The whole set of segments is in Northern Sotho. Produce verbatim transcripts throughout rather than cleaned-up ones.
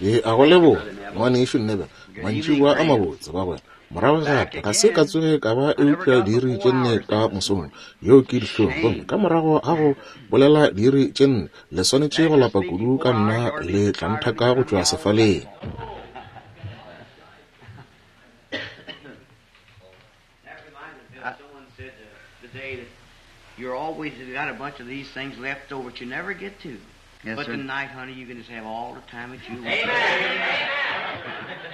Ke a go leboga, ngwanešu Neville, mantšiboa a mabotse bagwera. Morago gape ga se ka tsoge ka ba eupša diiri tše nne ka mosong, yeo ke dihlong. Gomme ka morago ga go bolela diiri tše nne, le swanetše go lapa kudu ka nna, le tla nthaka go tšwa sefaleng. You're always got a bunch of these things left over that you never get to. Yes, but sir. Tonight, honey, you can just have all the time that you want. Amen.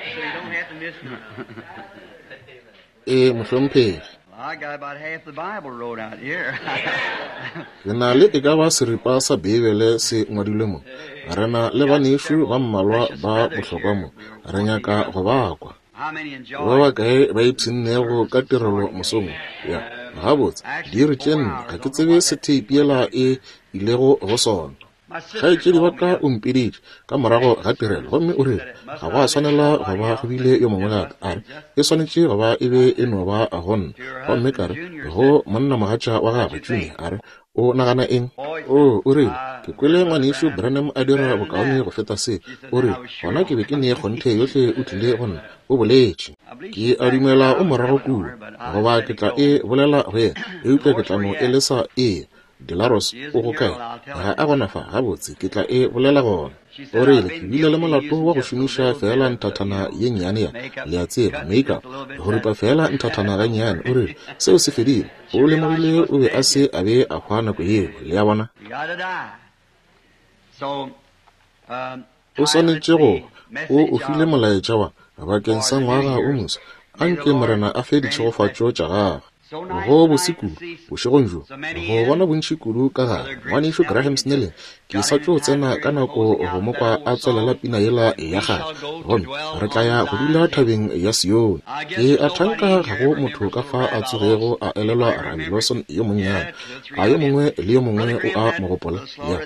So you don't have to miss none of it. E mohlomphegi. I got about half the Bible wrote out here. Ke na le e ka ba seripa sa Beibele se ngwadilwe mo. Re na le banešu ba mmalwa ba bohlokwa mo. Re nyaka go ba kwa. How many enjoy Ba bakae ba ipshinnego ka tirelo mosong? Ya, gabotse, diiri tše nne, ga ke tsebe se theipi yela e ilego go sona. Kgaetšedi wa ka o mpiditše ka morago ga tirelo gomme o rile ga go a swanela go ba go bile yo mongwe gape. A re e swanetše go ba e be e no ba go nna. Gomme ka re go monnamogatša wa gagwe Junior, a re o nagana eng? O o rile ke kwele ngwanešu Branham a dira bokaone go feta se. O rile gona ke be ke ne kgonthe yohle o tlile go nna, o boletše. Ke a dumela o morago kua, goba ke tla e bolela go yena, eupša ke tla no e lesa e. Delaros o go kae? Ga a gona fa, gabotse ke tla e bolela gona. O rile ke bile le molato wa go šomiša fela nthathana ye nnyane ya, le a tseba, makeup, go ripa fela nthathana gannyane. O rile seo se fedile. O lemogile o be a se a be a hwa nako yeo, le a bona. You gotta die. So, um, O swanetše go, o o file molaetša wa bakeng sa ngwaga o moswa. Anke Morena a fe ditšhegofatšo tša gagwe. Go bose kudu bošegong bjo go bona bontši kudu ka gare. Ngwanešu Graham Snelling, ke sa tšo tsena ka nako go mo kwa a tswelela pina yela ya kgale, gomme re tla ya go dula thabeng ya Sione. Ke a thanka ga go motho ka fa a tsogego a elelwa Rabi Lawson yo monnyane. A yo mongwe le yo mongwe o a mo gopola? Ya,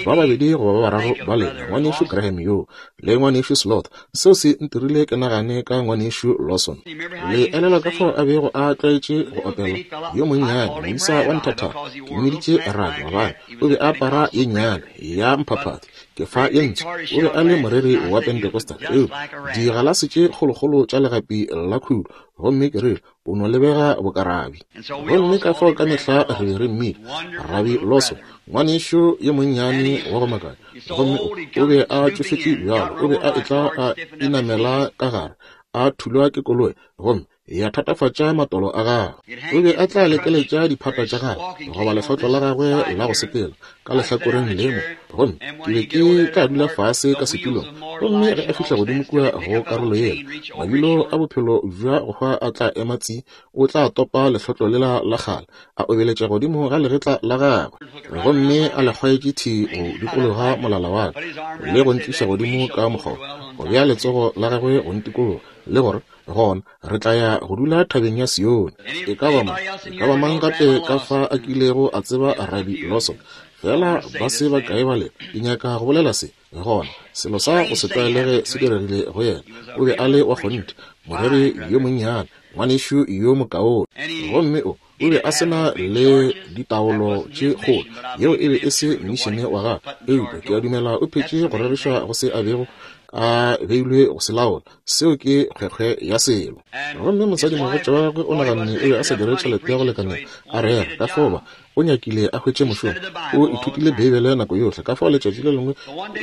ba babedi goba ba bararo ba lena, ngwanešu Graham yo le ngwanešu Slot. Seo se ntirile ke nagane ka ngwanešu Lawson. Le elelwa ka fao a bego a tlwaetše go opela yo monnyane moisa wa nthathana, ke mmiditše Rabi gobane o be a apara ye nnyane ya mphaphathi, ke fa ye ntsho. O be a le moreri wa Pentecostal, eupša digalase tše kgolokgolo tša legapi la khudu, gomme ke rile o no lebega bokarabi. Gomme ka fao ka mehla re be re mmitša Rabi Lawson, ngwanešu yo monnyane wa go makatša. Gomme o be a tšofetše bjalo, o be a etla a inamela ka gare, a thulwa ke koloi, gomme ya thatafatša matolo a gagwe. O be a tla lekeletša diphata tša gagwe goba lehlotlo la gagwe la go sepela ka lehlakoreng le mo, gomme ke be ke tla dula fase ka setulong. Gomme ge a fihla godimo kua go karolo yela, mabilo a bophelo bja go hwa a tla ema tsi, o tla topa lehlotlo lela la kgale, a obeletša godimo ga legetla la gagwe, gomme a le kgwaetše thi go dikologa molala wa ka le go ntliša godimo ka mokgoba, go bea letsogo la gagwe go ntikologa, le gore gona re tla ya go dula thabeng ya Sione. E ka ba mang, e ka ba mang gape ka fa a kilego a tseba Rabi Lawson? Fela ba se ba kae ba lena, ke nyaka go bolela se. Gona selo sa go se tlwaelege se diregile go yena. O be a le wa kgonthe, moreri yo monnyane, ngwanešu yo mokaone. Gomme o o be a se na le ditaolo tše kgolo, yeo e be e se mišene wa gagwe, eupša ke a dumela o phetše go reriša go se a bego a beilwe go se laola. Seo ke kgwekgwe ya selo. Gomme mosadimogatša wa gagwe o naganne o be a sa dire tšhelete ya go lekanela a rera, ka fao ba o nyakile a hwetše mošomo. O ithutile Beibele nako yohle, ka fao letšatši le lengwe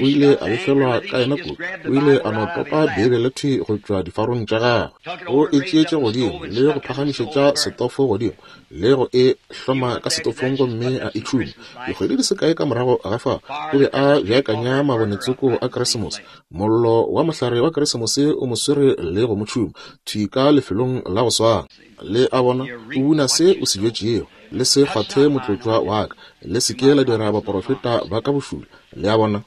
o ile a befelwa ka yena kudu. O ile a no topa Beibele thwi go tšwa difarong tša gagwe, o e tšeetše godimo le go phagamišetša setofo godimo le go e hloma ka setofong, gomme a e tšhuma. Dikgwedi di se kae ka morago ga fao, o be a beakanya mabonetsoko a Keresemose. Mollo wa mohlare wa Keresemose o mo swere le go mo tšhuma thwi ka lefelong la go swana. Le a bona, o buna se o se bjetšego. Le se kgwathe motlotšwa wa ka, le se ke la dira baprofeta ba ka bošula. Le a bona,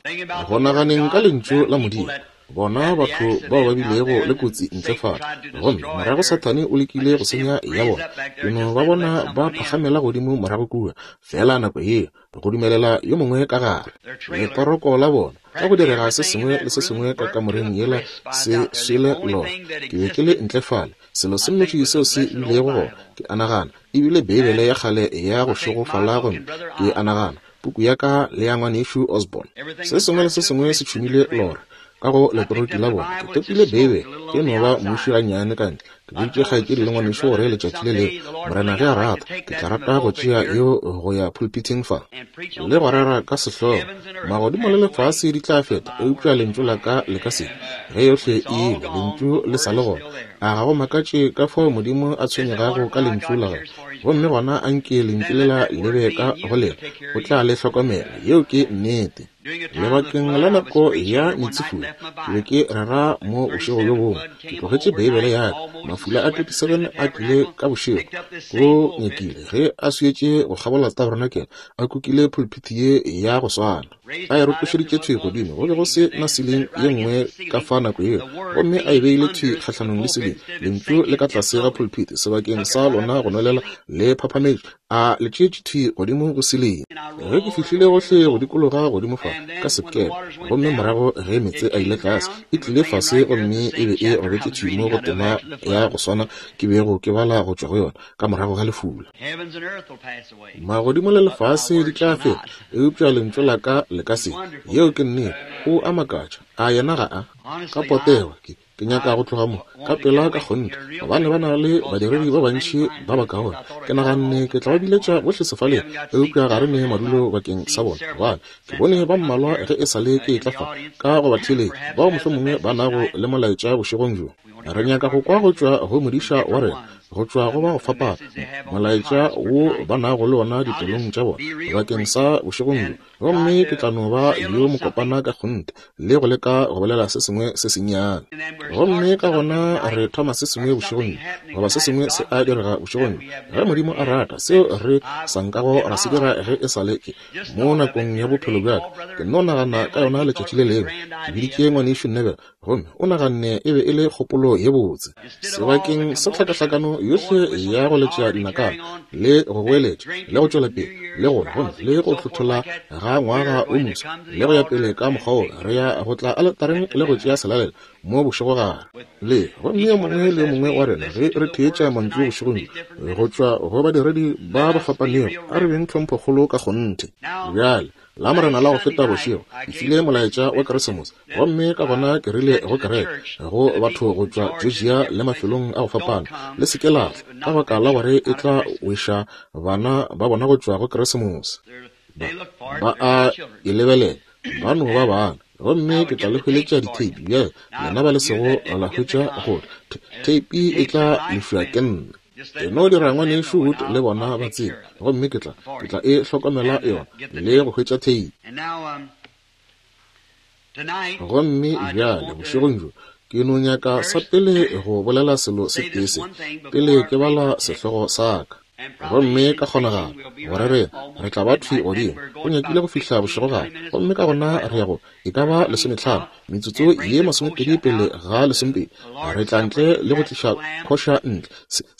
go naganeng ka lentšu la Modimo, bona batho bao ba bilego le kotsi ntle fale, gomme morago Sathane o lekile go senya ya bona. Ke no ba bona ba phagamela godimo morago kua, fela nako yeo go dumelela yo mongwe ka gare. Letoroko la bona ka go direga se sengwe le se sengwe ka kamoreng yela se swele lona. Ke be ke le ntle fale, selo se nnoši seo se bilego gona, ke a nagana, ebile Beibele ya kgale ya go šegofala, gomme ke a nagana puku ya ka le ya ngwanešu Osborne. Se sengwe le se sengwe se tšhumile lora. ka go letoroti la bona. Ke topile Beibe, ke no ba muši gannyane ka ntle. Ke boditše kgaetšedi le ngwanešu gore letšatši le lengwe, Morena ge a rata, ke tla rata go tšea yeo go ya pulpithing fa le go rera ka sehlogo. Magodimo le lefase di tla feta, eupša lentšu la ka le ka se. Ge yohle e ile, lentšu le sa le gona. A ga go makatše ka fao Modimo a tshwenyegago ka lentšu la gagwe. Gomme gona anke lentšu lela le be ka go lena, o tla le hlokomela. Yeo ke nnete. Lebakeng la nako ya meetsefula, ke be ke rera mo bošego bjo bongwe. Ke tlogetše Beibele ya ka. Mafula a twenty-seven a tlile ka bošego. Go nyakile ge a swietše go kgabola tabernakel, a kukile pulpiti ye ya go swana. A e rotošeditše thwi godimo, go be go se na siling ye nngwe ka fa nako yeo, gomme a e beile thwi kgahlanong le siling. Lentšu le ka tlase ga pulpiti, sebakeng sa lona go nwelela le phaphametše, a le tšeetše thwi godimo go siling. Ge ke fihlile gohle go dikologa godimo fa ka sekepe, gomme morago ge meetse a ile tlase, e tlile fase gomme e be e robetše thwi mo go tema ya go swana ke bego ke bala go tšwa go yona ka morago ga lefula. Magodimo le lefase di tla feta, eupša lentšu la ka le ka se. Yeo ke nnete. O a makatša. A yena ga a? Ka potego ke ke nyaka go tloga mo ka pela ka kgonthe, gobane ba na le badiredi ba bantši ba bakaone. Ke naganne ke tla ba biletša bohle sefaleng, eupša ga re ne madulo bakeng sa bona, gobane ke bone ba mmalwa ge e sa le ke tla fa ka go ba theeletša, bao mohlomongwe ba nago le molaetša bošegong bjo. Re nyaka go kwa go tšwa go modiša wa rena, go tšwa go ba go fapana, molaetša wo ba nago le ona dipelong tša bona bakeng sa bošegong bjo. Gomme ke tla no ba yo mokopana ka kgonthe le go leka go bolela se sengwe se sennyane. Gomme ka gona re thoma se sengwe bošegong bjo, goba se sengwe se a direga bošegong bjo, ge Modimo a rata, seo re sa nkago ra se dira ge e sa le ke mo nakong ya bophelo bja ka. Ke no nagana ka yona letšatši le lengwe. Ke biditše ngwanešu Neville, gomme o naganne e be e le kgopolo ye botse. Sebakeng sa tlhakahlakano yohle ya go letša dinakana le go goeletša le go tšwela pele le go gomme le go hlothola ga ngwaga o moswa le go ya pele ka mokgwa wo, re ya go tla aletareng le go tšea selalelo mo bošegogare le. Gomme yo mongwe le yo mongwe wa rena ge re theetša mantšu bošegong go tšwa go badiredi ba ba fapanego, a re beng tlhomphokgolo ka kgonthe. Bjale la Morena la go feta bošego ke file molaetša wa Keresemose, gomme ka gona ke rile go kereke, go batho go tšwa Georgia le mafelong a go fapana, le se ke la tla, ka baka la gore e tla weša bana ba bona go tšwa go Keresemose. Ba, ba a e lebelela, ba no ba bana. Gomme ke tla le hweletša ditheipi bjale, lena ba le sego la hwetša gore theipi e tla lefiwa ke nna. Ke no dira ngwanešu Wood le bona ba tsebe, gomme ke tla ke tla e hlokomela yona le go hwetša theipi. Gomme bjale bošegong bjo ke no nyaka sa pele go bolela selo se tee se, pele ke bala sehlogo sa ka. Gomme ka kgonagalo gore re re tla ba thwi godimo go nyakile go fihla bošegogare, gomme ka gona re ya go e ka ba lesometlhano metsotso ye masomepedi pele ga lesomepedi, re tla ntle le go tliša khoša ntle,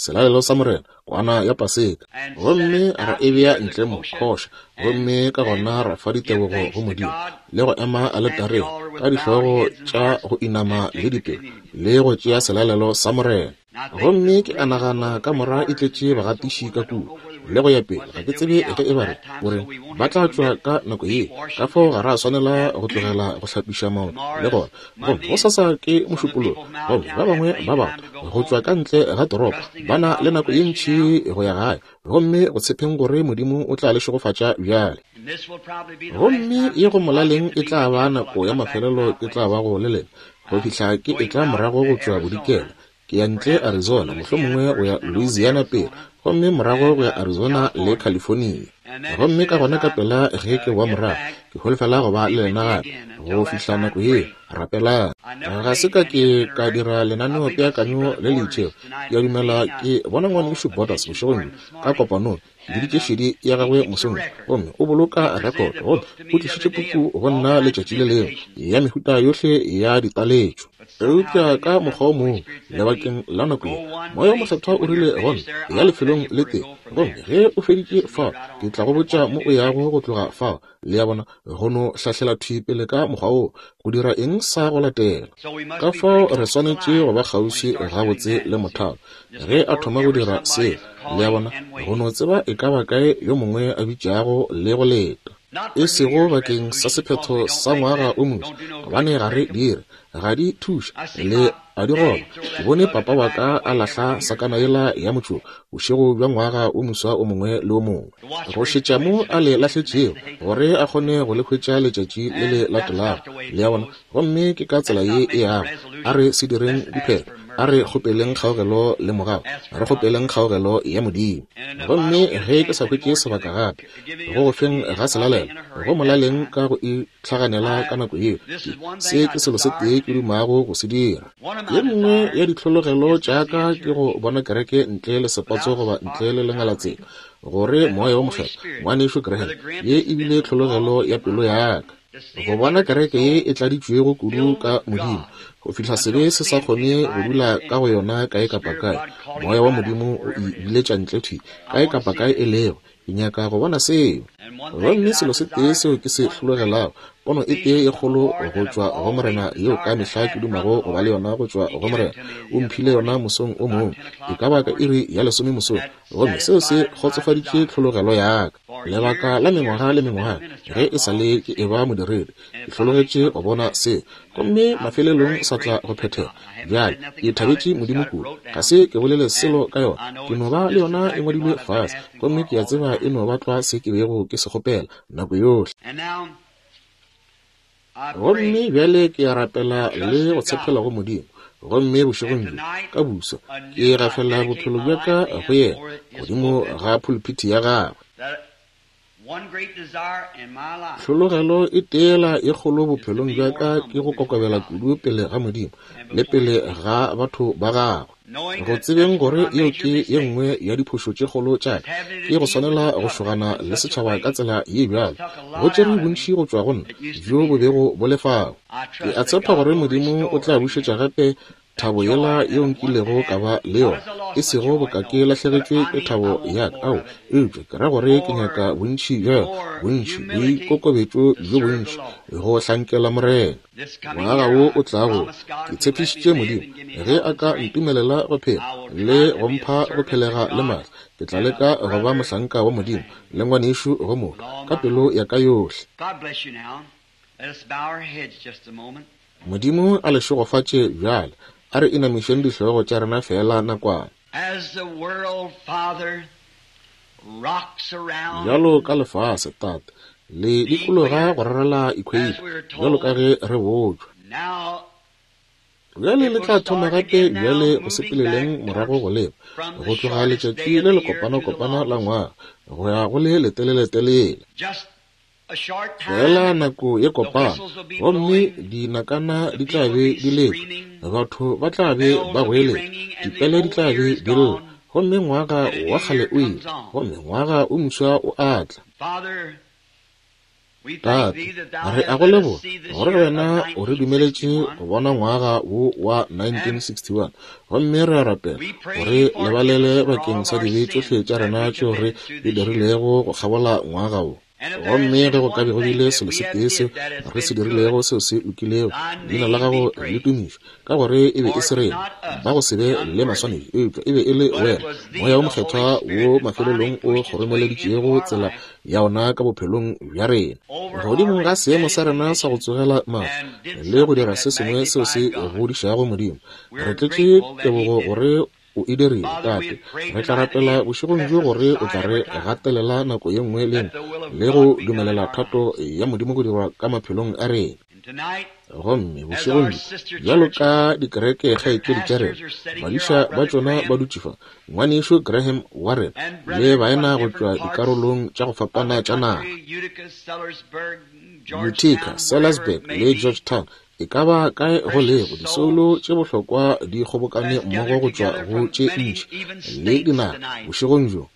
selalelo sa Morena, kwana ya Paseka, gomme ra e bea ntle mo khoša, gomme ka gona ra fa ditebogo go Modimo le go ema aletareng ka dihlogo tša go inama le dipelo le go tšea selalelo sa Morena. Gomme ke a nagana ka mora e tletše bagatiši ka kua le go ya pele. Ga ke tsebe ge e ba re gore ba tla tšwa ka nako ye, ka fao ga ra swanela go tlogela go hlapiša maoto le gona. Gomme go sasa ke mošupologo, gomme ba bangwe ba batho go tšwa ka ntle ga toropo ba na le nako ye ntši go ya gae, gomme go tshepeng gore Modimo o tla le šegofatša bjale. Gomme ye go molaleng e tla ba nako ya mafelelo ke tla ba go le lena go fihla ke e tla morago go tšwa bodikela. Ke ya ntle Arizona, mohlomongwe go ya Louisiana pele, gomme morago go ya Arizona le California. Gomme ka gona ka pela ge ke boa morago, ke holofela go ba le lena gape go fihla nako ye. Rapelang. Ga se ka ke ka dira lenaneo peakanyo le le itšego. Ke a dumela ke bona ngwanešu Borders bošegong bjo ka kopanong. Ke biditše šedi ya gagwe mosong, gomme o boloka record, gomme o tlišitše puku go nna letšatši le lengwe ya mehuta yohle ya ditaletšo. Eupša ka mokgwa o mongwe lebakeng la nako ye, Moya o Mokgethwa o rile go nna, ya lefelong le tee, gomme ge o feditše fao, ke tla go botša mo o yago go tloga fao. Le ya bona, go no hlahlela thwi pele ka mokgwa wo, go dira eng sa go latela. Ka fao re swanetše go ba kgauswi gabotse le mothalo ge a thoma go dira seo. Le ya bona, go no tseba e ka ba kae yo mongwe a bitšago le go leta. E sego bakeng sa sephetho sa ngwaga o moswa, gobane ga re dire, ga di thuše, le a di roba. Ke bone papa wa ka a lahla sakana yela ya motšoko bošego bja ngwaga o moswa o mongwe le o mongwe, go šetša mo a le lahletšego gore a kgone go le hwetša letšatši le le latelago. Le a bona? Gomme ke ka tsela ye e yago. A re se direng diphetho, a re kgopeleng kgaogelo le mogau, re kgopeleng kgaogelo ya Modimo. Gomme ge ke sa hwetše sebaka gape go go feng ga selalelo, go molaleng ka go itlhaganela ka nako yeo, se ke selo se tee ke dumago go se dira. Ye nngwe ya ditlhologelo tša ka ke go bona kereke ntle le sepatso goba ntle le lengalatsela, gore Moya wo Mokgethwa, ngwanešu Graham, ye e bile tlhologelo ya pelo ya ka, go bona kereke ye e tladitšwego kudu ka Modimo go fihla sebe se sa kgone go dula ka go yona kae kapa kae. Moya wa Modimo o e biletša ntle thwi kae kapa kae e lego. Ke nyaka go bona seo. Gomme selo se tee seo ke se hlologelago, pono e tee e kgolo go tšwa go Morena yeo ka mehla ke dumago go ba le yona go tšwa go Morena, o mphile yona mosong o mongwe, e ka ba ka iri ya lesome mosong, gomme seo se kgotsofaditše tlhologelo ya ka. Lebaka la mengwaga le mengwaga ge e sa le ke eba modiredi, ke hlologetše go bona seo, gomme mafelelong sa tla go phethega. Bjale ke thabetše Modimo kudu, ga se ke bolele selo ka yona, ke no ba le yona e ngwadilwe fase, gomme ke a tseba e no ba tlwa se ke bego ke se kgopela nako yohle. Gomme bjale ke a rapela le go tshepela go Modimo, gomme bošegong bjo ka busa ke gafela bophelo bja ka go yena godimo ga pulpiti ya gagwe. Tlhologelo e teela e kgolo bophelong bja ka ke go kokobela kudu pele ga Modimo le pele ga batho ba gagwe, go tsebeng gore yeo ke ye nngwe ya diphošo tše kgolo tša ka, ke go swanela go šogana le setšhaba ka tsela ye bjalo. Go tšere bontši go tšwa go nna bjo bo bego bo le fao. Ke a tshepa gore Modimo o tla bušetša gape thabo yela yeo nkilego ka ba le yona, e sego boka ke lahlegetšwe ke thabo ya ka, ao, eupša ke ra gore ke nyaka bontši bja yona, bontši boikokobetšo bjo bontši go hlankela Morena. Ngwaga wo o tlago, ke tshepišitše Modimo ge a ka ntumelela go phela le go mpha go phelega le maatla, ke tla leka go ba mohlanka wa Modimo le ngwanešu go motho ka pelo ya ka yohle. Modimo a le šegofatše bjale. A re inamišeng dihlogo tša rena fela nakwana. Bjalo ka lefase, Tate, le dikologa go rarela equator, bjalo ka ge re botšwa. Bjale le tla thoma gape bjale go sepeleleng morago go leba, go tloga letšatši le le kopana-kopana la ngwaga go ya go le leteleletelele. Fela nako ye kopana, gomme dinakana di tla be di letšwa, batho ba tla be ba goeletša, dipele di tla be di lla, gomme ngwaga wa kgale o ile, gomme ngwaga o moswa o a tla. Tate, re a go leboga gore wena o re dumeletše go bona ngwaga wo wa nineteen sixty-one, gomme re a rapela gore lebalele bakeng sa dibe tšohle tša rena tšeo re di dirilego go kgabola ngwaga wo. Gomme ge go ka be go bile selo se tee seo re se dirilego seo se lokilego, leina la gago le tumišwe, ka gore e be e se rena ba go se be le maswanedi, eupša e be e le wena Moya wo Mokgethwa wo mafelelong o kgoromeleditšego tsela ya ona ka bophelong bja rena godimo ga seemo sa rena sa go tsogela mafu le go dira se sengwe seo se godišago Modimo. Re tletše tebogo gore o e dirile, Tate. Re tla rapela bošegong bjo gore o tla re gatelela nako ye nngwe le nngwe le go dumelela thato ya Modimo go dirwa ka maphelong a rena. Gomme bošegong bjo, bjalo ka dikereke kgaetšedi tša rena, badiša ba tšona ba dutše fa, ngwanešu Graham Warren le baena go tšwa dikarolong tša go fapana tša naga, Utica, Sellersburg le Georgetown, e ka ba kae go lego, disoulo tše bohlokwa di kgobokane mmogo go tšwa go tše ntši le dinaga bošegong bjo,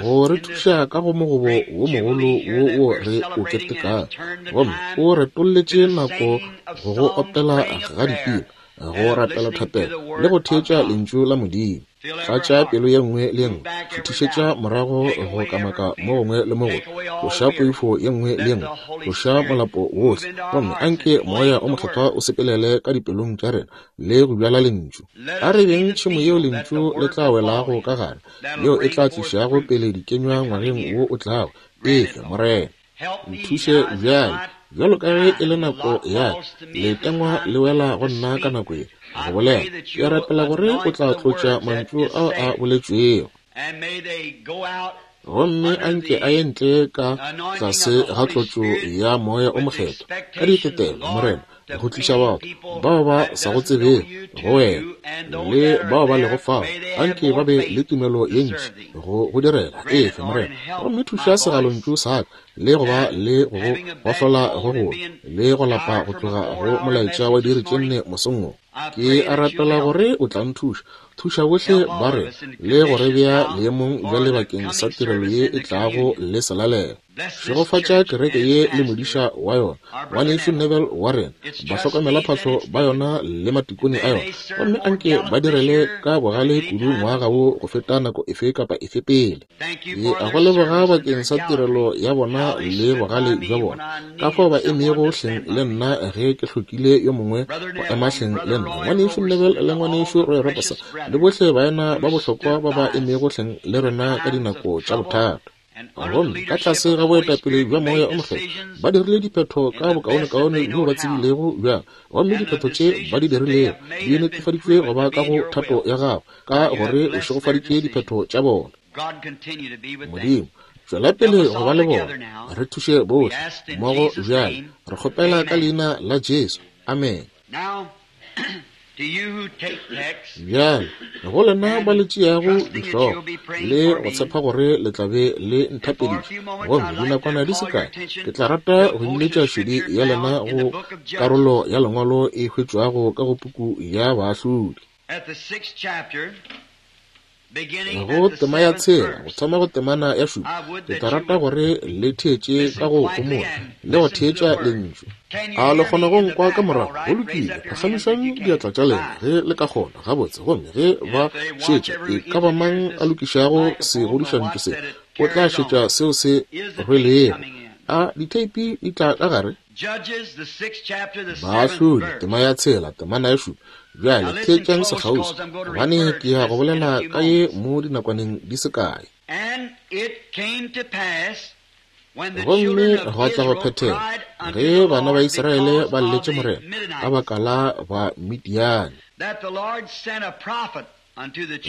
go re thuša ka go mogobo wo mogolo wo wo re o ketekang. Gomme o retolletše nako go go opela ga dipina, go rapela thapelo le go theetša lentšu la Modimo. Tlatša pelo ye nngwe le ye nngwe, šuthišetša morago go kamaka mo gongwe le mo gongwe, tloša poifo ye nngwe le ye nngwe, tloša molapo wohle, gomme anke Moya o Mokgethwa o sepelele ka dipelong tša rena le go bjala lentšu. A re beng tšhemo yeo lentšu le tla welago ka gare, yeo e tla tlišago pele dikenywa ngwageng wo o tlago. Efe, Morena. Nthuše bjale, bjalo ka ge e le nako ya letengwa le wela go nna ka nako ye go bolela. Ke rapela gore o tla tlotša mantšu ao a boletšwego, gomme a nke a ye ntle ka tlase ga tlotšo ya Moya o Mokgethwa ka ditetelo, Morena, go tliša batho bao ba sa go tsebego go wena le bao ba lego fao. Anke ba be le tumelo ye ntši go go direla. Efe, Morena, gomme thuša segalontšu sa ka le go ba le go gohlola go golo le go lapa go tloga go molaetša wa diiri tše nne mosong wo. Ke a rapela gore o tla nthuša, thuša bohle ba re le go re bea leemong bjale bakeng sa tirelo ye e tlago le selalelo. Šegofatša kereke ye le modiša wa yona, ngwanešu Neville wa rena, bahlokomelaphahlo ba yona le matikone a yona, gomme anke ba direle ka bogale kudu ngwaga wo go feta nako efe kapa efe pele. Ke a go leboga bakeng sa tirelo ya bona le bogale bja bona, ka fao ba emego hleng le nna ge ke hlokile yo mongwe go ema hleng le nna, ngwanešu Neville le ngwanešu Roy Robertson le bohle baena ba bohlokwa ba ba emego hleng le rena ka dinako tša bothata. Gomme ka tlase ga boetapele bja Moya o Mokgethwa ba dirile diphetho ka bokaonekaone bjo ba tsebilego bjang, gomme diphetho tše ba di dirilego di netefaditšwe go ba ka go thato ya gago, ka gore o šegofaditše diphetho tša bona. Modimo, tšwela pele go ba le bona, re thuše bohle mmogo bjale. Re kgopela ka leina la Jesu, amen. Bjale go lena ba le tšeago dihlogo le go tshepa gore le tla be le nthapediša, gomme dinakwana di se kae ke tla rata go biletša šedi ya lena go karolo ya lengwalo e hwetšwago ka go puku ya Baahlodi, go tema ya tshela go thoma go temana ya šupa. Ke tla rata gore le theetše ka go homola le go theetša lentšu. A le kgona go nkwa ka morago? Go lokile, phagamišang diatla tša lena ge le ka kgona. Gabotse. Gomme ge ba šetša, e ka ba mang a lokišago segodišantšu se, o tla šetša seo se rwelego. A ditheipi di tla ka gare? Baahlodi, tema ya tshela, temana ya šupa. Bjale theetšang sekgauswi, gobane ke ya go bolela ka ye mo dinakwaneng di se kae. Gomme gwa tla go phethega ge bana ba Israele ba lletše Morena ka baka la ba Midiane,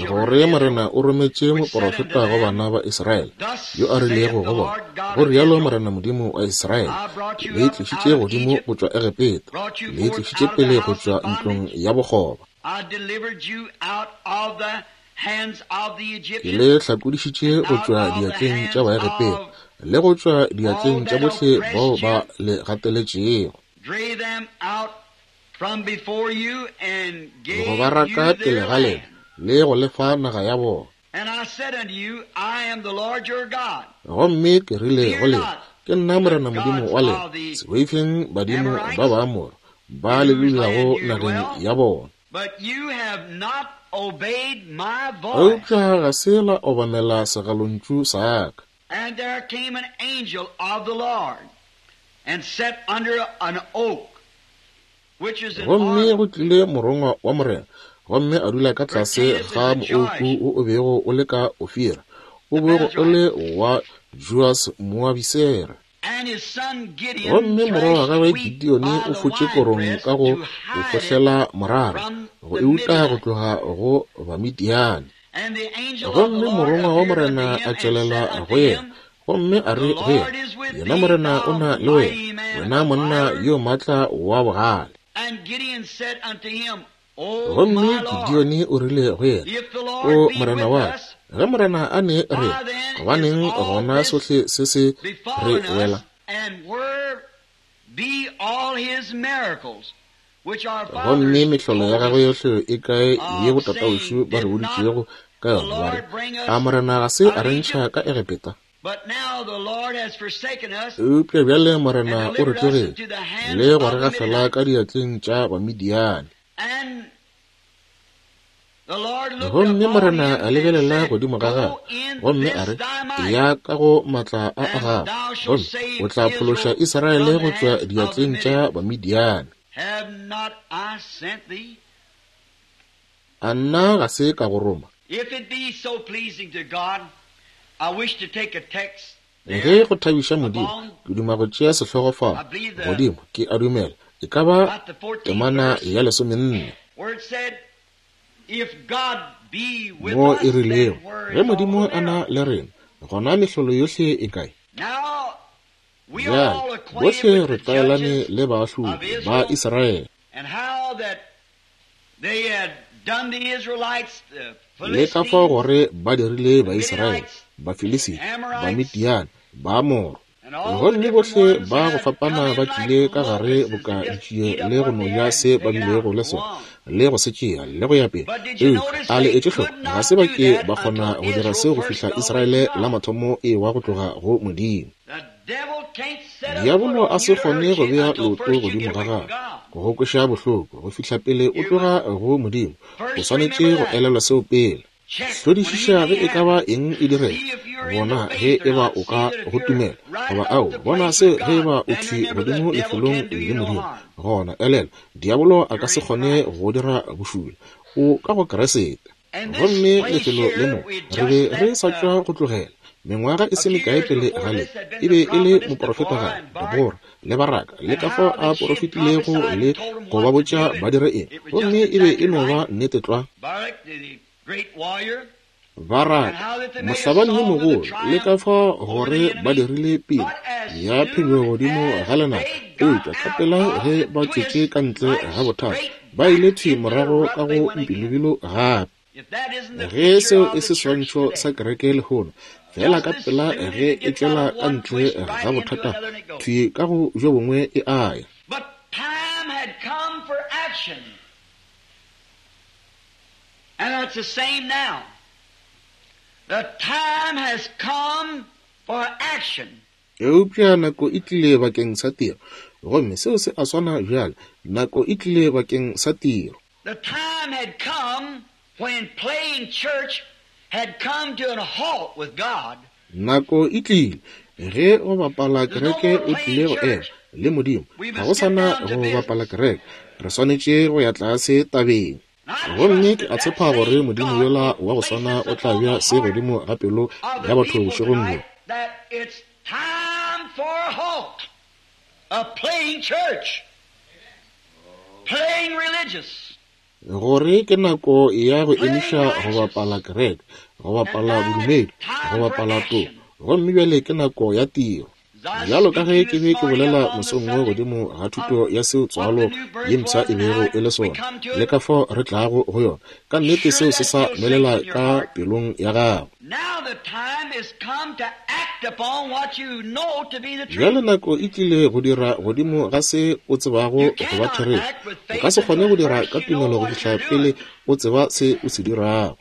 gore Morena o rometše moporofeta go bana ba Israele, yo a rilego go bona, go rialo Morena Modimo wa Israele, ke le tlišitše godimo go tšwa Egepeta, le tlišitše pele go tšwa ntlong ya bokgoba, ke le hlakodišitše go tšwa diatleng tša Baegepeta le go tšwa diatleng tša bohle bao ba le gateletšego, go ba raka pele ga lena le go lefa naga ya bona. Gomme ke rile go lena, ke nna Morena Modimo wa lena, se boifeng badimo ba Baamoro ba le dulago nageng ya bona. Eupša ga se la obamela segalontšu sa ka. And there came an angel of the Lord and sat under an oak, which is an Gomme go tlile morongwa wa Morena, gomme a dula ka tlase ga mooko wo o bego o le ka Ofira, o bego o le wa Joas Moabisere. And his son Gideon Gomme morwa wa thrashed gagwe wheat Gideone by o the fotše korong winepress ka go to o hide it fohlela morara, from go the e uta go Midianites. tloga go Bamidiane. And the angel of the Gomme Lord morongwa wa appeared unto Morena him a and tšwelela said unto go yena, him, gomme a The re go Lord yena, is with yena thee, Morena o thou na le wena, mighty man wena of monna valor. yo maatla wa bogale. And Gideon said unto him, O Gomme my Lord, Gideone o rile go yena, if the o Lord be Morena with wa ka, us, ge Morena a ne re, why then is gobaneng all gona this sohle se se re befallen wela? us, and where be all his miracles, which our Gomme fathers mehlolo ya told gagwe us yohle e kae ye of, botatawešo saying, ba re Did not boditšego ka the yona, ba re, Lord bring a us Morena ga se out a of re ntšha Egypt? ka Egepeta? But now the Lord has forsaken us Eupša bjale and Morena o re delivered us tlogetše into the hands le go of re the gafela Midianites. ka diatleng tša Bamidiane. And the Lord looked Gomme upon Morena him a and lebelela said, godimo ga Go gagwe, in gomme a this re, thy might, eya ka go maatla a a and gago, thou shalt gomme save o tla phološa Israel Israele from go the tšwa hands of the diatleng tša Midianites. Bamidiane. Have not I sent thee? A nna ga se ka go roma? If it be so pleasing to God, I wish to take a text Ge go thabiša Modimo, ke duma go tšea sehlogo fao godimo, ke a dumela e ka ba temana ya lesomenne, mo e rilego, ge Modimo a na le rena, gona mehlolo yohle e kae? Bjale bohle re tlwaelane le baahlodi ba Israele, le ka fao gore ba dirile Baisraele, Bafilisita, Bamidiane, Baamoro, gomme bohle ba go fapana ba tlile ka gare boka ditšie le go no ja se ba bilego le sona le go se tšea le go ya pele. Eupša a le etše hloko, ga se ba ke ba kgona go dira seo go fihla Israele la mathomo e wa go tloga go Modimo. Diabolo a se kgone go bea leoto godimo ga gago go kweša bohloko go fihla pele o tloga go Modimo. O swanetše go elelwa seo pele. Hlodišiša ge e ka ba eng e direga, bona ge e ba o ka go tumela goba ao, bona se ge e ba o thwi godimo lefelong le Modimo. Gona elelwa, diabolo a ka se kgone go dira bošula. O ka go Kriste. Gomme lefelo le mo re be re sa tšwa go tlogela mengwaga e se mekae pele ga le, e be e le moprofetagadi Debora le Baraka, le ka fao a porofetilego le go ba botša ba dire eng, gomme e be e no ba nnete tlwa. Baraka, mohlabani yo mogolo, le ka fao gore ba dirile pele ya phenyo godimo ga lenaba, eupša ka pela ge ba tšwetše ka ntle ga bothata, ba ile thwi morago ka go mpilobilo gape. Ge seo e se seswantšho sa kereke lehono, fela ka pela ge e tšwela ka ntle ga bothata, thwi ka go bjo bongwe e aya. And that's the same now. The time has come for action. Eupša nako e tlile bakeng sa tiro, gomme seo se a swana bjale. Nako e tlile bakeng sa tiro. The time had come when playing church had come to a halt with God. Nako e tlile ge go bapala kereke o tlile go ema le Modimo. Ga go sana go bapala kereke, re swanetše go ya tlase tabeng. Gomme ke a tshepa gore Modimo yola wa go swana o tla bea se godimo ga pelo ya batho bošegong bjo. Time for a halt of playing church, playing religious. Gore ke nako ya go emiša go bapala kereke, go bapala bodumedi, go bapala toko, gomme bjale ke nako ya tiro. Bjalo ka ge ke be ke bolela mosong wo godimo ga thuto ya seo tswalo ye mpsha e bego e le sona, le ka fao re tlago go yona, ka nnete seo se sa nwelela ka pelong ya gago. Bjale nako e tlile go dira godimo ga se o tsebago go ba therešo. O ka se kgone go dira ka tumelo go fihla pele o tseba se o se dirago.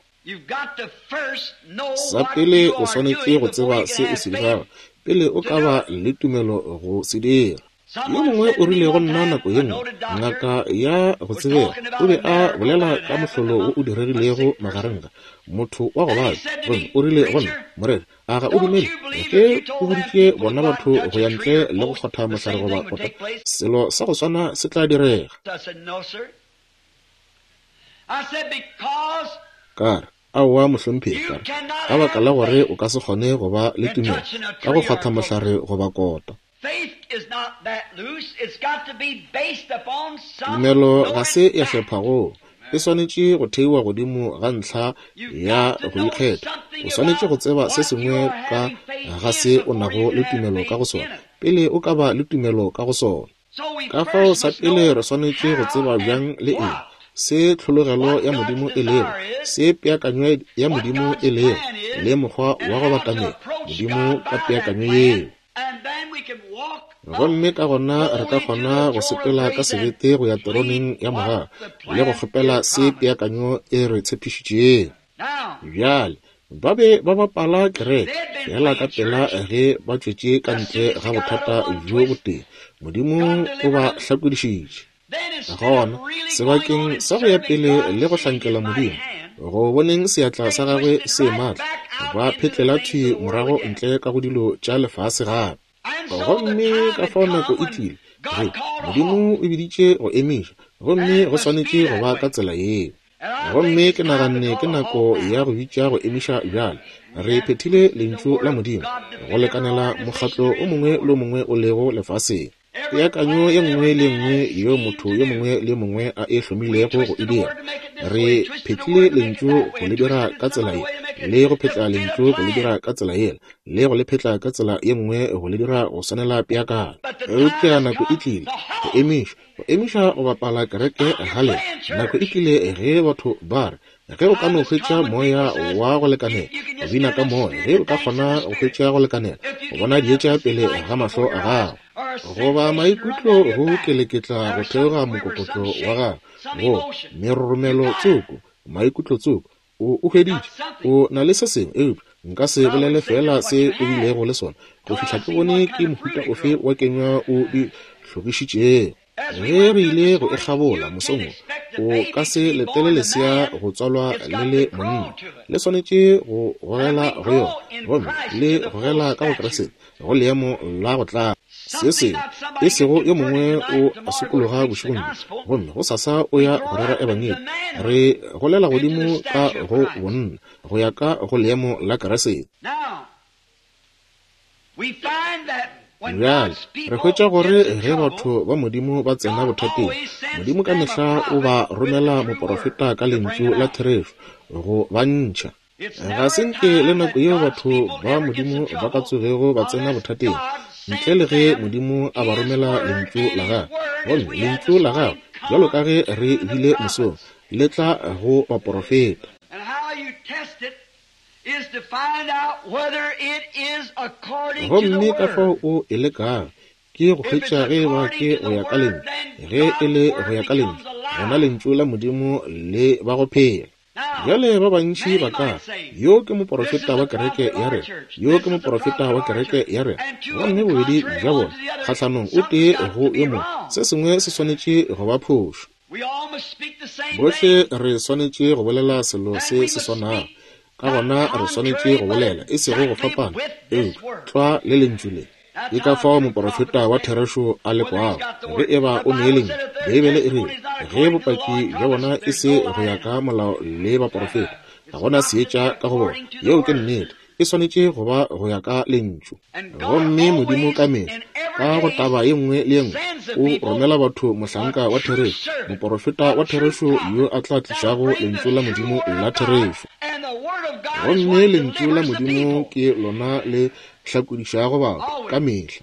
Sa pele o swanetše go tseba se o se dirago pele o ka ba le tumelo go se dira. Yo mongwe o rile go nna nako ye nngwe, ngaka ya go tsebega, o be a bolela ka mohlolo wo o diregilego magareng ga motho wa go babja, gomme o rile go nna, moreri, a ga o dumele ge o boditše bona batho go ya ntle le go kgotha mohlare goba kota, selo sa go swana se tla direga? Ka re, aowa mohlomphegi, ka re, ka baka la gore o ka se kgone go ba le tumelo ka go kgotha mohlare goba kota. Tumelo ga se ya hlepha-go, e swanetše go theiwa godimo ga ntlha ya go ikgetha. O swanetše go tseba se sengwe ka ga se o nago le tumelo ka go sona pele o ka ba le tumelo ka go sona. Ka fao sa pele re swanetše go tseba bjang le eng, se tlhologelo ya Modimo e lego, se peakanyo ya Modimo e lego, le mokgwa wa go batamela Modimo ka peakanyo yeo. Gomme ka gona re ka kgona go sepela ka sebete go ya teroneng ya mogau le go kgopela se peakanyo e re tshepišitšego. Bjale ba be ba bapala kereke fela ka pela ge ba tšwetše ka ntle ga bothata bjo botee, Modimo o ba hlakodišitše. Gona sebakeng sa go ya pele le go hlankela Modimo, go boneng seatla sa gagwe se matla, ba phetlela thwi morago ntle ka go dilo tša lefase gape. Gomme ka fao nako e tlile ge Modimo o biditše go emiša, gomme go swanetše go ba ka tsela yeo. Gomme ke naganne ke nako ya go bitša go emiša bjale. Re phethile lentšu la Modimo go lekanela mokgatlo o mongwe le o mongwe o lego lefaseng. Peakanyo ye nngwe le nngwe yeo motho yo mongwe le mongwe a e hlomilego go e dira. Re phethile lentšu go le dira ka tsela ye, le go phetla lentšu go le dira ka tsela yela, le go le phetla ka tsela ye nngwe go le dira go swanela peakanyo. Eupša nako e tlile go emiša, go emiša go bapala kereke ga lena. Nako e tlile ge batho ba re, ge o ka no hwetša moya wa go lekanela, go bina ka moya, ge o ka kgona go hwetša go lekanela, go bona dietša pele ga mahlo a gago, goba maikutlo go keleketla go theoga mokokotlo wa gago, go meroromelo tsoko, maikutlo tsoko, o o hweditše, o na le se sengwe, eupša nka se bolele fela se o bilego le sona go fihla ke bone ke mohuta ofe wa kenywa o di hlogišitšego. Ge re ile go e kgabola mosong wo, o ka se letele lesea go tswalwa le le monna, le swanetše go gogela go yona, gomme le gogela ka go Kriste go leemo la go tla. Se sengwe e sego yo mongwe o a sokologa bošegong bjo, gomme go sasa o ya go rera ebangedi. Re golela godimo ka go bonna go ya ka go leemo la Kriste. Bjale re hwetša gore ge batho ba Modimo ba tsena bothateng, Modimo ka mehla o ba romela moporofeta ka lentšu la therešo go ba ntšha. Ga se nke le nako yeo batho ba Modimo ba ka tsogego ba tsena bothateng ntle le ge Modimo a ba romela lentšu la gagwe. Gomme lentšu la gagwe, bjalo ka ge re bile mosong, le tla go baporofeta. Gomme ka fao o e lekago ke go hwetša ge eba ke go ya ka lentšu. Ge e le go ya ka lentšu, gona lentšu la Modimo le ba go phela. Bjale ba bantši ba ka, yo ke moporofeta wa kereke ya rena, yo ke moporofeta wa kereke ya rena, gomme bobedi bja bona kgahlanong o tee go yo mongwe, se sengwe se swanetše go ba phošo. Bohle re swanetše go bolela selo se se swanago, ka gona re swanetše go bolela e sego go fapana, eupša tlwa le lentšu le. Ke ka fao moporofeta wa therešo a lekwago ge eba o ne lentšu. Beibele e rile ge bopaki bja bona e se go ya ka molao le baporofeta, ga gona seetša ka go bona. Yeo ke nnete, e swanetše go ba go ya ka lentšu. Gomme Modimo ka mehla ka go taba ye nngwe le ye nngwe o romela batho mohlanka wa therešo, moporofeta wa therešo yo a tla tlišago lentšu la Modimo la therešo. Gomme lentšu la Modimo ke lona le hlakodišago batho ka mehla.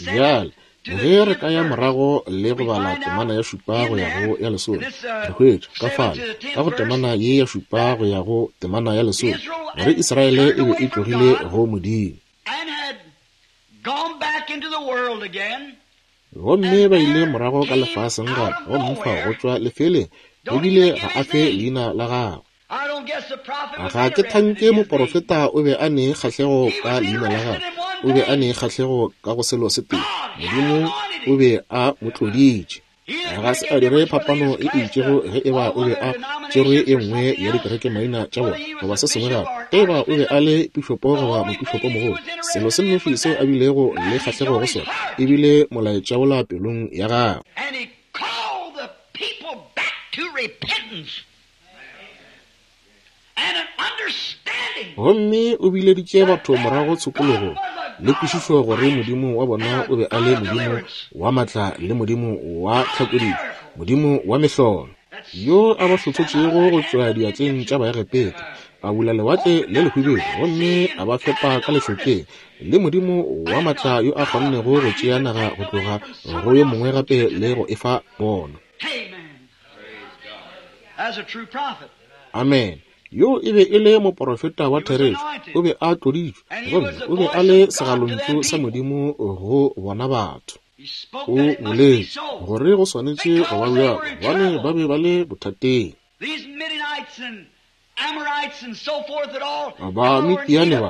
Bjale ge re ka ya morago le go bala temana ya šupa go ya go ya lesome, re hwetša ka fale ka go temana ye ya šupa go ya go temana ya lesome gore Israele e be e tlogile go Modimo, gomme ba ile morago ka lefaseng gape, gomme fao go tšwa lefeleng ebile ga a fe leina la gagwe. Ga ke thanke moporofeta o be a ne kgahlego ka leina la gagwe, o be a ne kgahlego ka go selo se tee, Modimo o be a mo tloditše. Ga se a dire phapano e itšego ge eba o be a tšerwe e nngwe ya dikereke maina tša bona goba se sengwe gape, ge eba o be a le pišopo goba mopišopo mogolo, selo se nnoši seo a bilego le kgahlego go sona e bile molaetša wola pelong ya gagwe. Gomme o bileditše batho morago tshokologong le kwešišo gore Modimo wa bona o be a le Modimo wa matla le Modimo wa tlhakodišo, Modimo wa mehlolo, yo a ba hlohlotšego go tšwa diatleng tša Baegepeta, a bula lewatle le lehwibidu gomme a ba fepa ka lešokeng, le Modimo wa matla yo a kgonnego go tšea naga go tloga go yo mongwe gape le go e fa bona. Amen. Yo e be e le moporofeta wa therešo, o be a tloditšwe, gomme o be a le segalontšu sa Modimo go bona batho. O boletše gore go swanetše go ba bjalo, gobane ba be ba le bothateng. Ba Midiane ba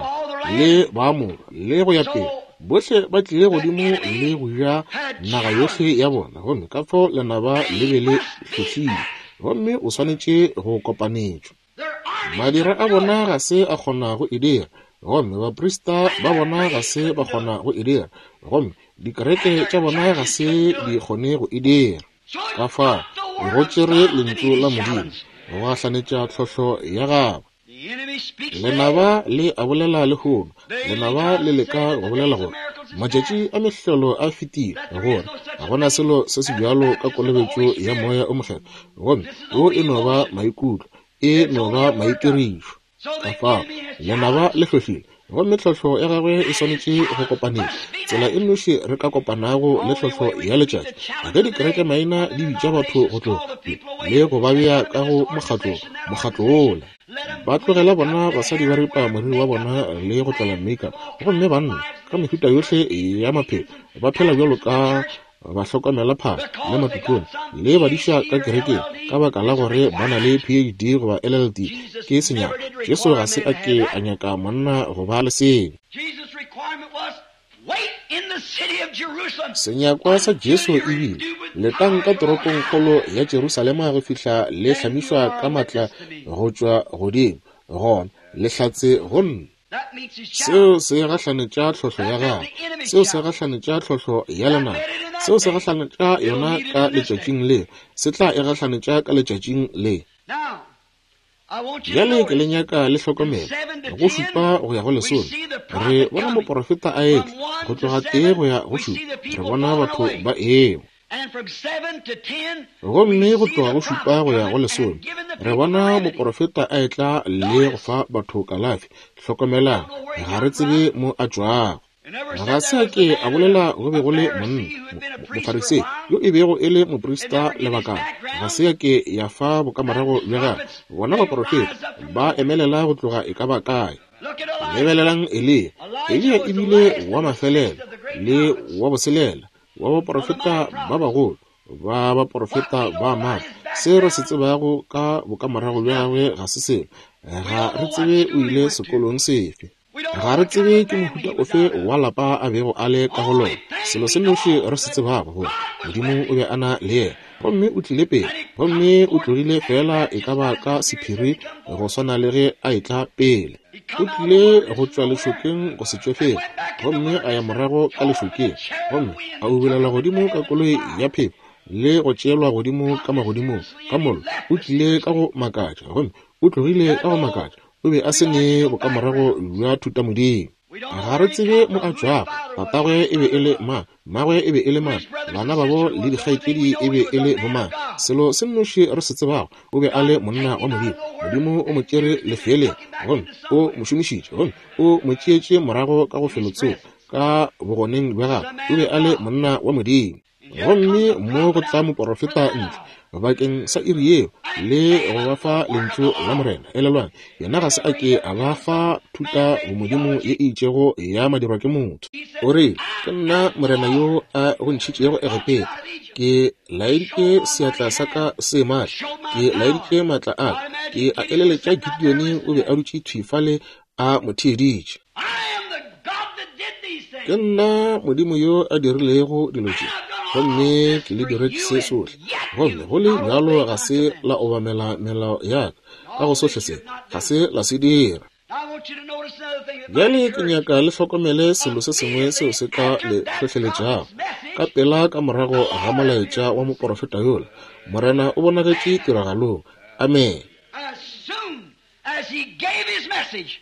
le Baamoro le go ya pele, bohle ba tlile godimo le go ja naga yohle ya bona, gomme ka fao lenaba le be le hlohlile, gomme o swanetše go kopanetšwa. Madira a bona ga se a kgona go e dira, gomme baprista ba bona ga se ba kgona go e dira, gomme dikereke tša bona ga se di kgone go e dira. Ka fao Go tšere lentšu la Modimo go gahlanetša tlhohlo ya gagwe. Lenaba le a bolela lehono, lenaba le leka go bolela gore matšatši a mehlolo a fetile, gore ga gona selo se se bjalo ka kolobetšo ya moya o mokgethwa, gomme wo e no ba maikutlo, e no ba maitirišo. Ka fao lenaba le hlohlile, gomme tlhohlo ya gagwe e swanetše go kopanela. Tsela e nnoši re ka kopanago le tlhohlo ya letšatši, ge dikereke maina di bitša batho go tloga le go ba bea ka go mokgatlo, mokgatlo wola. Ba tlogela bona basadi ba ripa moriri wa bona le go tlola makeup, gomme banna ka mehuta yohle ya maphelo ba phela bjalo ka bahlokomela phahlo le matikone le badiša ka kerekeng ka baka la gore ba na le P H D goba L L D. Ke senyaka. Jesu ga se a ke a nyaka monna go ba le seo. Senyakwa sa Jesu e bile letang ka toropongkgolo ya Jerusalema go fihla le hlamišwa ka matla go tšwa godimo, gona le hlatse go nna. Seo se gahlanetša tlhohlo ya gagwe, seo se gahlanetša tlhohlo ya lenaba, seo se gahlanetša yona ka letšatšing le, se tla e gahlanetša ka letšatšing le. Bjale ke le nyaka le hlokomele go šupa go ya go lesome. Re bona moporofeta a etla go tloga tee go ya go šupa, re bona batho ba ewa. Gomme go tloga go šupa go ya go lesome, re bona moporofeta a etla le go fa batho kalafi. Hlokomelang, ga re tsebe mo a tšwago. Ga se a ke a bolela go be go le monna mofarisei yo e bego e le moprista lebakana. Ga se a ke ya fa bokamorago bja gagwe. Bona baporofeta ba emelela go tloga e ka ba kae. Lebelelang Eliya. Eliya e bile wa mafelelo le wa boselela wa baporofeta ba bagolo ba baporofeta ba maatla. Se re se tsebago ka bokamorago bja gagwe ga se selo. Ga re tsebe o ile sekolong sefe. Ga re tsebe ke mohuta ofe wa lapa a bego a le ka go lona. Selo se nnoši re se tsebago gore Modimo o be a na le yena, gomme o tlile pele, gomme o tlogile fela e ka ba ka sephiri go swana le ge a etla pele. O tlile go tšwa lešokeng go se tšwe felo, gomme a ya morago ka lešokeng, gomme a ubelela godimo ka koloi ya phefo le go tšeelwa godimo ka magodimong ka mollo. O tlile ka go makatša, gomme o tlogile ka go makatša. O be a se ne bokamorago bja thutamodimo. Ga re tsebe mo a tšwago. Tatagwe e be e le mang, mmagwe e be e le mang, bana babo le dikgaetšedi e be e le bomang. Selo se nnoši re se tsebago, o be a le monna wa Modimo. Modimo o mo tšere lefeeleng, gomme o mo šomišitše, gomme o mo tšeetše morago ka go felotsoko ka bogoneng bja gagwe. O be a le monna wa Modimo. Gomme mo go tla moporofeta ntle bakeng sa iri yeo le go ba fa lentšu la Morena. Elelwang, yena ga se a ke a ba fa thuta bomodimo ye e itšego ya madirwa ke motho. O re, ke nna Morena yo a go ntšhitšego Egepeta, ke laeditše seatla sa ka se matla, ke laeditše matla a ka, ke a eleletša Gideone o be a dutše thwi fale a mo theeditše. Ke nna Modimo yo a dirilego dilo tše, gomme ke le diretše se sohle, gomme go le bjalo ga se la obamela melao ya ka ka go sohle se, ga se la se dira. Bjale ke nyaka le hlokomele selo se sengwe seo se ka le hlohleletšago. Ka pela ka morago ga molaetša wa moporofeta yola, Morena o bonagetše tiragalong. Amen. As soon as he gave his message,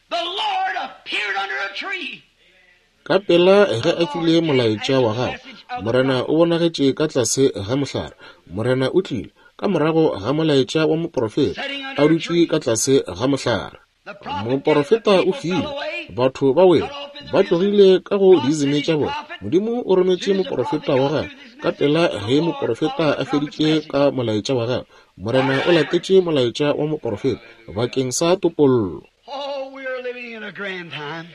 the Lord appeared under a tree. Ka pela ge a file molaetša wa gagwe, Morena o bonagetše ka tlase ga mohlare. Morena o tlile ka morago ga molaetša wa moporofeta, a dutše ka tlase ga mohlare. Moporofeta o file, batho ba wele, ba tlogile ka go diizime tša bona. Modimo o rometše moporofeta wa gagwe. Ka pela ge moporofeta a feditše ka molaetša wa gagwe, Morena o latetše molaetša wa moporofeta bakeng sa topollo. Oh, we are living in a grand time.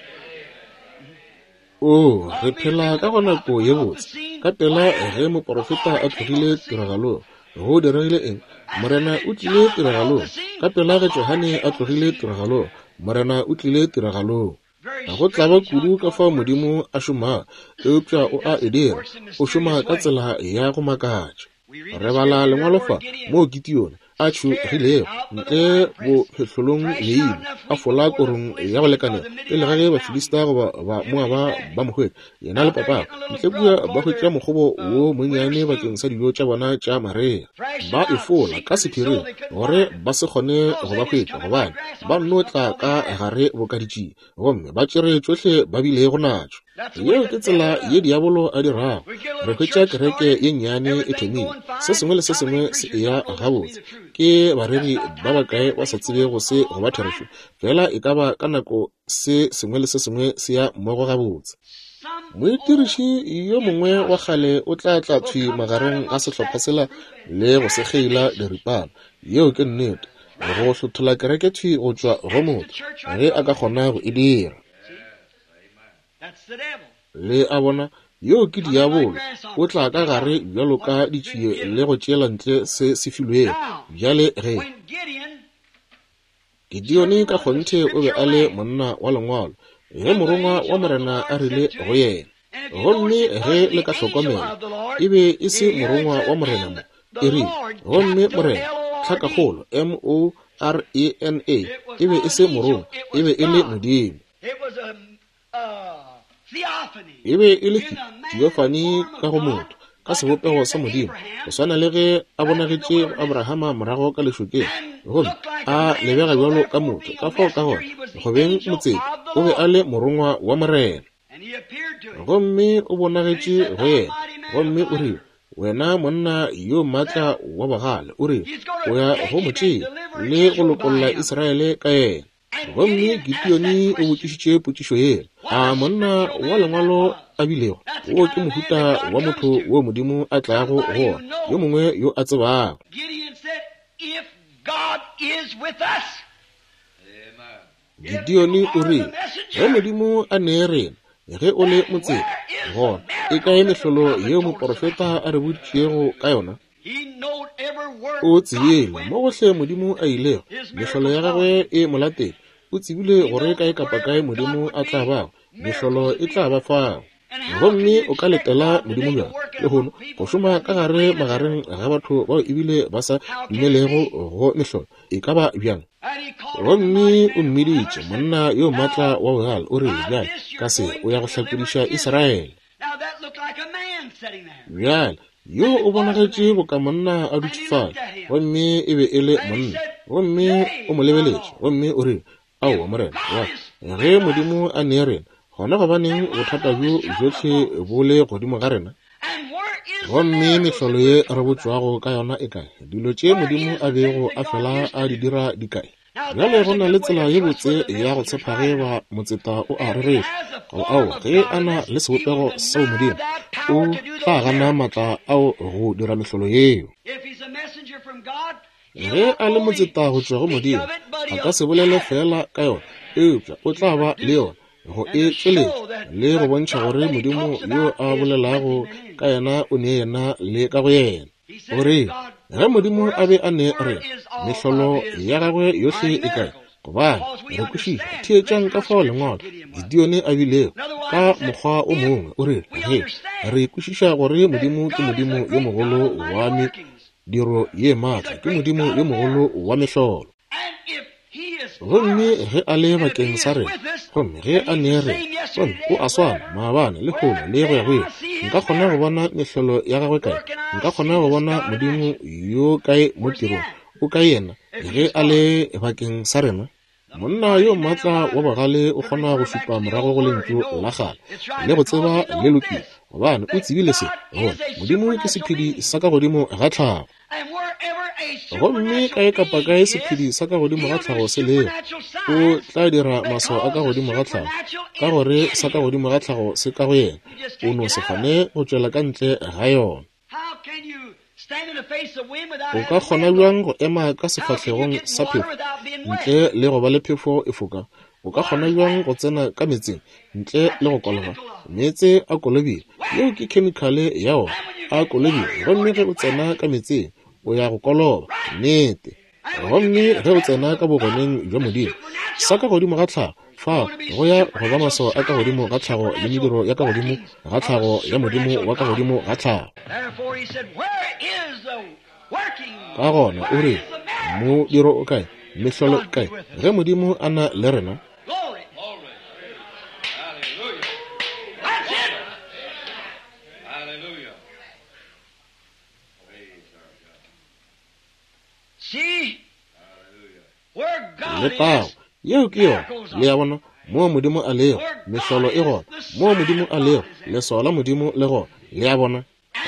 Oh, re phela ka go nako ye botse. Ka pela ge moporofeta a tlogile tiragalong, go diregile eng? Morena o tlile tiragalong. Ka pela ge Johane a tlogile tiragalong, Morena o tlile tiragalong. Go tlaba kudu ka fao Modimo a šomago, eupša o a e dira. O šoma ka tsela ya go makatša. Re bala lengwalo fa moo Gideone a tšhogilego ntle bophehlolong leina, a fola korong ya go lekanela pele ga ge Bafilista goba ba Moaba ba mo hwetša, yena le papagwe ntle kua ba hwetša mokgobo wo monnyane bakeng sa dijo tša bona tša marea. Ba e fola ka sephiring gore ba se kgone go ba hwetša, gobane ba nno tla ka gare boka ditšie, gomme ba tšere tšohle ba bilego natšo. Yeo ke tsela ye diabolo a dirago. Re hwetša kereke ye nnyane e thomile, se sengwe le se sengwe se eya gabotse. Ke bareri ba bakae ba sa tsebego se go ba therešo, fela e ka ba ka nako se sengwe le se sengwe se ya mmogo gabotse. Moitiriši yo mongwe wa kgale o tla tla thwi magareng ga sehlopha sela le go se kgeila diripana. Yeo ke nnete, go hlothola kereke thwi go tšwa go motho ge a ka kgona go e dira. Le a bona, yo ke diabolo, o tla ka gare bjalo ka ditšie le go tšeela ntle se se filwego. Bjale ge Gideone ka kgonthe o be a le monna wa lengwalo, ge morongwa wa Morena a rile go yena, gomme ge le ka hlokomela, e be e se morongwa wa Morena mo, e rile, gomme Morena, tlhakakgolo M O R E N A, e be e se morongwa, e be e le Modimo. E be e le theophany ka go motho, ka sebopego sa Modimo, go swana le ge a bonagetše go Abrahama morago ka lešokeng, gomme a lebega bjalo ka motho. Ka fao ka gona go beng motseta, o be a le morongwa wa Morena, gomme o bonagetše go yena, gomme o rile, wena monna yo maatla wa bogale, o rile, o ya go mo tšea le go lokolla Israele ka yena. Gomme Gideone o botšišitše potšišo yela, a monna wa lengwalo a bilego, wo ke mohuta wa motho wo Modimo a tlago go wona, yo mongwe yo a tsebago. Gideone o rile, ge Modimo a ne rena, ge o le motseta, gona e kae mehlolo yeo moporofeta a re boditšego ka yona? O tsebile mo gohle Modimo a ilego, mehlolo ya gagwe e mo latele. O tsebile gore kae kapa kae Modimo a tla bago, mehlolo e tla ba fao. Gomme o ka letela Modimo bjang lehono go šoma ka gare magareng ga batho bao ebile ba sa dumelego go mehlolo? E ka ba bjang? Gomme o mmiditše monna yo maatla wa bogale, o rile, bjale ka se o ya go hlakodiša Israele. Bjale yo o bonagetše boka monna a dutše fale, gomme e be e le monna, gomme o mo lebeletše, gomme o rile, aowa Morena wa, ge Modimo a ne rena, gona gobaneng bothata bjo bjohle bo le godimo ga rena? Gomme mehlolo ye re botšwago ka yona e kae? Dilo tše Modimo a bego a fela a di dira di kae? Bjale go na le tsela ye botse ya go tshepa ge ba motseta o a rereša, goba aowa, ge a na le sebopego sa Modimo, o tla gana maatla ao go dira mehlolo yeo. Ge a le motseta go tšwa go Modimo, a ka se bolele fela ka yona, eupša o tla ba le yona go e tšweletša le go bontšha gore Modimo yo a bolelago ka yena o ne yena le ka go yena. O re, ge Modimo a be a ne rena, mehlolo ya gagwe yohle e kae? Gobane re kwešiša, theetšang ka fao lengwalo Gideone a bilego ka mokgwa o mongwe. O re, ge re kwešiša gore Modimo ke Modimo yo mogolo wa mediro ye maatla, ke Modimo yo mogolo wa mehlolo. Gomme ge a le bakeng sa rena, gomme ge a ne rena, gomme o a swana maabane le lehono le go ya go ile, nka kgona go bona mehlolo ya gagwe kae? Nka kgona go bona Modimo yo kae mo tirong? O kae yena ge a le bakeng sa rena? Monna yo maatla wa bogale o kgona go šupa morago go lentšu la kgale le go tseba le lokile, gobane o tsebile se, gore Modimo ke sephedi sa ka godimo ga tlhago. Gomme kae kapa kae sephedi sa ka godimo ga tlhago se lego, o tla dira maswao a ka godimo ga tlhago, ka gore sa ka godimo ga tlhago se ka go yena. O no se kgone go tšwela ka ntle ga yona. O ka kgona bjang go ema ka sefahlegong sa phefo ntle le go ba le phefo e foka? O ka kgona bjang go tsena ka meetseng ntle le go koloba? Meetse a kolobile, yeo ke khemikhale ya ona, a kolobile. Gomme ge o tsena ka meetseng, o ya go koloba, nnete. Gomme ge o tsena ka bogoneng bja Modimo, sa ka godimo ga tlhago, fa go ya go ba maswao a ka godimo ga tlhago le mediro ya ka godimo ga tlhago ya Modimo wa ka godimo ga tlhago. Ka gona o re, modiro o kae, mehlolo e kae, ge Modimo a na le rena? Letago, yeo ke yona. Le a bona, moo Modimo a lego, mehlolo e gona. Moo Modimo a lego, leswao la Modimo le gona. Le a bona.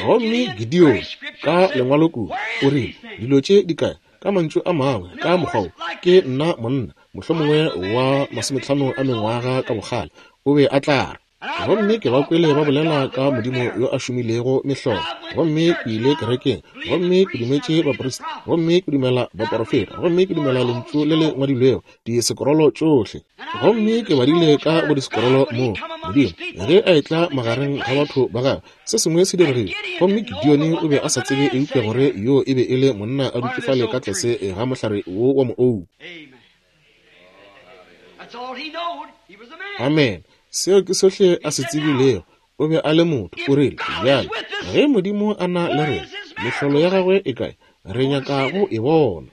Gomme Gideon ka lengwalo kudu o rile, dilo tše di kae? Ka mantšu a mangwe, ka mokgwa wo, ke nna monna, mohlomongwe wa masometlhano a mengwaga ka bokgale, o be a tla re. Gomme ke ba kwele ba bolela ka Modimo yo a šomilego mehlolo. Gomme ke ile kerekeng, gomme ke dumetše baprista, gomme ke dumela baporofeta, gomme ke dumela lentšu le le ngwadilwego, disekorolo tšohle. Gomme ke badile ka go disekorolo moo Modimo ge a etla magareng ga batho ba gagwe, se sengwe se diregile. Gomme Gideon o be a sa tsebe eupša gore yo e be e le monna a dutše fale ka tlase ga mohlare wo wa moou. Amen. Seo ke sohle a se tsebilego. O be a le motho. O rile, bjale, ge Modimo a na le rena, mehlolo ya gagwe e kae? Re nyaka go e bona.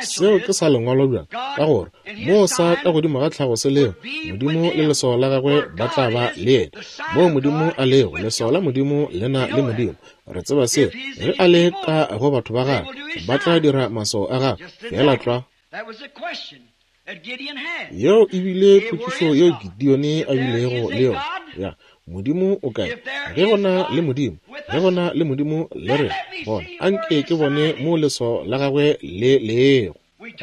Seo ke sa lengwalo bjang, ka gore moo sa ka godimo ga tlhago se lego, Modimo le leswao la gagwe ba tla ba le yena. Moo Modimo a lego, leswao la Modimo le na le Modimo. Re tseba seo. Ge a le ka go batho ba gagwe, ba tla dira maswao a gagwe. Feela tlwa. Yeo e bile potšišo yeo Gideon a bilego le yona. Ya, Modimo o kae? Ge go na le Modimo, ge go na le Modimo le rena, gona anke ke bone mo leswao la gagwe le lego.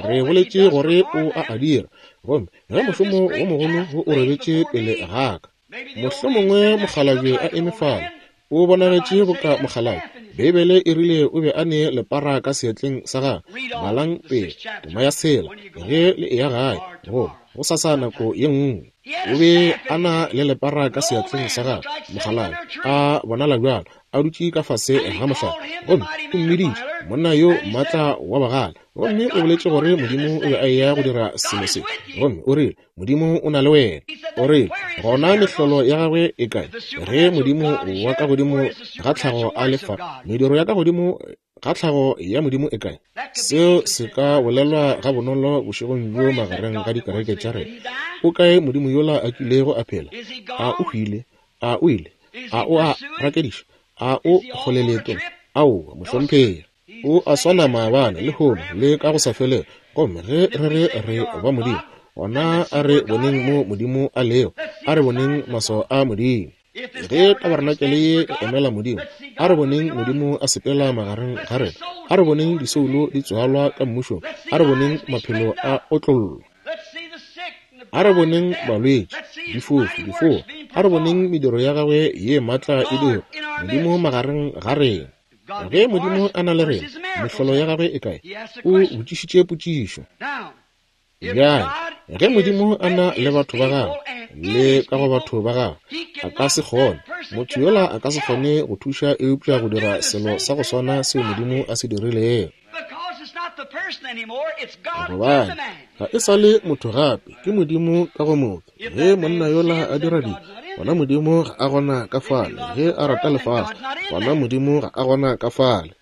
Re boletše gore o a a dira, gomme ge mošomo wo mogolo wo o robetše pele ga ka, mohlomongwe mokgalabje a eme fale, o bonagetše boka mokgalabje. Beibele e rile o be a ne lepara ka seatleng sa gagwe. Balang pele tema ya tshela ge le eya gae, goba go sasa nako ye nngwe. O be a na le lepara ka seatleng sa gagwe, mokgalabje a bonala bjalo, a dutše ka fase ga mohlare, gomme o mmiditše monna yo maatla wa bagale. Gomme o boletše gore Modimo o be a eya go dira selo se, gomme o rile, Modimo o na le wena. O rile, gona mehlolo ya gagwe e kae? Ge Modimo wa ka godimo ga tlhago a le fa, mediro ya ka godimo ga tlhago ya Modimo e kae? Seo se ka bolelwa ga bonolo bošegong bjo magareng ga dikereke tša rena. O kae Modimo yola a kilego a phela? A o hwile? A o ile? A o a rakediša? A o kgole leetong? Aowa, mohlomphegi. O a swana maabane, lehono, le ka go sa felego. Gomme ge re re re ba Modimo, gona a re boneng mo Modimo a lego, a re boneng maswao a Modimo. Ge tabarenakele ye e emela Modimo, a re boneng Modimo a sepela magareng ga rena, a re boneng disoulo di tswalwa ka mmušong, a re boneng maphelo a otlollwa, a re boneng balwetši, difofu, difoa, a re boneng mediro ya gagwe ye maatla e dira, Modimo magareng ga rena. Ge Modimo a na le rena, mehlolo ya gagwe e kae? O botšišitše potšišo. Bjale, ge Modimo a na le batho ba gagwe, le ka go batho ba gagwe, a ka se kgone, motho yola a ka se kgone go thuša eupša go dira selo sa go swana seo Modimo a se dirilego. Gobane ga e sa le motho gape, ke Modimo ka go motho. Ge monna yola a dira dibe, gona Modimo ga a gona ka fale. Ge a rata lefase, gona Modimo ga a gona ka fale.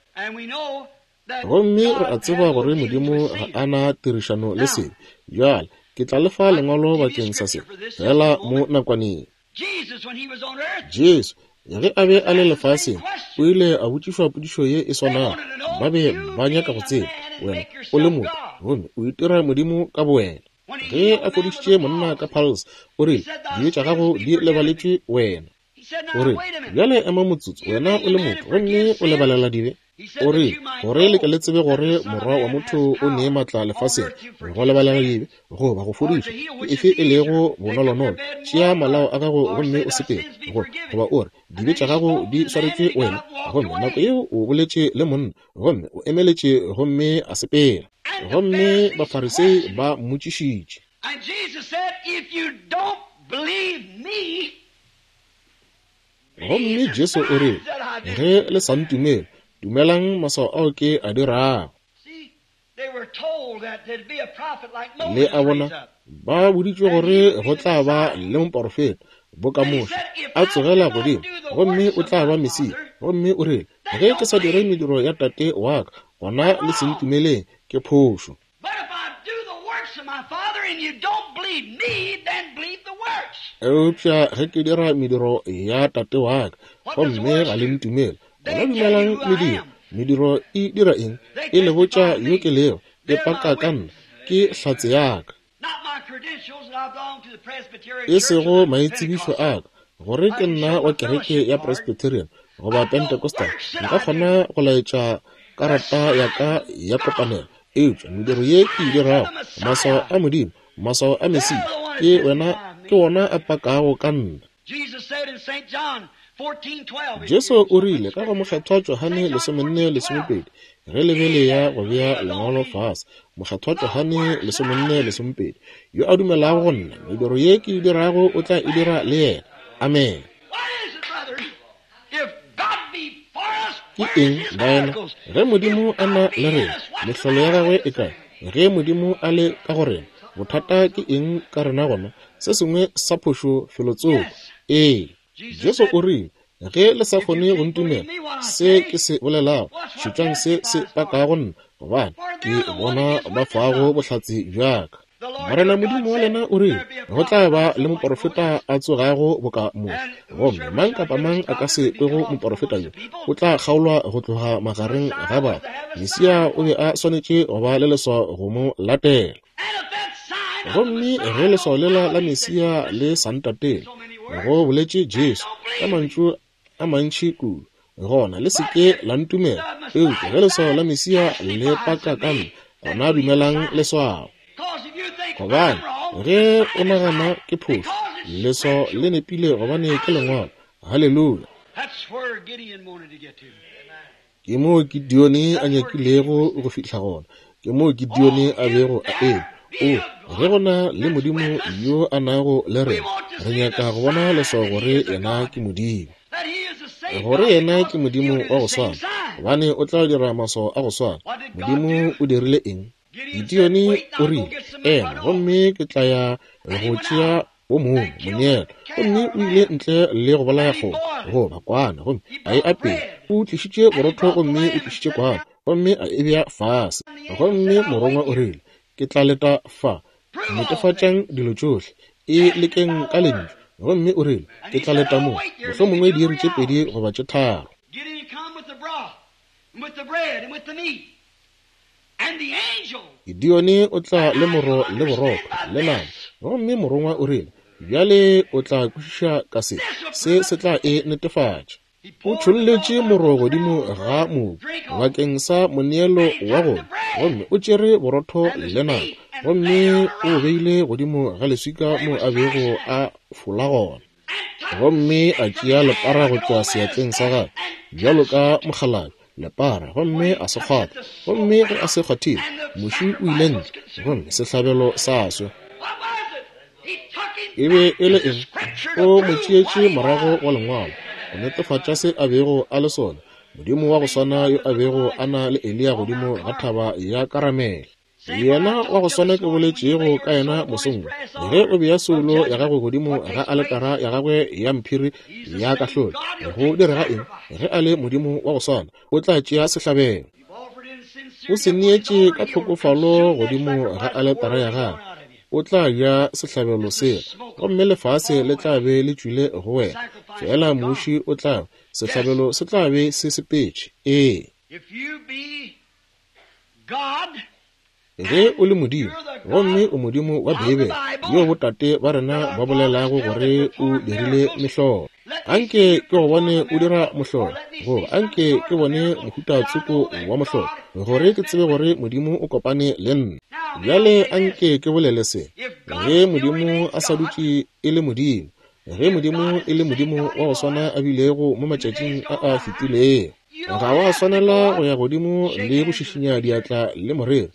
Gomme re a tseba gore Modimo ga a na tirišano le sebe. Bjale ke tla lefa lengwalo bakeng sa se, fela mo nakwaneng. Jesu ge a be a le lefaseng, o ile a botšišwa potšišo ye e swanago. Ba be ba nyaka go tseba, wena o le motho, gomme o itira Modimo ka bowena. Ge a fodišitše monna ka palse, o rile, dibe tša gago di lebaletšwe wena. O rile, bjale ema motsotso, wena o le motho, gomme o lebalela dibe. O rile, gore le ke le tsebe gore morwa wa motho o ne maatla lefaseng go lebalela dibe goba go fodiša, ke efe e lego bonolonolo, tšea malao a gago gomme o sepele, go goba o re, dibe tša gago di swaretšwe wena. Gomme nako yeo o boletše le monna, gomme o emeletše gomme a sepela. Gomme Bafarisei ba mmotšišitše. Gomme Jesu o rile, ge le sa ntumele, dumelang maswao ao ke a dirago. Le a bona, ba boditšwe gore go tla ba le moporofeta boka Moshe a tsogela godimo, gomme o tla ba Mesia. Gomme o rile, ge ke sa dire mediro ya Tate wa ka, gona le se ntumeleng, ke phošo. Eupša ge ke dira mediro ya Tate wa ka, gomme ga le ntumele, gona dumelang mediro. Mediro e dira eng? E le botša yo ke lego, e paka ka nna, ke hlatse ya ka. E sego maitsebišo a ka, gore ke nna wa kereke ya Presbyterian goba Pentecostal, nka kgona go laetša karata ya ka ya kopanelo. Eupša mediro ye ke e dirago, maswao a Modimo, maswao a Mesia, ke wena, ke wona a pakago ka nna. Jesu o rile ka go Mokgethwa Johane lesomenne lesomepedi, ge le be le ya go bea lengwalo fase, Mokgethwa Johane lesomenne lesomepedi, yo a dumelago go nna, mediro ye ke e dirago o tla e dira le yena. Amen. Ke eng, baena? Ge Modimo a na le rena, mehlolo ya gagwe e kae? Ge Modimo a le ka go rena, bothata ke eng ka rena gona? Se sengwe sa phošo felotsoko. Ee. Jesu o rile, ge le sa kgone go ntumela se ke se bolelago, šetšang se se pakago nna, gobane ke bona ba fago bohlatse bja ka. Morena Modimo wa lena o rile, go tla ba le moporofeta a tsogago boka Moshe, gomme mang kapa mang a ka se kwego moporofeta yo, o tla kgaolwa go tloga magareng ga batho. Mesia o be a swanetše go ba le leswao go mo latela. Gomme ge leswao lela la Mesia le sa ntatele, go boletše Jesu ka mantšu a mantši kudu, gona le se ke la ntumela. Eupša ge leswao la Mesia le paka ka nna, gona dumelang leswao. Gobane ge o nagana ke phošo, leswao le nepile, gobane ke lengwalo. Haleluya. Ke moo Gideone a nyakilego go fihla gona. Ke moo Gideone a bego a eme. O, ge go na le Modimo yo a nago le rena, re nyaka go bona leswao gore yena ke Modimo, gore yena ke Modimo wa go swana, gobane o tla dira maswao a go swana. Modimo o dirile eng? Gideone o rile, ema, gomme ke tla ya go tšea o mongwe moneelo. Gomme o ile ntle le go bolaya kgomo goba kwana, gomme a e apea. O tlišitše borotho gomme o tlišitše kwana, gomme a e bea fase. Gomme morongwa o rile, ke tla leta fa, netefatšang dilo tšohle, e lekeng ka lentšu. Gomme o rile, ke tla leta mo, mohlomongwe diiri tše pedi goba tše tharo. Gideone o tla le moro le borotho le nama. Gomme morongwa o rile, bjale o tla kwešiša ka se, se se tla e netefatša. O tšholletše moro godimo ga mobu bakeng sa moneelo wa gona, gomme o tšere borotho le nama, gomme o beile godimo ga leswika mo a bego a fola gona. Gomme a tšea lepara go tšwa seatleng sa gagwe bjalo ka mokgalabje, lepara, gomme a se kgwatha. Gomme ge a se kgwathile, muši o ile ntle, gomme sehlabelo sa swa. E be e le eng? O mo tšeetše morago wa lengwalo go netefatša se a bego a le sona, Modimo wa go swana yo a bego a na le Eliya godimo ga thaba ya Karamele. Yena wa go swana ke boletšego ka yena mosong, ge o bea soulo ya gago godimo ga aletara ya gagwe ya mphiri ya kahlolo, go direga eng? Ge a le Modimo wa go swana, o tla tšea sehlabelo. O se neetše ka tlhokofalo godimo ga aletara ya gagwe, o tla ja sehlabelo sela, gomme lefase le tla be le tšwile go wena. Fela muši o tla, sehlabelo se tla be se sepetše. Ee. Ge o le Modimo, gomme o Modimo wa Beibele, yo botate ba rena ba bolelago gore o dirile mehlolo, anke ke go bone o dira mohlolo, goba anke ke bone mohuta tsoko wa mohlolo, gore ke tsebe gore Modimo o kopane le nna. Bjale anke ke bolele se, ge Modimo a sa dutše e le Modimo, ge Modimo e le Modimo wa go swana a bilego mo matšatšing a a fetilego, ga wa swanela go ya godimo le go šišinya diatla le morero,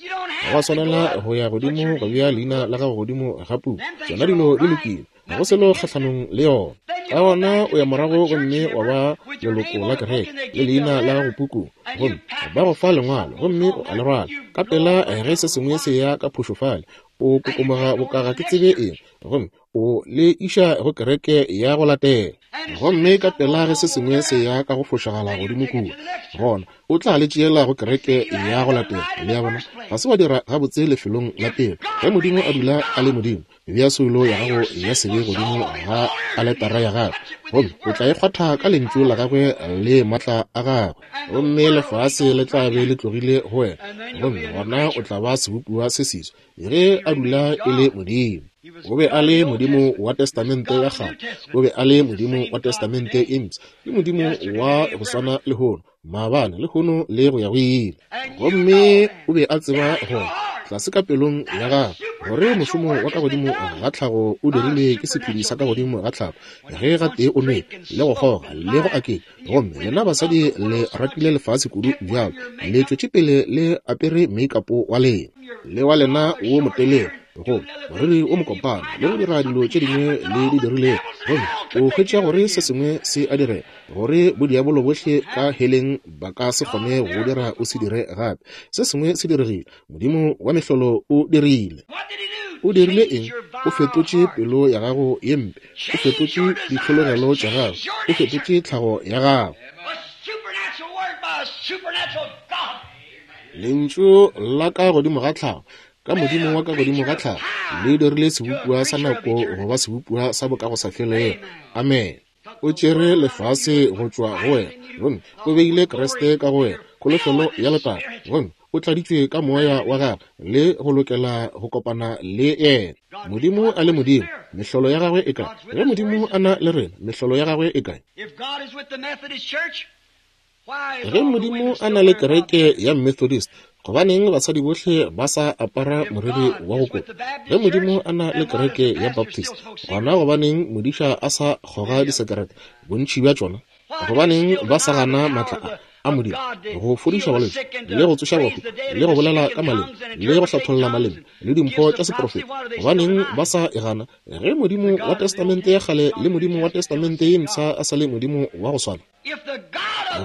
ga wa swanela go ya godimo go bea leina la gago godimo ga puku. Tšona dilo di lokile, ga go selo kgahlanong le yona. Ka gona o ya morago gomme wa ba leloko la kereke le leina la gago pukung, gomme ba go fa lengwalo gomme o a le rwala. Ka pela ge se sengwe se ya ka phošo fale, o kokomoga bokaga ke tsebe eng, gomme o le iša go kereke ya go latela. Gomme ka pela ge se sengwe se ya ka go fošagala godimo kua, gona o tla le tšeela go kereke ya go latela. Le a bona, ga se wa dira gabotse lefelong la pele. Ge Modimo a dula a le Modimo, bea soulo ya gago ya sebe godimo ga aletara ya gagwe, gomme o tla e kgwatha ka lentšu la gagwe le maatla a gagwe, gomme lefase le tla be le tlogile go wena, gomme gona o tla ba sebopiwa se seswa ge a dula e le Modimo. O be a le Modimo wa Testamente ya kgale, o be a le Modimo wa Testamente e mpsha, ke Modimo wa go swana lehono, maabane, lehono le go ya go ile. Gomme o be a tseba gore tlase ka pelong ya gagwe gore mošomo wa ka godimo ga tlhago o dirilwe ke sephedi sa ka godimo ga tlhago, ge gatee o nwele le go kgoga le go aketša. Gomme lena basadi le ratile lefase kudu bjalo, le tšwetše pele le apere make-up wa lena le wa lena wo motelele, go moriri o mokopana, le go dira dilo tše dingwe le di dirilego, gomme o hwetša gore se sengwe se a direga, gore bodiabolo bohle ka heleng ba ka se kgone go dira o se dire gape. Se sengwe se diregile. Modimo wa mehlolo o dirile. O dirile eng? O fetotše pelo ya gago ye mpe, o fetotše ditlhologelo tša gago, o fetotše tlhago ya gago. Lentšu la ka godimo ga tlhago, ka Modimo wa ka godimo ga tlhago, le dirile sebopiwa sa nako goba sebopiwa sa bokagosafelego. Amen. O tšere lefase go tšwa go wena, gomme o beile Kriste ka go wena, kholofelo ya letago, gomme o tladitšwe ka moya wa gagwe le go lokela go kopana le yena. Modimo a le Modimo, mehlolo ya gagwe e kae? Ge Modimo a na le rena, mehlolo ya gagwe e kae? Ge Modimo a na le kereke ya Methodist, gobaneng basadi bohle ba sa apara moriri wa go kopa? Ge Modimo a na le kereke ya Baptist, gona gobaneng modiša a sa kgoga disekerete bontši bja tšona? Gobaneng ba sa gana maatla a a Modimo go fodiša balwetši le go tsoša bahu le go bolela ka maleme le go hlatholla maleme le dimpho tša seprofeta? Gobaneng ba sa e gana ge Modimo wa Testamente ya kgale le Modimo wa Testamente ye mpsha a sa le Modimo wa go swana?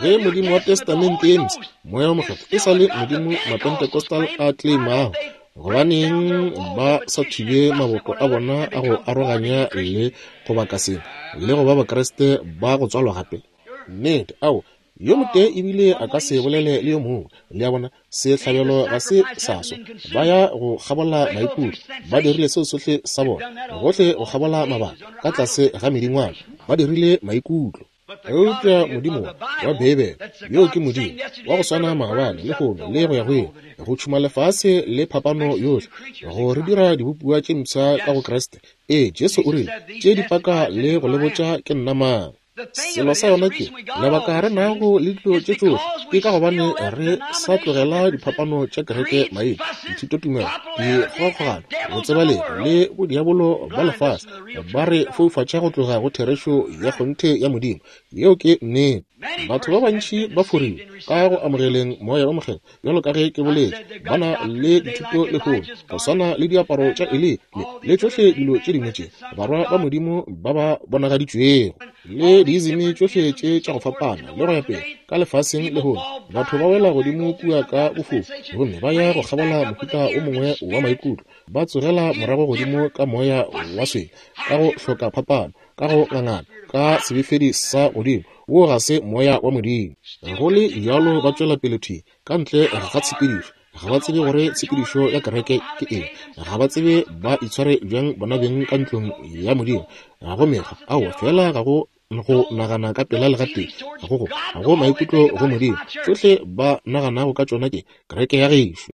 Ge Modimo wa Testamente ye mpsha, Moya wo Mokgethwa, e sa le Modimo Mapentecostal a claimago, gobaneng ba sa thibe maboto a bona a go aroganya le go baka sengwe le go ba Bakriste ba go tswalwa gape? Nnete, ao, yo motee ebile a ka se bolele le yo mongwe. Le a bona, sehlabelo ga se sa swa. Ba ya go kgabola maikutlo, ba dirile seo sohle sa bona, gohle go kgabola mabaka ka tlase ga medingwana, ba dirile maikutlo. Eupša Modimo wa Beibele, yo ke Modimo wa go swana maabane, lehono le go ya go ile, go tšhuma lefase le phapano yohle, go re dira dibopiwa tše mpsha ka go Kriste. Ee, Jesu o rile, tše di paka le go le botša ke nna mang. Selo sa yona ke lebaka re nago le dilo tše tšohle ke ka gobane re sa tlogela diphapano tša kereke maina, dithutotumelo, dikgogakgogano, botsebalegi le bodiabolo ba lefase ba re foufatša go tloga go therešo ya kgonthe ya Modimo. Yeo ke nnete. Batho ba bantši ba forilwe ka go amogeleng Moya wo Mokgethwa, bjalo ka ge ke boletše, ba na le dithuto lehono go swana le diaparo tša Eli le le tšohle dilo tše dingwe tše barwa ba Modimo ba ba bonagaditšwego, le diizimi tšohle tše tša go fapana le go ya pele ka lefaseng lehono. Batho ba wela godimo kua ka bofofu gomme ba ya go kgabola mohuta o mongwe wa maikutlo, ba tsogela morago godimo ka moya wa swele, ka go hloka phapano, ka go ngangana, ka sebefedi sa godimo. Wo ga se moya wa Modimo. Go le bjalo ba tšwela pele thwi ka ntle ga tshepedišo. Ga ba tsebe gore tshepedišo ya kereke ke eng. Ga ba tsebe ba itshware bjang bona beng ka ntlong ya Modimo. Ga go mekgwa, aowa, fela ga go go nagana ka pela le gatee, ga go go ga go maikutlo go Modimo. Tšohle ba naganago ka tšona ke kereke ya gešo.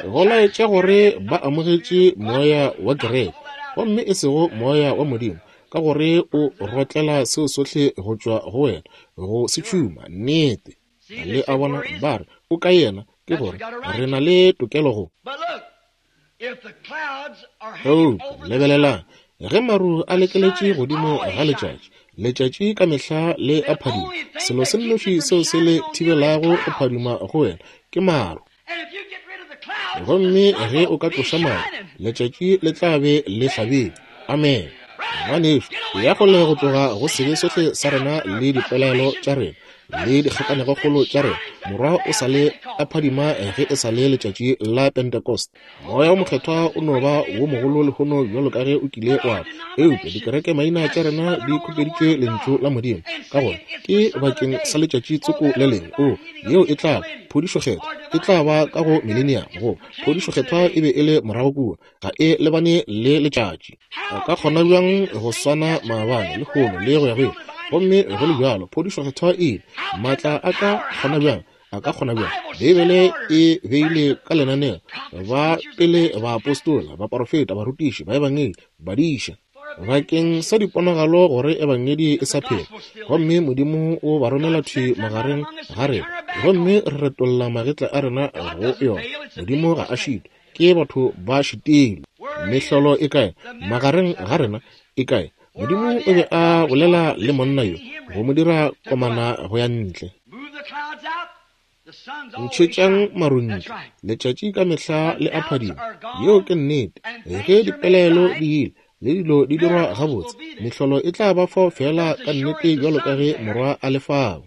Go laetša gore ba amogetše moya wa kereke, gomme e sego moya wa Modimo, ka gore o rotlela seo sohle go tšwa go wena, go se tšhuma. Nnete. Le a bona, ba re o ka yena, ke gore re na le tokelo go. Eupša lebelelang, ge maru a lekeletše godimo ga letšatši, letšatši ka mehla le a phadima. Selo se nnoši seo se le thibelago go phadima go wena ke maru. Gomme ge o ka tloša maru, letšatši le tla be le hlabile. Amen. Ngwanešu, ya kgole go tloga go sebe sohle sa rena le dipelaelo tša rena le dikgakanegokgolo tša rena. Morwa o sa le a phadima ge e sa le letšatši la Pentecost. Moya o Mokgethwa o no ba wo mogolo lehono bjalo ka ge o kile wa ba, eupša dikereke maina tša rena di khupeditše lentšu la Modimo. Ka gona ke bakeng sa letšatši tsoko le lengwe. O yeo e tla phodišo kgethwa e tla ba ka go millennium. Go phodišo kgethwa e be e le morago kua, ga e lebane le letšatši. O ka kgona bjang go swana maabane lehono le go ya go ile? Gomme go le bjalo phodišo kgethwa e maatla a ka kgona bjang? A ka kgona bjang? Beibele e beile ka lenaneo ba pele baapostola, baprofeta, barutiši, baebangedi, badiša bakeng sa diponagalo gore ebangedi e sa phela. Gomme Modimo o ba romela thwi magareng ga rena, gomme re retolla magetla a rena go yona. Modimo ga a šitwe, ke batho ba šitilwe. Mehlolo e kae magareng ga rena? E kae? Modimo o be a bolela le monna yo go mo dira komana go ya ntle. Ntšhetšang maru ntle, letšatši ka mehla le a phadima. Yeo ke nnete. Ge dipelaelo di ile le dilo di dirwa gabotse, mehlolo e tla ba fao fela ka nnete bjalo ka ge morwa a le fao.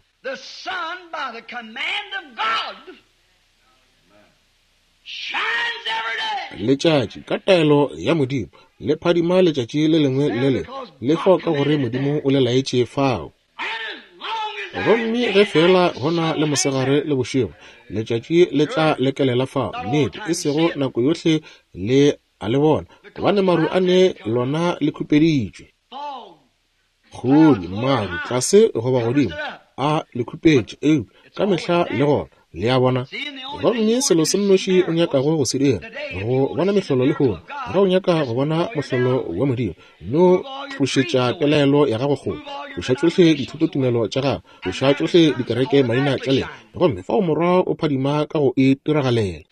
Letšatši ka taelo ya Modimo le phadima letšatši le lengwe le lengwe, le fao ka gore Modimo o le laetše fao. Gomme ge fela go na le mosegare le bošego, letšatši le tla lekelela fao. Nnete, e sego nako yohle le a le bona, gobane maru a ne lona le khupeditšwe. Kgodi, maru, tlase goba godimo, a le khupetše, eupša ka mehla le gona. Le a bona? Gomme selo se nnoši o nyakago go se dira go bona mehlolo lehono, ge o nyaka go bona mohlolo wa Modimo, no tlošetša pelaelo ya gago kgole, tloša tšohle dithutotumelo tša gago, tloša tšohle dikereke maina tša lena, gomme fao morwa o phadima ka go e tiragalela.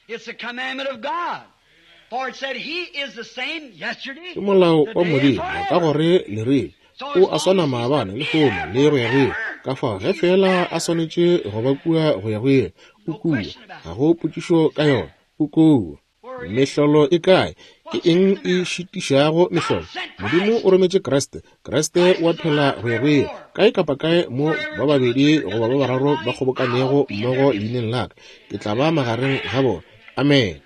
Ke molao wa Modimo ka gore le rile o a swana maabane lehono le go ya go ile. Ka fao ge fela a swanetše go ba kua go ya go ile, o kua. Ga go potšišo ka yona, o kua. Mehlolo e kae? Ke eng e šitišago mehlolo? Modimo o rometše Kriste. Kriste o a phela go ya go ile. Kae kapa kae mo ba babedi goba ba bararo ba kgobokanego mmogo leineng la ka, ke tla ba magareng ga bona. Amen.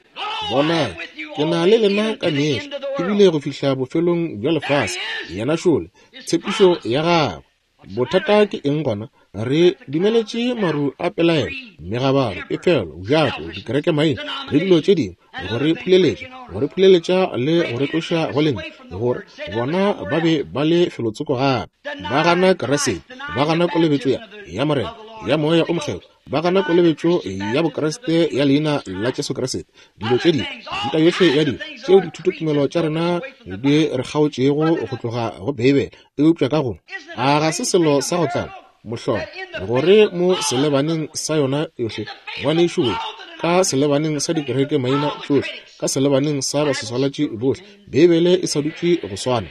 Bonang, ke na le lena ka mehla, ebile go fihla bofelong bja lefase. Yena šole, tshepišo ya gagwe. Bothata ke eng gona? Re dumeletše maru a pelaelo, megabaro, pefelo, bjato, dikereke maina le dilo tše dingwe go re phuleletša, go re phuleletša le go re tloša go lentšu, gore bona ba be ba le felotsoko gape. Ba gana Kriste, ba gana kolobetšo ya, ya Morena, ya Moya o Mokgethwa, ba gana kolobetšo ya Bokriste ya leina la Jesu Kriste. Dilo tše dingwe, mehuta yohle ya dilo tšeo dithutotumelo tša rena di re kgaotšego go tloga go Beibele, eupša ka go a ga se selo sa go tlala mohlolo gore mo selebaneng sa yona yohle, ngwanešu we, ka selebaneng sa dikereke maina tšohle, ka selebaneng sa baseswalatši bohle, Beibele e sa dutše go swana.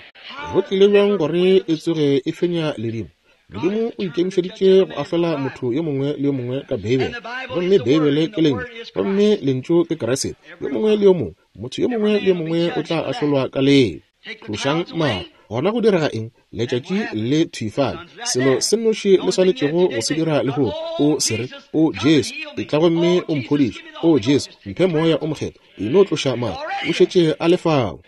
Go tlile bjang gore e tsoge e fenya ledimo? Modimo o ikemišeditše go ahlola motho yo mongwe le yo mongwe ka Beibele, gomme Beibele ke lentšu, gomme lentšu ke Kriste. Yo mongwe le yo mongwe, motho yo mongwe le yo mongwe o tla ahlolwa ka leo. Tlošang maru. Gona go direga eng? Letšatši le thwifale. Selo se nnoši le swanetšego go se dira lehono, o se re, O Jesu, etla gomme o mphodiše. O Jesu, mphe Moya o Mokgethwa. E no tloša maru, o šetše a le fao.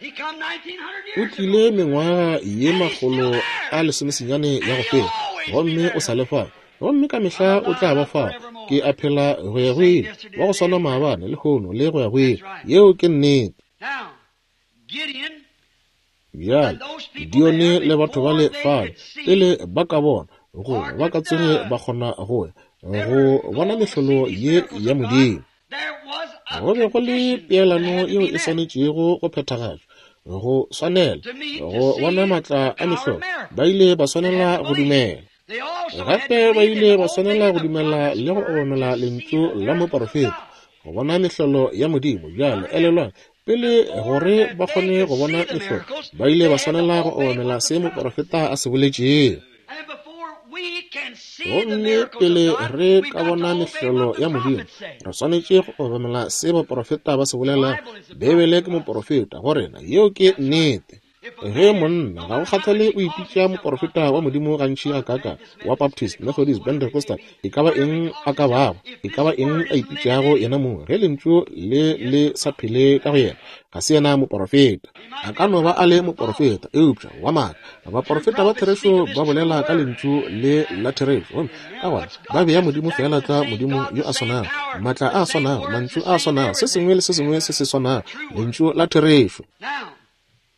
O tlile mengwaga ye makgolo a lesomesenyane ya go feta, gomme o sa le fao. Gomme ka mehla o tla ba fao. Ke a phela go ya go ile, wa go swana maabane lehono le go ya go ile. Yeo ke nnete. Bjale Gideone le batho ba le fale pele ba ka bona go ba ka tsoge ba kgona go ya go bona mehlolo ye ya Modimo. Go be go le peelano yeo e swanetšego go phethagatšwa, go swanela go bona maatla a mehlolo. Ba ile ba swanela go dumela. Gape ba ile ba swanela go dumela le go obamela lentšu la moporofeta go bona mehlolo ya Modimo. Bjale elelwang, pele gore ba kgone go bona mehlolo, ba ile ba swanela go obamela se moporofeta a se boletšego. Gomme pele re ka bona mehlolo ya Modimo, re swanetše go obamela se baporofeta ba se bolelago. Beibele ke moporofeta go rena. Yeo ke nnete. Ge monna ga go kgathale o ipitša moporofeta wa Modimo gantši ga kaka, wa Baptist, Methodist, Pentecostal, e ka ba eng a ka bago, e ka ba eng a ipitšago yena mong, ge lentšu le le sa phele ka go yena, ga se yena moporofeta. A ka no ba a le moporofeta, eupša wa maaka. Baporofeta ba therešo ba bolela ka lentšu le la therešo, gomme ka gona ba bea Modimo feela tlwa Modimo yo a swanago, maatla a swanago, mantšu a swanago, se sengwe le se sengwe se se swanago, lentšu la therešo.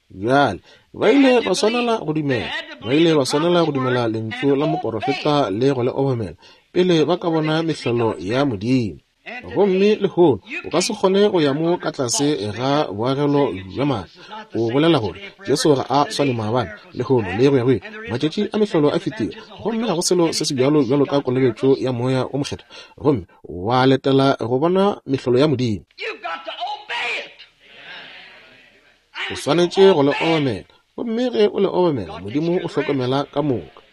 Bjale ba ile ba swanela go dumela, ba ile ba swanela go dumela lentšu la moporofeta le go le obamela pele ba ka bona mehlolo ya Modimo. Gomme lehono o ka se kgone go ya mo ka tlase ga boagelo bja maaka o bolela gore Jesu ga a swane maabane, lehono le go ya go ile. Matšatši a mehlolo a fetile, gomme ga go selo se se bjalo bjalo ka kolobetšo ya Moya o Mokgethwa, gomme wa letela go bona mehlolo ya Modimo. O swanetše go le obamela, gomme ge o le obamela, Modimo o hlokomela ka moka.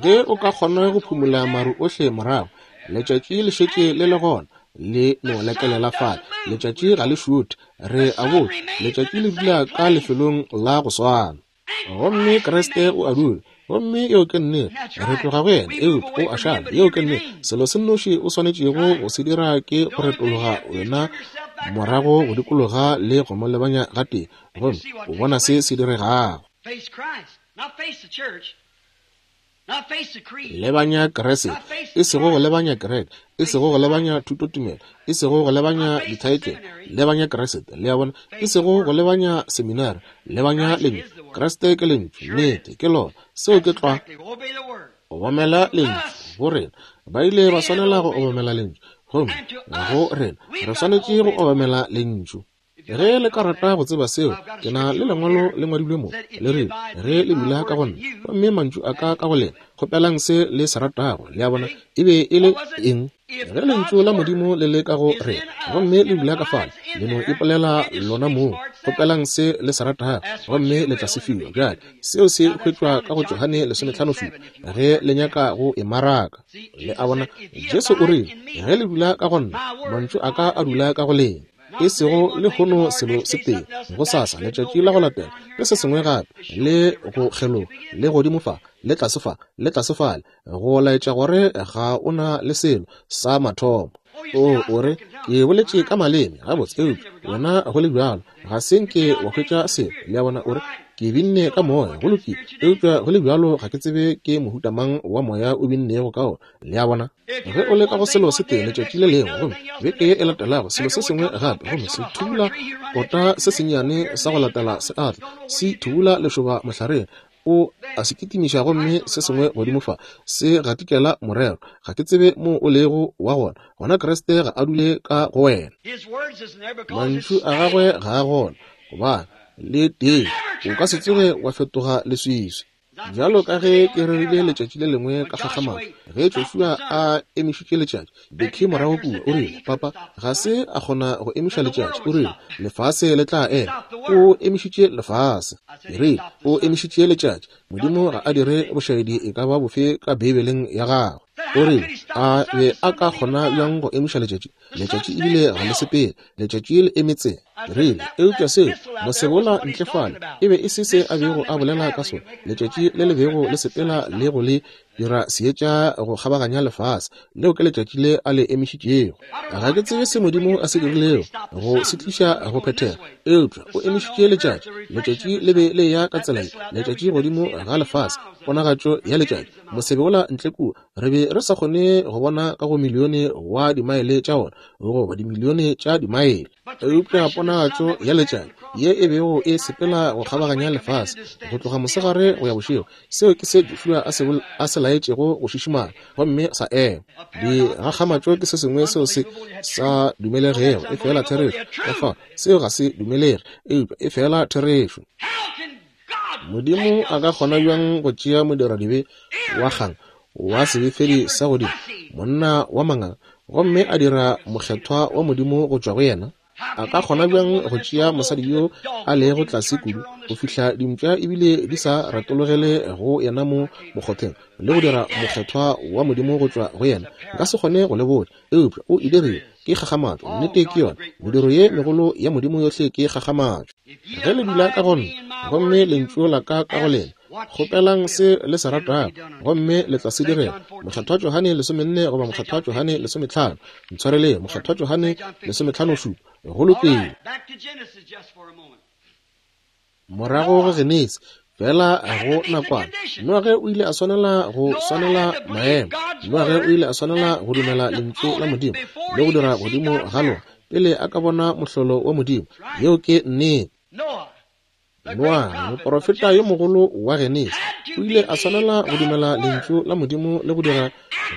Ge o ka kgona go phumula maru ohle morago, letšatši le šetše le le gona, le no lekelela fale. Letšatši ga le šuthe, re a botša, letšatši le dula ka lefelong la go swana. Gomme Kriste o a dula, gomme yeo ke nnete, re tloga go yena, eupša o a šala. Yeo ke nnete. Selo se nnoši o swanetšego go se dira ke go retologa wena morago go dikologa le go mo lebanya gatee, gomme o bona se se diregago. Lebanya Kriste, e sego go lebanya kereke, e sego go lebanya thutotumelo, e sego go lebanya dithaetlele, lebanya Kriste, le a bona, e sego go lebanya seminari, lebanya lentšu. Kriste ke lentšu, nnete ke lona, seo ke tlwa. Obamela lentšu go rena. Ba ile ba swanela go obamela lentšu, gomme go rena re swanetše go obamela lentšu. Ge le ka rata go tseba seo, ke na le lengwalo le ngwadilwe mo, le rile, ge le dula ka go nna, gomme mantšu a ka ka go lena, kgopelang se le se ratago. Le a bona, e be e le eng? Ge lentšu la Modimo le le ka go rena, gomme le dula ka fale, le no ipolela lona moo, kgopelang se le se ratago, gomme le tla se fiwa. Bjale, seo se hwetšwa ka go Johane lesometlhano šupa, ge le nyaka go e maraka. Le a bona, Jesu o rile, ge le dula ka go nna, mantšu a ka a dula ka go lena. E sego lehono selo se tee, gosasa letšatši la go latela ke se sengwe gape, le go kgeloga, le godimo fa, le tlase fa, le tlase fale, go laetša gore ga o na le selo sa mathomo. O o re, ke boletše ka maleme, gabotse, eupša wena go le bjalo ga se nke wa hwetša selo. Le a bona, o re, ke binne ka moya, go lokile, eupša go le bjalo ga ke tsebe ke mohuta mang wa moya o binnego ka ona. Le a bona, ge o le ka go selo se tee letšatši le lengwe, gomme beke ye e latelago selo se sengwe gape, gomme se thubula kota se sennyane sa go latela se atla, se thubula lešoba mohlareng, o a se kitimiša, gomme se sengwe godimo fa se gatikela morero. Ga ke tsebe mo o lego wa gona, gona Kriste ga a dule ka go wena. Mantšu a gagwe ga a gona, gobane le tee o ka se tsoge wa fetoga leswiswi. Bjalo ka ge ke rerile letšatši le lengwe ka kgakgamatšo, ge Joshua a emišitše letšatši, Becky morago kua o rile, papa ga se a kgona go emiša letšatši, o rile, lefase le tla ema. O emišitše lefase. Ke rile, o emišitše letšatši. Modimo ga a dire bošaedi e ka ba bofe ka Beibeleng ya gagwe. O rile, a be a ka kgona bjang go emiša letšatši? Letšatši ebile ga le sepele, letšatši le emetse. Rile, eupša seo mosebola ntle fale e be e se se a bego a bolela ka sona, letšatši le le bego le sepela le go le dira seetša go kgabaganya lefase, leo ke letšatši le a le emišitšego. Ga ke tsebe se Modimo a se dirilego go se tliša go phethega, eupša o emišitše letšatši. Letšatši le be le ya ka tsela ye, letšatši godimo ga lefase, ponagatšo ya letšatši. Mosebola ntle kua, re be re sa kgone go bona ka go milione wa dimaele tša ona, goba dimilione tša dimaele, eupša ponagatšo ya letšatši ye e bego e sepela go kgabaganya lefase go tloga mosegare go ya bošego, seo ke se Joshua a se laetšego go šišimala, gomme sa ema. Dikgakgamatšo ke se sengwe seo se sa dumelegego, e fela therešo. Ka fao seo ga se dumelege, eupša e fela therešo. Modimo a ka kgona bjang go tšea modiradibe wa kgang wa sebefedi sa godimo, monna wa manganga, gomme a dira mokgethwa wa Modimo go tšwa go yena? A ka kgona bjang go tšea mosadi yo a lego tlase kudu go fihla dimpša ebile di sa retologele go yena mo mokgotheng, le go dira mokgethwa wa Modimo go tšwa go yena? Nka se kgone go le botša, eupša o e dirile. Ke kgakgamatšo, nnete ke yona. Mediro ye megolo ya Modimo yohle ke kgakgamatšo. Ge le dula ka go nna, gomme lentšu la ka ka go lena, kgopelang se le se ratago, gomme le tla se direla. Mokgethwa Johane lesomenne goba Mokgethwa Johane lesometlhano, ntshwareleng, Mokgethwa Johane lesometlhano šupa. Go lokile. Morago go Genesi, fela go nakwana, Noage o ile a swanela go swanela maemo. Noage o ile a swanela go dumela lentšu la Modimo le go dira godimo ga lona pele a ka bona mohlolo wa Modimo. Yeo ke nnete. Noa, moprofeta yo mogolo wa Genesi, o ile a swanela go dumela lentšu la Modimo le go dira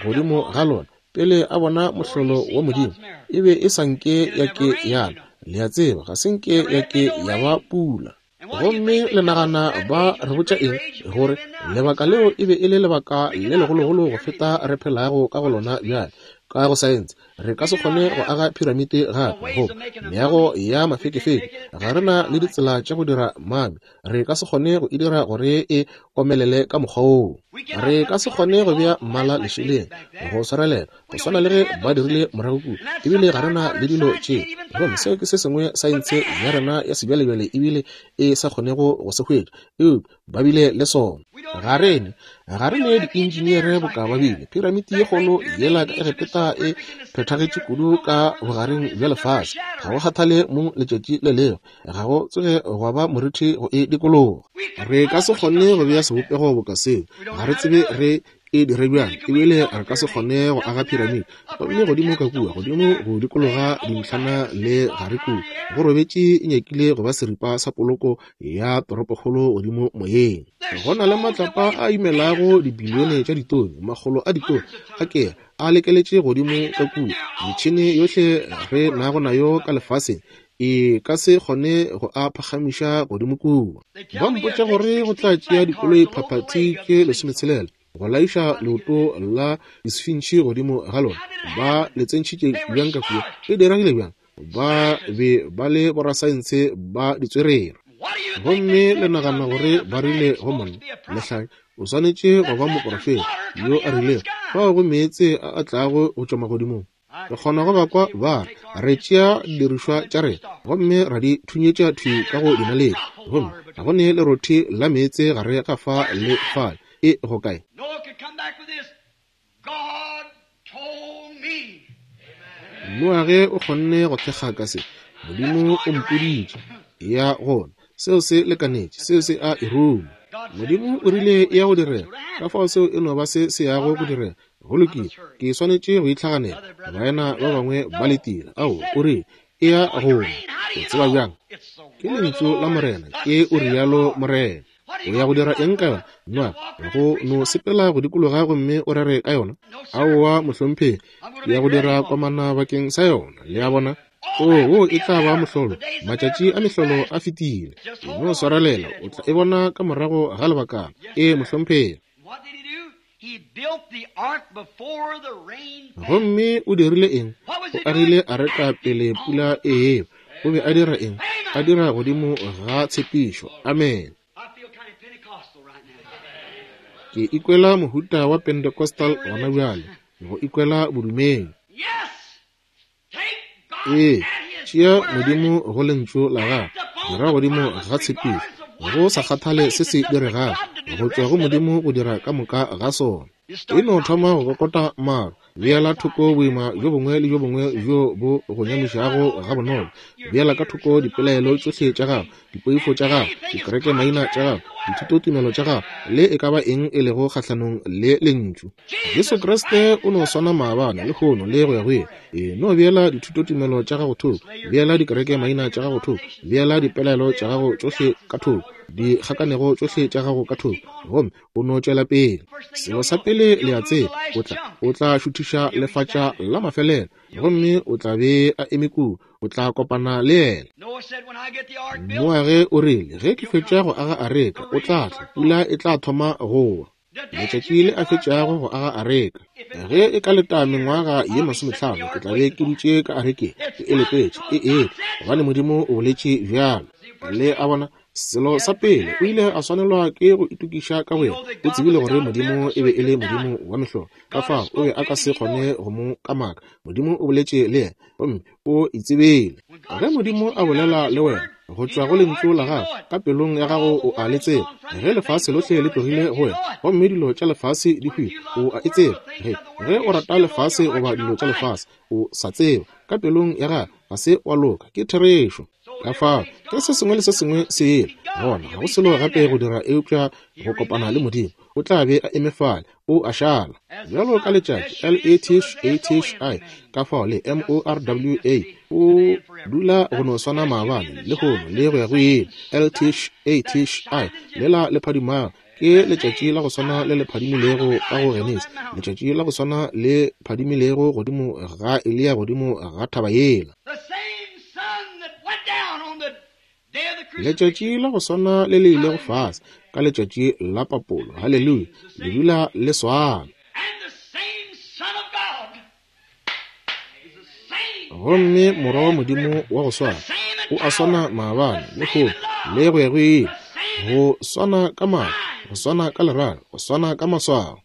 godimo ga lona pele a bona mohlolo wa Modimo. E be e sa nke ya ke yana, le a tseba, ga se nke ya ke ya ba pula. Gomme le nagana ba re botša eng? Gore lebaka leo e be e le lebaka le legologolo go feta re phelago ka go lona bjale. Ka go saense re ka se kgone go aga piramite gape, goba meago ya mafekefeke. Ga re na le ditsela tša go dira mami, re ka se kgone go e dira gore e omelele ka mokgwa woo. Re ka se kgone go bea mmala lešeleng go swarelela, go swana le ge ba dirile morago kua. Ebile ga re na le dilo tše. Gomme seo ke se sengwe saense ya rena ya sebjalebjale ebile e sa kgonego go se hwetša, eupša ba bile le sona. Ga rene ga re ne diinjiniere boka ba bile. Piramiti ye kgolo yela ka Egepeta e phethagetše kudu ka bogareng bja lefase, ga go kgathale mo letšatši le lengwe, ga go tsoge gwa ba morithi go e dikologa. Re ka se kgone go bea sebopego boka seo, ga re tsebe re e dire bjang, ebile re ka se kgone go aga piramiti. Gomme godimo ka kua, godimo go dikologa dintlhana le gare kua, go robetše e nyakile go ba seripa sa poloko ya toropokgolo godimo moyeng. Go na le matlapa a imelago dibilione tša ditone, makgolo a ditone a ke a lekeletše godimo ka kua. Metšhene yohle re nago nayo ka lefaseng e ka se kgone go a phagamiša godimo kua. Ba mpotša gore go tla tšea dikoloi phaphathi tše lesometshelela go laiša leoto la disfintšhi godimo ga lona. Ba le tsentšhitše bjang ka kua? E diregile bjang? Ba be ba le borasaense ba ditswerere. Gomme le nagana gore ba rile go monna, lehlanye, o swanetše go ba moprofeta yo a rilego, fao go meetse a a tlago go tšwa magodimong. Re kgona go ba kwa ba re, re tšea didirišwa tša rena gomme ra di thunyetša thwi ka go dinaledi, gomme ga go ne lerothi la meetse gare ga fa le fale. E go kae? Noage o kgonne go thekga ka se, Modimo o mpoditše ya gona, seo se lekanetše, seo se a e ruma. Modimo o rile e ya go direga, ka fao seo e no ba se se yago go direga. Go lokile, ke swanetše go itlhaganela, baena ba bangwe ba letile. Ao, o rile e ya gona. O tseba bjang? Ke lentšu la Morena, ke o rialo Morena. O ya go dira eng ka yona? Noa, go no sepela go dikologa gomme o rere ka yona? Aowa, mohlomphegi, ke ya go dira komana bakeng sa yona. Le a bona? O, wo e tla ba mohlolo. Matšatši a mehlolo a fetile. E no swarelela, o tla e bona ka morago ga lebakana. E, mohlomphegi. Gomme o dirile eng? O agile areka pele pula e eba. O be a dira eng? A dira godimo ga tshepišo. Amen. Ke ikwela mohuta wa Pentecostal gona bjale, go ikwela bodumedi. Ee, tšea Modimo go lentšu la gagwe, dira godimo ga tshepišo, go sa kgathale se se diregago, go tšwa go Modimo go dira ka moka ga sona. E no thoma go kokota maru, beela thoko boima bjo bongwe le bjo bongwe bjo bo go nyamišago gabonolo, beela ka thoko dipelaelo tšohle tša gago, dipoifo tša gago, dikereke maina tša gago, dithutotumelo tša gago, le e ka ba eng e lego kgahlanong le lentšu. Jesu Kriste o no swana maabane, lehono le go ya go ile. E no beela dithutotumelo tša gago thoko, beela dikereke maina tša gago thoko, beela dipelaelo tša gago tšohle ka thoko, dikgakanego tšohle tša gago ka thoko, gomme o no tšwela pele. Selo sa pele le a tseba, o tla o tla šuthiša lefatša la mafelelo, gomme o tla be a eme kua, o tla kopana le yena. Noage o rile, ge ke fetša go aga areka, o tla tla, pula e tla thoma go wa. Letšatši le a fetšago go aga areka, ge e ka leta mengwaga ye masometlhano, ke tla be ke dutše ka arekeng, ke e letetše e etla, gobane Modimo o boletše bjalo. Le a bona? Selo sa pele, o ile a swanelwa ke go itokiša ka boyena. O tsebile gore Modimo e be e le Modimo wa mehlolo, ka fao o be a ka se kgone go mo kamaka. Modimo o boletše le yena, gomme o itsebile. Ge Modimo a bolela le wena, Go tšwa go lentšu la gago, ka pelong ya gago o a le tseba. Ge lefase lohle le tlogile go wena, gomme dilo tša lefase di hwile, o a e tseba. Ge, ge o rata lefase goba dilo tša lefase, o sa tseba ka pelong ya gago ga se wa loka. Ke therešo. Ka fao, ke se sengwe le se sengwe se ile gona, ga go selo gape go dira eupša go kopana le Modimo. O tla be a eme fale, o a šala. Bjalo ka letšatši, L A T H A T H I, ka fao le M O R W A, o dula go no swana maabane, lehono le go ya go ile. L T H A T H I, lela le phadimago, ke letšatši la go swana le le phadimilego ka go Genesi, letšatši la go swana le phadimilego godimo ga Eliya godimo ga thaba yela. Letšatši la go swana le le ilego fase ka letšatši la papolo, haleluya, le dula le swana. Gomme Morwa wa Modimo wa go swana o a swana maabane, lehono le go ya go ile. Go swana ka maatla, go swana ka lerato, go swana ka maswao.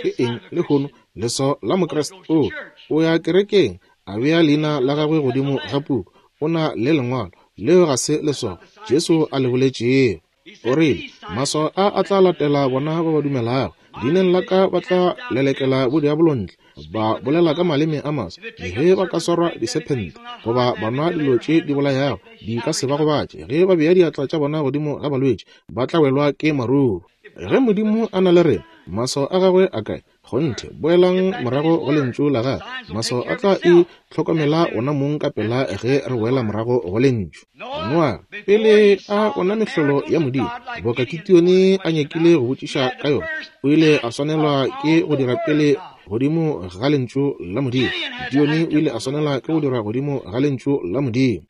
Ke eng lehono leswao la Mokriste? O o ya kerekeng, a bea leina la gagwe godimo ga puku, o na le lengwalo. Leo ga se leswao Jesu a le boletšego. O rile, maswao a a tla latela bona ba ba dumelago. Leineng la ka ba tla lelekela bodiabolo ntle, ba bolela ka maleme a maswa. Ge ba ka swarwa disephente goba ba nwa dilo tše di bolayago, di ka se ba gobatše. Ge ba bea diatla tša bona godimo ga balwetši, ba tla welwa ke maruru. Ge Modimo a na le rena, maswao a gagwe a kae? Kgonthe, boelang morago go lentšu la gagwe. Maswao a tla e hlokomela ona mong ka pela ge re boela morago go lentšu. Noa, pele a bona mehlolo ya Modimo, boka Kitione a nyakile go botšiša ka yona, o ile a swanelwa ke go dira pele godimo ga lentšu la Modimo. Kitione o ile a swanelwa ke go dira godimo ga lentšu la Modimo.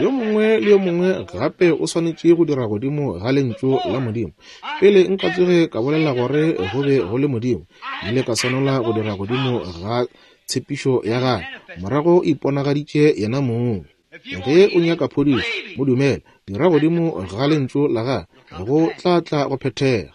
Yo mongwe le yo mongwe gape o swanetše go dira godimo ga lentšu la Modimo. Pele nka tsoge ka bolela gore go be go le Modimo, ile ka swanela go dira godimo ga tshepišo ya gagwe. Morago iponagaditše yena mong. Ge o nyaka phodišo, mo dumele, dira godimo ga lentšu la gagwe, go tla tla go phethega.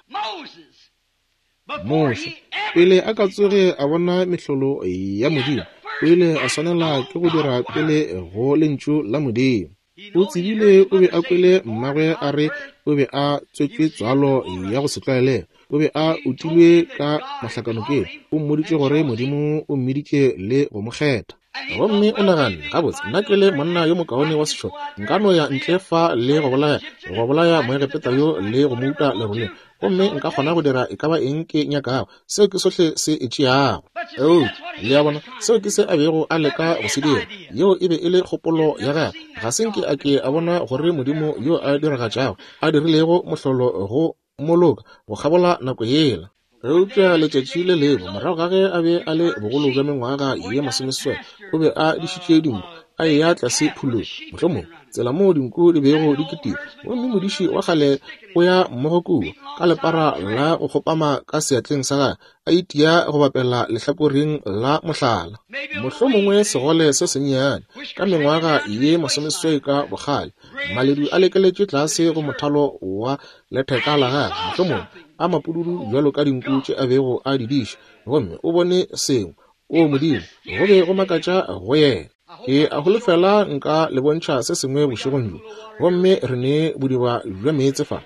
Moshe, pele a ka tsoge a bona mehlolo ya Modimo, o ile a swanela ke go dira pele go lentšu la Modimo. O tsebile o be a kwele mmagwe a re o be a tswetšwe tswalo ya go se tlwaelege, o be a utilwe ka mahlakanokeng. O mmoditše gore Modimo o mmiditše le go mo kgetha. Gomme o naganne, gabotse, nna ke le monna yo mokaone wa sešole, nka no ya ntle fa le go bolaya, go bolaya Moegepeta yo le go mo uta leroleng, gomme nka kgona go dira e ka ba eng ke nyakago. Seo ke sohle se e tšeago. Eupša le a bona, seo ke se a bego a leka go se dira. Yeo e be e le kgopolo ya gagwe. Ga se nke a ke a bona gore Modimo yo a diragatšago a dirilego mohlolo go moloka go kgabola nako yela. Eupša letšatši le lengwe, morago ga ge a be a le bogolo bja mengwaga ye masomeseswai, o be a dišitše dinku, a eya tlase phulong, mohlomongwe tsela moo dinku di bego di kitima. Gomme modiši wa kgale o ya mmogo kua ka lepara la go kgopama ka seatleng sa gagwe, a itia go bapela lehlakoreng la mohlala. Mohlomongwe segole se sennyane ka mengwaga ye masomeseswai ka bokgale, maledu a lekeletše tlase go mothalo wa letheka la gagwe, mohlomongwe a mapududu bjalo ka dinku tše a bego a di diša. Gomme o bone sengwe. O Modimo, go be go makatša go yena. Ke a holofela nka le bontšha se sengwe bošegong bjo. Gomme re ne bodiba bja meetse fa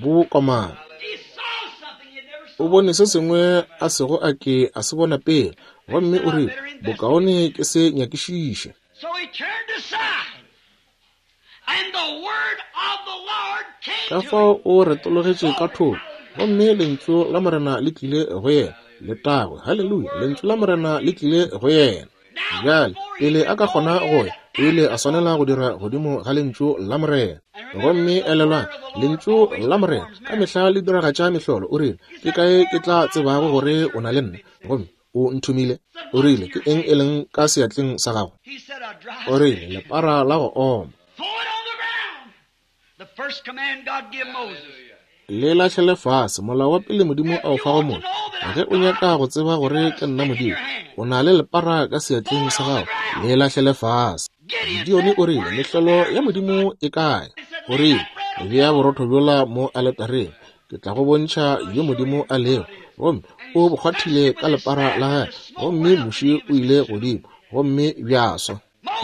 bo komana. O bone se sengwe a sego a ke a se bona pele, gomme o rile, bokaone ke se nyakišiše. Ka fao o retologetše ka thoko, gomme lentšu la Morena le tlile go yena. Letago, haleluya, lentšu la Morena le tlile go yena. Bjale, pele a ka kgona go ya, o ile a swanela go dira godimo ga lentšu la Morena. Gomme elelwang, lentšu la Morena ka mehla le diragatša mehlolo. O rile, ke kae ke tla tsebago gore o na le nna? Gomme o nthomile. O rile, ke eng e leng ka seatleng sa gago? O rile, lepara la go oma. Le lahlele fase, molao wa pele Modimo a o fago motho. Ge o nyaka go tseba gore ke nna Modimo, o na le lepara ka seatleng sa gago, le lahlele fase. Gideone o rile, mehlolo ya Modimo e kae? O rile, bea borotho bjola mo aletareng, ke tla go bontšha yo Modimo a lego. Gomme o bo kgwathile ka lepara la gagwe, gomme muši o ile godimo, gomme bja swa.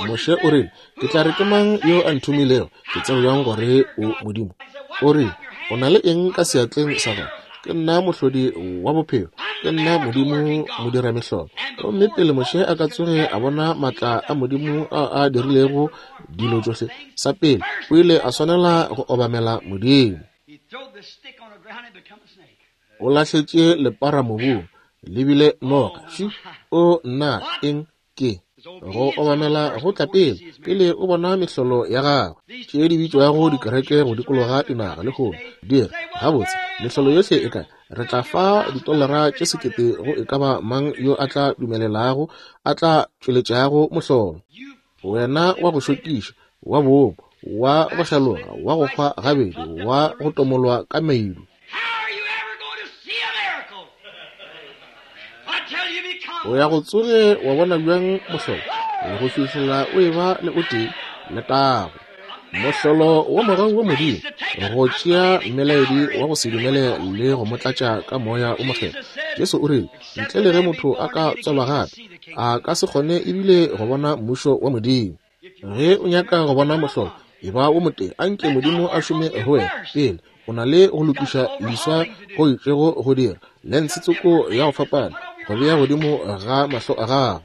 Moshe o rile, ke tla re ke mang yo a nthomilego? Ke tseba bjang gore o Modimo? O rile, o na le eng ka seatleng sa gago? Ke nna mohlodi wa bophelo, ke nna Modimo modiramehlolo. Gomme pele Moshe a ka tsoge a bona maatla a Modimo a a dirilego dilo tšohle, sa pele o ile a swanela go obamela Modimo. O lahletše lepara mobung, le bile noga. Ši, o nna eng ke? Go obamela go tla pele, pele o bona mehlolo ya gagwe. Tše di bitšwago dikereke go dikologa dinaga lehono di re, gabotse, mehlolo yohle e kae? Re tla fa ditolara tše sekete go e ka ba mang yo a tla dumelelago, a tla tšweletšago mohlolo. Wena wa go šokiša, wa boomo, wa go hlaloga, wa go hwa gabedi, wa go tomolwa ka meidu. O ya go tsoge wa bona bjang mohlolo go fihlela o eba le o tee letago. Mohlolo wa mogau wa Modimo go tšea mmelaedi wa go se dumele le go mo tlatša ka moya o mokgethwa. Jesu o rile, ntle le ge motho a ka tswalwa gape, a ka se kgone ebile go bona mmušo wa Modimo. Ge o nyaka go bona mohlolo, e ba o motee, anke Modimo a šome go wena pele. O na le go lokiša leswa go itšego go dira lense tsoko ya go fapana go bea godimo ga mahlo a gago.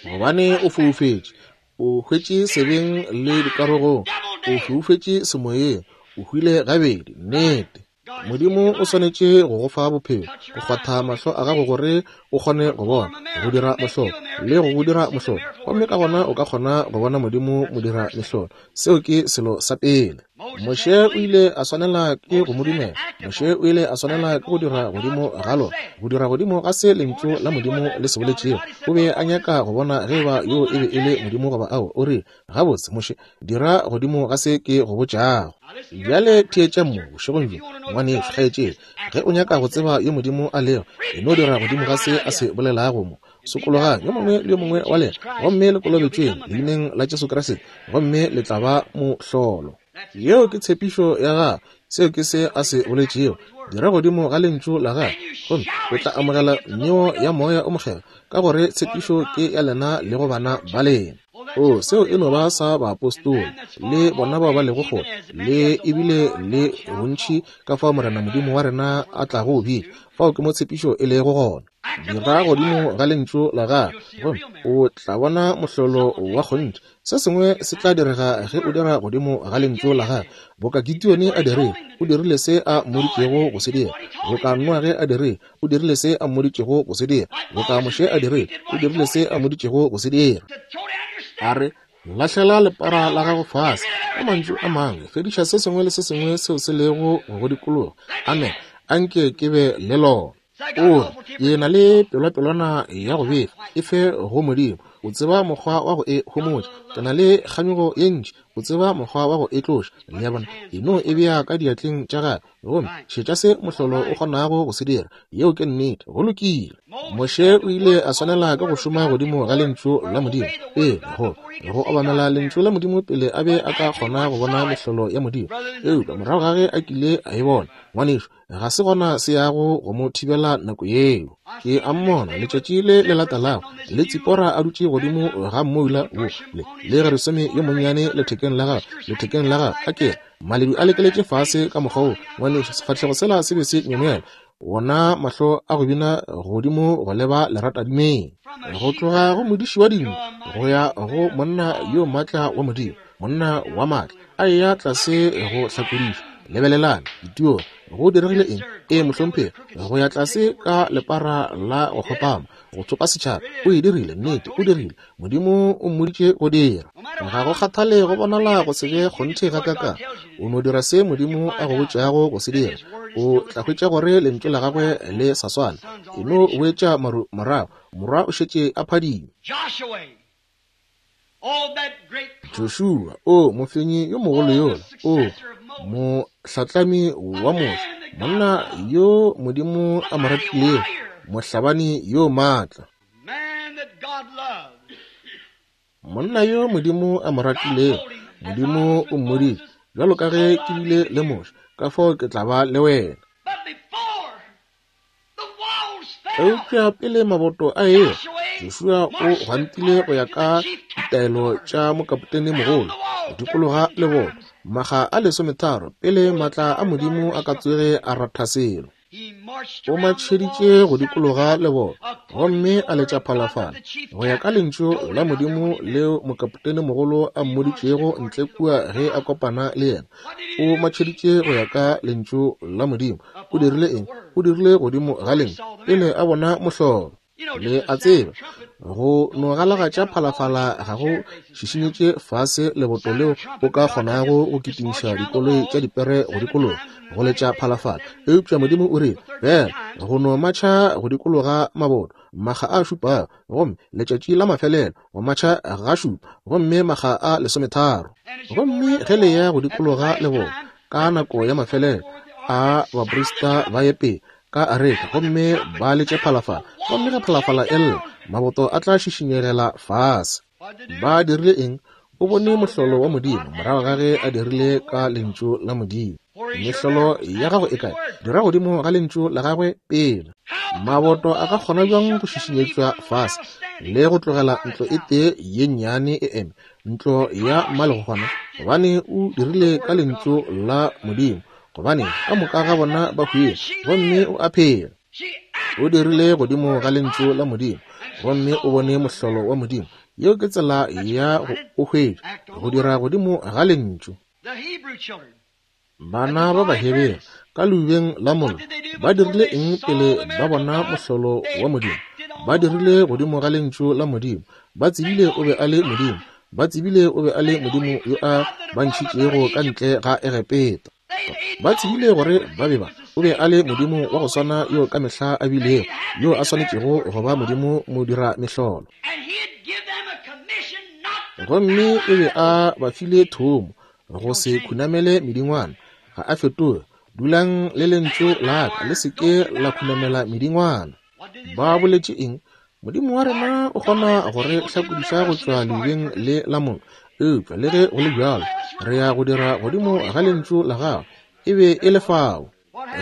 Gobane o foufetše, o hwetše sebeng le dikarogong, o foufetše semoyeng, o hwile gabedi. Nnete, Modimo o swanetše go go fa bophelo, go kgwatha mahlo a gago gore o kgone go bona, go dira mohlolo le go go dira mohlolo, gomme ka gona o ka kgona go bona Modimo mo dira mehlolo. Seo ke selo sa pele. Moshe o ile a swanela ke go mo dumela. Moshe o ile a swanela ke go dira godimo ga lona, go dira godimo ga se lentšu la Modimo le se boletšego. O be a nyaka go bona ge ba yo e be e le Modimo goba ao. O rile, gabotse Moshe, dira godimo ga se ke go botšago. Bjale theetša mo bošegong bjo, ngwanešu, kgaetšedi, ge o nyaka go tseba yo Modimo a lego, e no dira godimo ga se a se bolelago mo. Sokologang yo mongwe le yo mongwe wa lena, gomme le kolobetšweng leineng la Jesu Kriste, gomme le tla ba mohlolo. Yeo ke tshepišo ya gagwe, seo ke se a se boletšego. Dira godimo ga lentšu la gagwe, gomme o tla amogela neo ya moya o mokgethwa, ka gore tshepišo ke ya lena le go bana ba lena. O, seo e no ba sa baapostola le bona bao ba lego kgole, le ebile le bontši ka fao Morena Modimo wa rena a tlago bitša. Fao ke mo tshepišo e lego gona. Dira godimo ga lentšu la gagwe, gomme o tla bona mohlolo wa kgonthe. Se sengwe se tla direga ge o dira godimo ga lentšu la gagwe. Boka Gideone a dirile, o dirile se a mmoditšego go se dira. Boka Noage a dirile, o dirile se a mmoditšego go se dira. Boka Moshe a dirile, o dirile se a mmoditšego go se dira. A re, lahlela lepara la gago fase. Ka mantšu a mangwe, fediša se sengwe le se sengwe seo se lego go dikologa. Amen. Anke ke be le lona. O re, ke na le pelwapelwana ya go befa, e fe go Modimo. O tseba mokgwa wa go e homotša. Ke na le kganyogo ye ntši, o tseba mokgwa wa go e tloša. Le a bona, e no e bea ka diatleng tša gagwe, gomme šetša se mohlolo o kgonago go se dira. Yeo ke nnete. Go lokile. Moshe o ile a swanela ke go šoma godimo ga lentšu la Modimo pele, go go obamela lentšu la Modimo pele a be a ka kgona go bona mehlolo ya Modimo. Eupša morago ga ge a kile a e bona, ngwanešu, ga se gona se yago go mo thibela nako yeo. Ke a mmona letšatši le le latelago, le Tsipora a dutše godimo ga mmoula wo, le le Gerisome yo monnyane lethekeng la gagwe, lethekeng la gagwe, a ke maledu a lekeletše fase ka mokgwa wo. Ngwanešu, sefahlego sela se be se myemyela, wona mahlo a go bina godimo go leba leratadimeng. Go tloga go modiši wa dinku go ya go monna yo maatla wa Modimo, monna wa maatla a eya tlase go hlakodišwa. Lebelelang ditio, go diregile eng? E mohlomphegi, go ya tlase ka lepara la go kgopama, go tsopa setšhaba. O e dirile, nnete, o dirile. Modimo o mmoditše go dira. Ga go kgathale go bonala go se be kgonthe gakakang, o no dira se Modimo a go botšago go se dira. O tla hwetša gore lentšu la gagwe le sa swana. E no boetša maru morago, morwa o šetše a phadima. Joshua, o mofenyi yo mogolo yola, o mohlatlami wa Moshe, monna yo Modimo a mo ratilego, mohlabani yo maatla. Monna yo Modimo a mo ratilego, Modimo o mmoditše, bjalo ka ge ke bile le Moshe, ka fao ke tla ba le wena. Eupša pele maboto a ewa, Joshua o gwantile go ya ka ditaelo tša mokapotene mogolo go dikologa leboto makga a lesometharo pele maatla a Modimo a ka tsoge a ratha selo. O matšheditše go dikologa leboto gomme a letša phalafala go ya ka lentšu la Modimo leo mokapotene mogolo a mmoditšego ntle kua ge a kopana le yena. O matšheditše go ya ka lentšu la Modimo. O dirile eng? O dirile godimo ga lentšu pele a bona mohlolo. Le a tseba, go no galagatša phalafala ga go šišinyetše fase leboto leo o ka kgonago go kitimiša dikoloi tša dipere go dikologa go letša phalafala. Eupša Modimo o rile, bjale go no matšha go dikologa maboto makga a šupago, gomme letšatši la mafelelo go matšha ga šupa, gomme makga a lesometharo. Gomme ge le ya go dikologa leboto ka nako ya mafelelo a baprista ba ye pele ka areka gomme ba letše phalafala, gomme ge phalafala e lla maboto a tla šišinyegela fase. Ba dirile eng? O bone mohlolo wa Modimo morago ga ge a dirile ka lentšu la Modimo. Mehlolo ya gago e kae? Dira godimo ga lentšu la gagwe pele. Maboto a ka kgona bjang go šišinyetšwa fase le go tlogela ntlo e tee ye nnyane e eme, ntlo ya mmalegogwana? Gobane o dirile ka lentšu la Modimo, gobane ka moka ga bona ba hwile gomme o a phela. O dirile godimo ga lentšu la Modimo gomme o bone mohlolo wa Modimo. Yeo ke tsela ya go o hwetša, go dira godimo ga lentšu. Bana ba Bahebere ka leubeng la mollo ba dirile eng pele ba bona mohlolo wa Modimo? Ba dirile godimo ga lentšu la Modimo. Ba tsebile o be a le Modimo. Ba tsebile o be a le Modimo yo a ba ntšhitšego ka ntle ga Egepeta. Ba tsebile gore ba be ba o be a le Modimo wa go swana yo ka mehla a bilego, yo a swanetšego go ba Modimo modira mehlolo. Gomme o be a ba file thomo go se khunamele medingwana. Ga a fetoge. Dulang le lentšu la ka, le se ke la khunamela medingwana. Ba boletše eng? Modimo wa rena o kgona go re hlakodiša go tšwa leubeng le la mollo, eupša le ge go le bjalo re ya go dira godimo ga lentšu la gagwe. E be e le fao.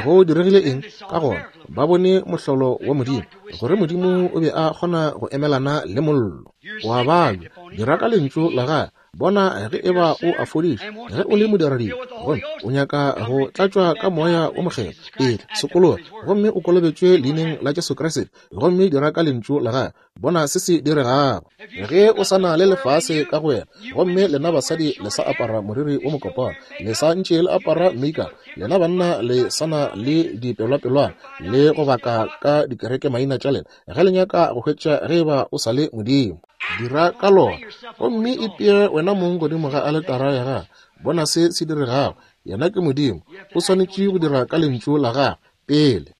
Go diregile eng? Ka gona ba bone mohlolo wa Modimo, gore Modimo o be a kgona go emelana le mollo. Wa babja, dira ka lentšu la gagwe. Bona ge eba o a fodiša, ge o le modiradibe gomme o nyaka go tlatšwa ka moya o mokgethwa, etla sokologa gomme o kolobetšwe leineng la Jesu Kriste, gomme dira ka lentšu la gagwe. Bona se se diregago. Ge o sa na le lefase ka go wena, gomme lena basadi le sa apara moriri wo mokopana, le sa ntše le apara makeup, lena banna le sa na le dipelwapelwana le go baka ka dikereke maina tša lena, ge le nyaka go hwetša ge eba o sa le Modimo, dira ka lona gomme ipee wena mong godimo ga aletara ya gagwe. Bona se se diregago. Yena ke Modimo, o swanetše go dira ka lentšu la gagwe pele.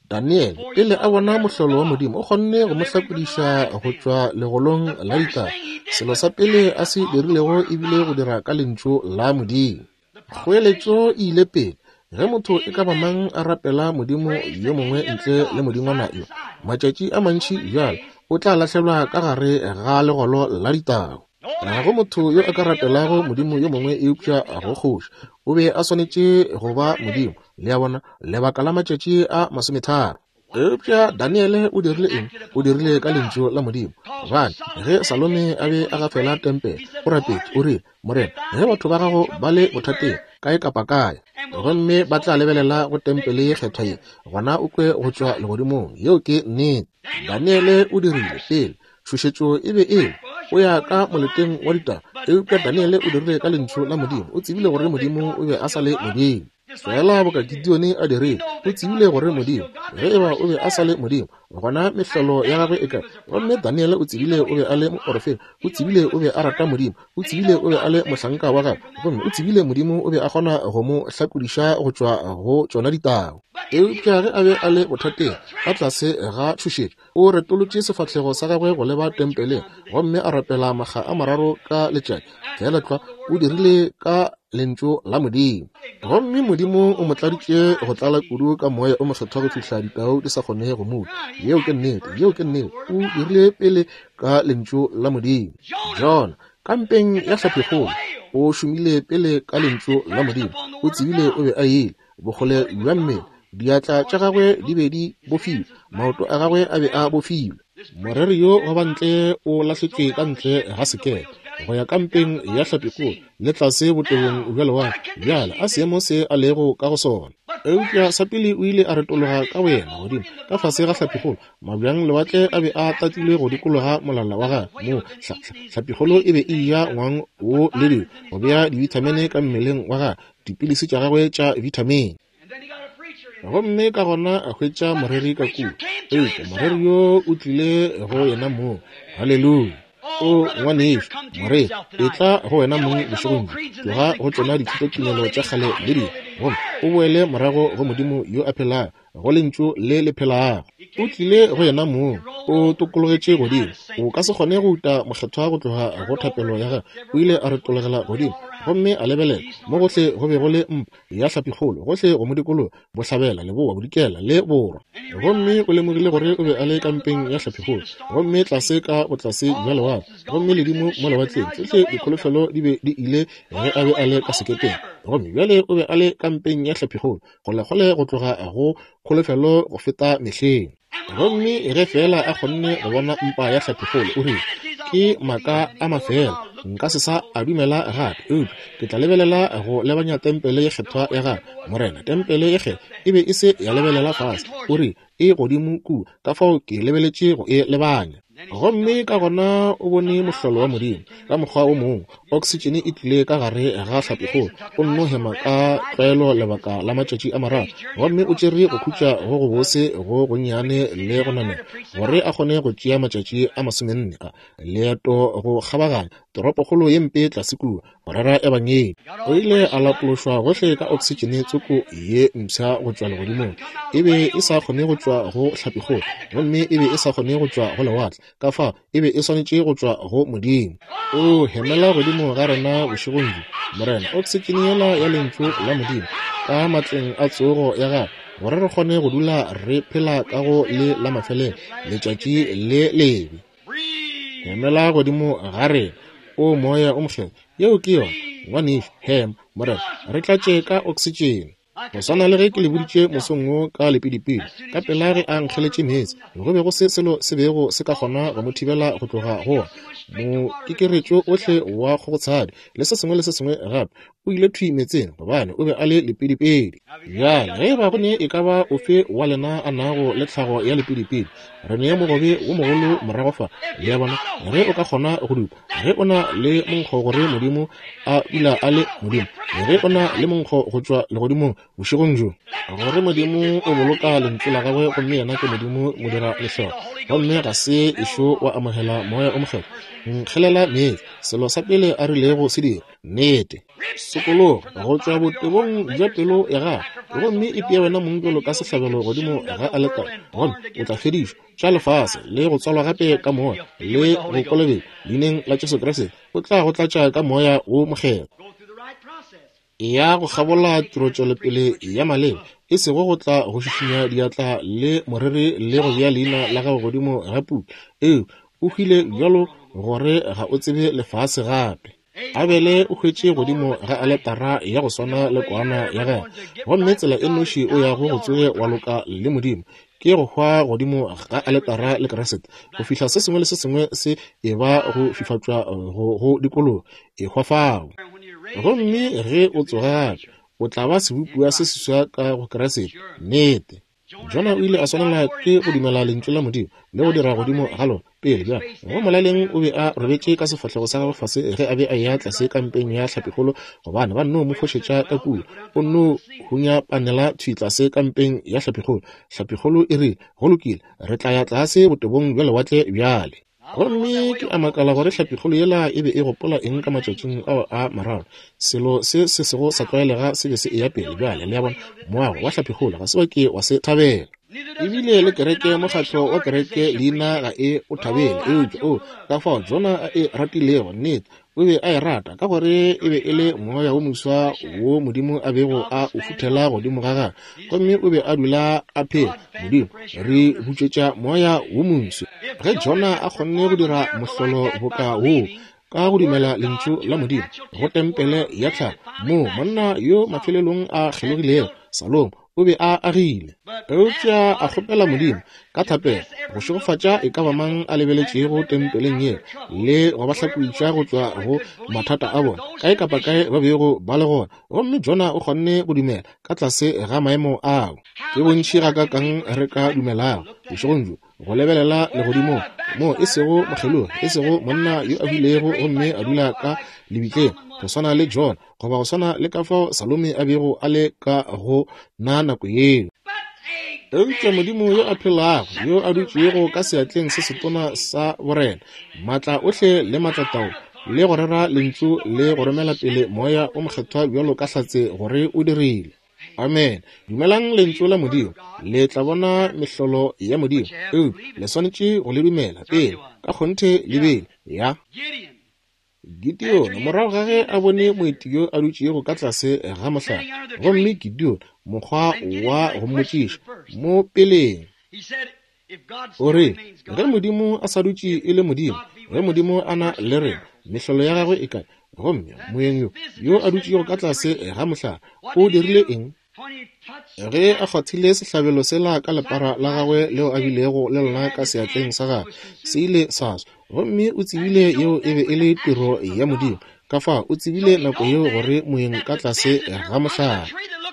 Daniel pele a bona mohlolo wa Modimo, o kgonne go mo hlakodiša go tšwa legolong la ditau. Selo sa pele a se dirilego ebile go dira ka lentšu la Modimo. Kgoeletšo e ile pele. Ge motho e ka ba mang a rapela modimo yo mongwe ntle le modingwana yo, matšatši a mantši bjalo o tla lahlelwa ka gare ga legolo la ditau. Ga go motho yo a ka rapelago modimo yo mongwe eupša go kgoši. O be a swanetše go ba modimo, le a bona, lebaka la matšatši a masometharo. Eupša Daniele o dirile eng? O dirile ka lentšu la Modimo. Gobane ge Salome a be a gafela tempele, o rapetše, o rile, Morena, ge batho ba gago ba le bothateng kae kapa kae, gomme ba tla lebelela go tempele ye kgethwa ye, gona o kwe go tšwa legodimong. Yeo ke nnete. Daniele o dirile pele. Tšhošetšo e be e le o ya ka moleteng wa ditaba, eupša Daniele o dirile ka lentšu la Modimo. O tsebile gore Modimo o be a sa le Modimo. Fela boka Gideone a dirile, o tsebile gore Modimo, ge eba o be a sa le Modimo, gona mehlolo ya gagwe e kae? Gomme Daniele o tsebile o be a le moporofeta, o tsebile o be a rata Modimo, o tsebile o be a le mohlanka wa gagwe, gomme o tsebile Modimo o be a kgona go mo hlakodiša go tšwa go tšona ditau. Eupša ge a be a le bothateng ka tlase ga tšhošetšo, o retolotše sefahlego sa gagwe go leba tempeleng gomme a rapela makga a mararo ka letšatši. Fela tlwa o dirile ka lentšu la Modimo. Gomme Modimo o mo tladitše go tlala kudu ka moya o mokgethwa go fihla ditau di sa kgone go mo. Yeo ke nnete, yeo ke nnete. O dirile pele ka lentšu la Modimo. Jona kampeng ya hlapikgolo o šomile pele ka lentšu la Modimo. O tsebile o be a ile bokgole bja mmele. Diatla tša gagwe di be di bofilwe, maoto a gagwe a be a bofilwe. Moreri yo wa bantle o lahletšwe ka ntle ga sekepe go ya kampeng ya hlapikgolo le tlase botebong bja lewatle. Bjale a seemo se a lego ka go sona. Eupša sa pele o ile a retologa ka boyena godimo ka fase ga hlapikgolo. Mabjang lewatle a be a tatilwe go dikologa molala wa gagwe. Moo hlapikgolo e be e eja ngwang wo le dilo go bea dibithamine ka mmeleng wa gagwe, dipilisi tša gagwe tša vitamine. Gomme ka gona a hwetša moreri ka kua. Eupša moreri yo o tlile go yena moo. Haleluya! O ngwanešu, moreri, etla go wena mong bošegong bjo. Tloga go tšona dithutotumelo tša kgale le dilo, gomme o boele morago go Modimo yo a phelago, go lentšu le le phelago. O tlile go yena mong, o tokologetše godimo. O ka se kgone go uta mokgethwa go tloga go thapelo ya gagwe. O ile a retologela godimo gomme a lebelela mo gohle go be go le mpa ya hlapikgolo gohle go mo dikologa, bohlabela, leboa, bodikela le borwa. Gomme o lemogile gore o be a le kampeng ya hlapikgolo, gomme tlase ka botlase bja lewatle, gomme ledimo mo lewatleng. Tsohle dikholofelo di be di ile ge a be a le ka sekepeng. Gomme bjale o be a le kampeng ya hlapikgolo, kgolekgole go tloga go kholofelo go feta mehleng. Gomme ge fela a kgonne go bona mpa ya hlapikgolo, o rile, ke maaka a mafela, nka se sa a dumela gape, eupša ke tla lebelela go lebanya tempele ye kgethwa ya gagwe. Morena, tempele ye kgethwa e be e se ya lebelela fase, o rile, e godimo kua, ka fao ke lebeletše go e lebanya. Gomme ka gona o bone mohlolo wa Modimo ka mokgwa o mongwe. Oksitšene e tlile ka gare ga hlapikgolo. O nno hema ka tlwaelo lebaka la matšatši a mararo, gomme o tšere go khutša go go bose go gonnyane le go namela gore a kgone go tšea matšatši a masomenne a leeto go kgabaganya toropokgolo ye mpe tlase kua go rera ebangedi. O ile a lapološwa gohle ka oksitšene tsoko ye mpsha go tšwa legodimong. E be e sa kgone go tšwa go hlapikgolo, gomme e be e sa kgone go tšwa go lewatle. Ka fao e be e swanetše go tšwa go Modimo. O hemela godimo ga rena bošegong bjo, Morena, oksitšene yela ya lentšu la Modimo ka matleng a tsogo ya gagwe, gore re kgone go dula re phela ka go le la mafelelo letšatši le lebe. Hemela godimo ga rena, o moya o mokgethwa. Yeo ke yona, ngwanešu, hema, Morena, re tlatše ka oksitšene. Go swana le ge ke le boditše mosong wo ka lepidipidi, ka pela ge a nkgeletše meetse, go be go se selo se bego se ka kgona go mo thibela go tloga go ona. Mokekeretšo ohle wa kgogotshadi le se sengwe le se sengwe gape o ile thwi meetseng, gobane o be a le lepidipidi. Bjale ge eba go ne e ka ba ofe wa lena a nago le tlhago ya lepidipidi, re ne mogobe wo mogolo morago fa. Le a bona, ge o ka kgona go dupa, ge o na le monkgo gore Modimo a dula a le Modimo, ge o na le monkgo go tšwa legodimong bošegong bjo, gore Modimo o boloka lentšu la gagwe, gomme yena ke Modimo modira mehlolo, gomme ga se ešo wa amogela moya o mokgethwa, nkgelela meetse, selo sa pele a rilego se dira, nnete, sokologa go tšwa botebong bja pelo ya gago, gomme ipee wena mong bjalo ka sehlabelo godimo ga aletare, gomme o tla fedišwa tša lefase le go tswalwa gape ka moya le go kolobetšwa leineng la Jesu Kriste. O tla go tlatša ka moya wo mokgethwa. Ya go kgabola tirotšwelopele ya maleba, e sego go tla go šišinya diatla le moreri le go bea leina la gago godimo ga puku. Ee, o hwile bjalo gore ga o tsebe lefase gape. Abele o hwetše godimo ga aletara ya go swana le kwana ya gagwe, gomme tsela e nnoši o yago go tsoge wa loka le Modimo ke go hwa godimo ga aletara le Kriste, go fihla se sengwe le se sengwe se e ba go fifatšwa go go dikologa, e hwa fao. Gomme ge o tsoga gape, o tla ba sebopiwa se seswa ka go Kriste. Nnete. Jona o ile a swanela ke go dumela lentšu la Modimo le go dira godimo ga lona pele. Bjale go molaleng o be a robetše ka sefahlego sa gagwe fase ge a be a eya tlase kampeng ya hlapikgolo, gobane ba nno mo fošetša ka kua. O nno hunya panela thwi tlase kampeng ya hlapikgolo. Hlapikgolo e rile, go lokile, re tla ya tlase botebong bja lewatle bjale. Gomme ke a makala gore hlapikgolo yela e be e gopola eng ka matšatšing ao a mararo. Selo se se sego sa tlwaelega se be se eya pele bjale. Le a bona, moago wa hlapikgolo ga se wa ke wa se thabela. Ebile le kereke, mokgatlo wa kereke leina ga e o thabele. Eupša o ka fao Jona a e ratilego, nnete o be a e rata, ka gore e be e le moya wo moswa wo Modimo a bego a o futhela godimo ga gagwe, gomme o be a dula a phela. Modimo re butšwetša moya wo moswa. Ge Jona a kgonne go dira mohlolo boka woo ka go dumela lentšu la Modimo go tempele ya tlhago, moo monna yo mafelelong a kgelogilego, Salomo, O be a agile. Eupša a kgopela Modimo ka thapelo go šegofatša e ka ba mang a lebeletšego tempeleng ye le go ba hlakoitša go tšwa go mathata a bona kae kapa kae ba bego ba le gona. Gomme Jona o kgonne go dumela ka tlase ga maemo ao. Ke bontši gakaakang re ka dumelago bošegong bjo go lebelela legodimong mo e sego mokgelogi, e sego monna yo a hwilego gomme a dula ka lebitleng go swana le Jona, goba go swana le ka fao Salome a bego a le ka go na nako yeo. Eupša Modimo yo a phelago, yo a dutšego ka seatleng se setona sa borena, maatla ohle le maatlatao, le go rera lentšu le go romela pele moya o mokgethwa bjalo ka hlatse gore o dirile. Amen. Dumelang lentšu la Modimo, le tla bona mehlolo ya Modimo. Eupša le swanetše go le dumela pele, ka kgonthe le bele. Ya Gideon, morago ga ge a bone moeti yo a dutšego ka tlase ga mohlare, gomme Gideon mokgwa wa go mmotšiša mo peleng, o re, ge Modimo a sa dutše e le Modimo, ge Modimo a na le rena, mehlolo ya gagwe e kae? Gomme moeng yo yo a dutšego ka tlase ga mohlare o dirile eng? Ge a kgwathile sehlabelo sela ka lepara la gagwe leo a bilego le lona ka seatleng sa gagwe, se ile sa swa. Gomme o tsebile yeo e be e le tiro ya Modimo. Ka fao o tsebile nako yeo gore moeng ka tlase ga mohlare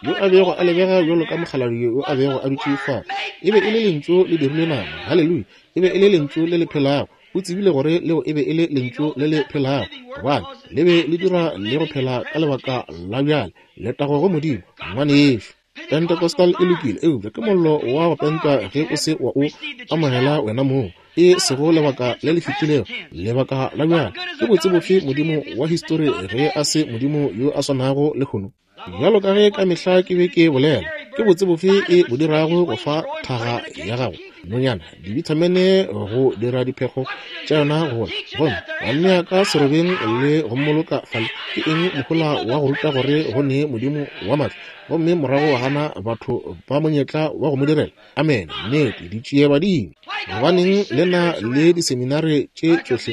yo a bego a lebega bjalo ka mokgalabje yo a bego a dutše fao, e be e le lentšu le dirilwe nama. Haleluya! E be e le lentšu le le phelago. O tsebile gore leo e be e le lentšu le le phelago, gobane le be le dira le go phela ka lebaka la bjale. Letago go Modimo, ngwanešo. Pentecostal e lokile, eupša ke mollo wa go pentwa ge o se wa o amogela wena mong, e sego lebaka le le fetilego, lebaka la bjale. Ke botse bofe Modimo wa histori ge a se Modimo yo a swanago lehono? Bjalo ka ge ka mehla ke be ke bolela, ke botse bofe e bo dirago go fa thaga ya gago nonyana dibithamene go dira diphego tša yona go gola, gomme wa nnea ka serobeng le go mmoloka fale? Ke eng mohola wa go ruta gore go ne Modimo wa maatla, gomme morago wa gana batho ba monyetla wa go mo direla? Amen. Nnete, ditšie badimo. Gobaneng le na le diseminare tše tšohle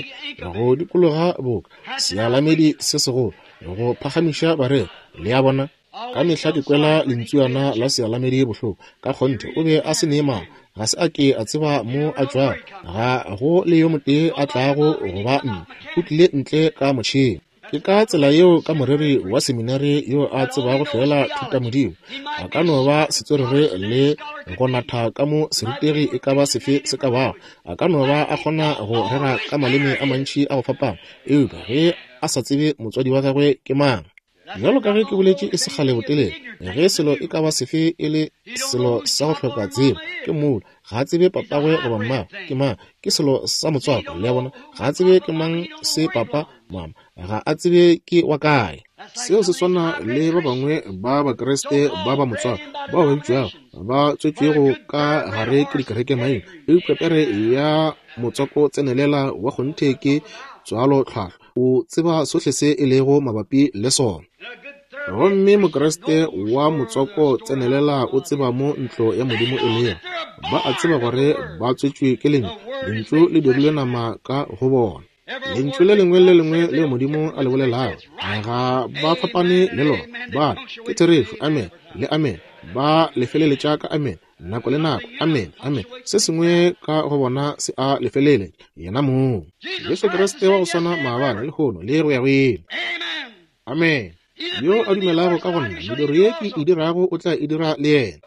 go dikologa boka sealamedi se segolo go phagamiša bareri? Le a bona? Ka mehla ke kwela lentsuana la sealamedi bohloko. Ka kgonthe o be a se ne mama, ga se a ke a tseba mo a tšwago, ga go le yo motee a tlago go ba nna, o tlile ntle ka motšhene. Ke ka tsela yeo ka moreri wa seminari yo a tsebago fela thutamodimo, a ka no ba setswerere le go natha ka mo serutegi e ka ba sefe se ka bago, a ka no ba a kgona go rera ka maleme a mantši a go fapana, eupša ge a sa tsebe motswadi wa gagwe ke mang. Bjalo ka ge ke boletše e se kgale botelele, ge selo e ka ba sefe e le selo sa go hloka tsebo, ke mmolo. Ga a tsebe papagwe goba mmagwe ke mang, ke selo sa motswako. Le a bona? Ga a tsebe ke mang se papa mama, ga a tsebe ke wa kae. Seo se swana le ba bangwe ba Bakriste ba ba motswako bao ba bitšwago ba tswetšwego ka gare ke dikereke maina, eupša pere ya motswako tsenelela wa kgonthe ke tswalo tlhwahlwa. O tseba sohle se e lego mabapi le sona. Gomme Mokriste wa motswako tsenelela o tseba mo ntlo ya Modimo e lego. Ba a tseba gore ba tswetšwe ke lentšu, lentšu le dirilwe nama ka go bona. Lentšu le lengwe le lengwe leo Modimo a le bolelago ga ba fapane le lona. Ba ke therešo, amen le amen. Ba lefeleletša ka amen nako le nako, amen, amen. Se sengwe ka go bona se a lefelele yena mong. Jesu Kriste wa go swana maabane, lehono le go ya go ile. Amen. Yo a dumelago ka go nna, mediro ye ke e dirago o tla e dira le yena.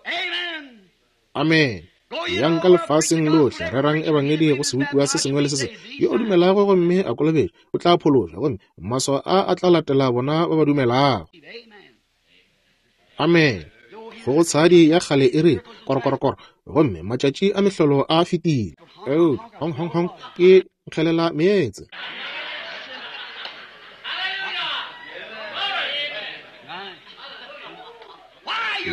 Amen. Yang ka lefaseng lohle, rerang ebangedi go sebopiwa se sengwe le se sengwe. Yo a dumelago gomme a kolobetšwa o tla phološwa, gomme maswao a a tla latela bona ba ba dumelago. Amen. Go tshadi ya kgale e re korokorokoro, gomme matšatši a mehlolo a fetile. Eupša hong hong hong ke nkgelela meetse.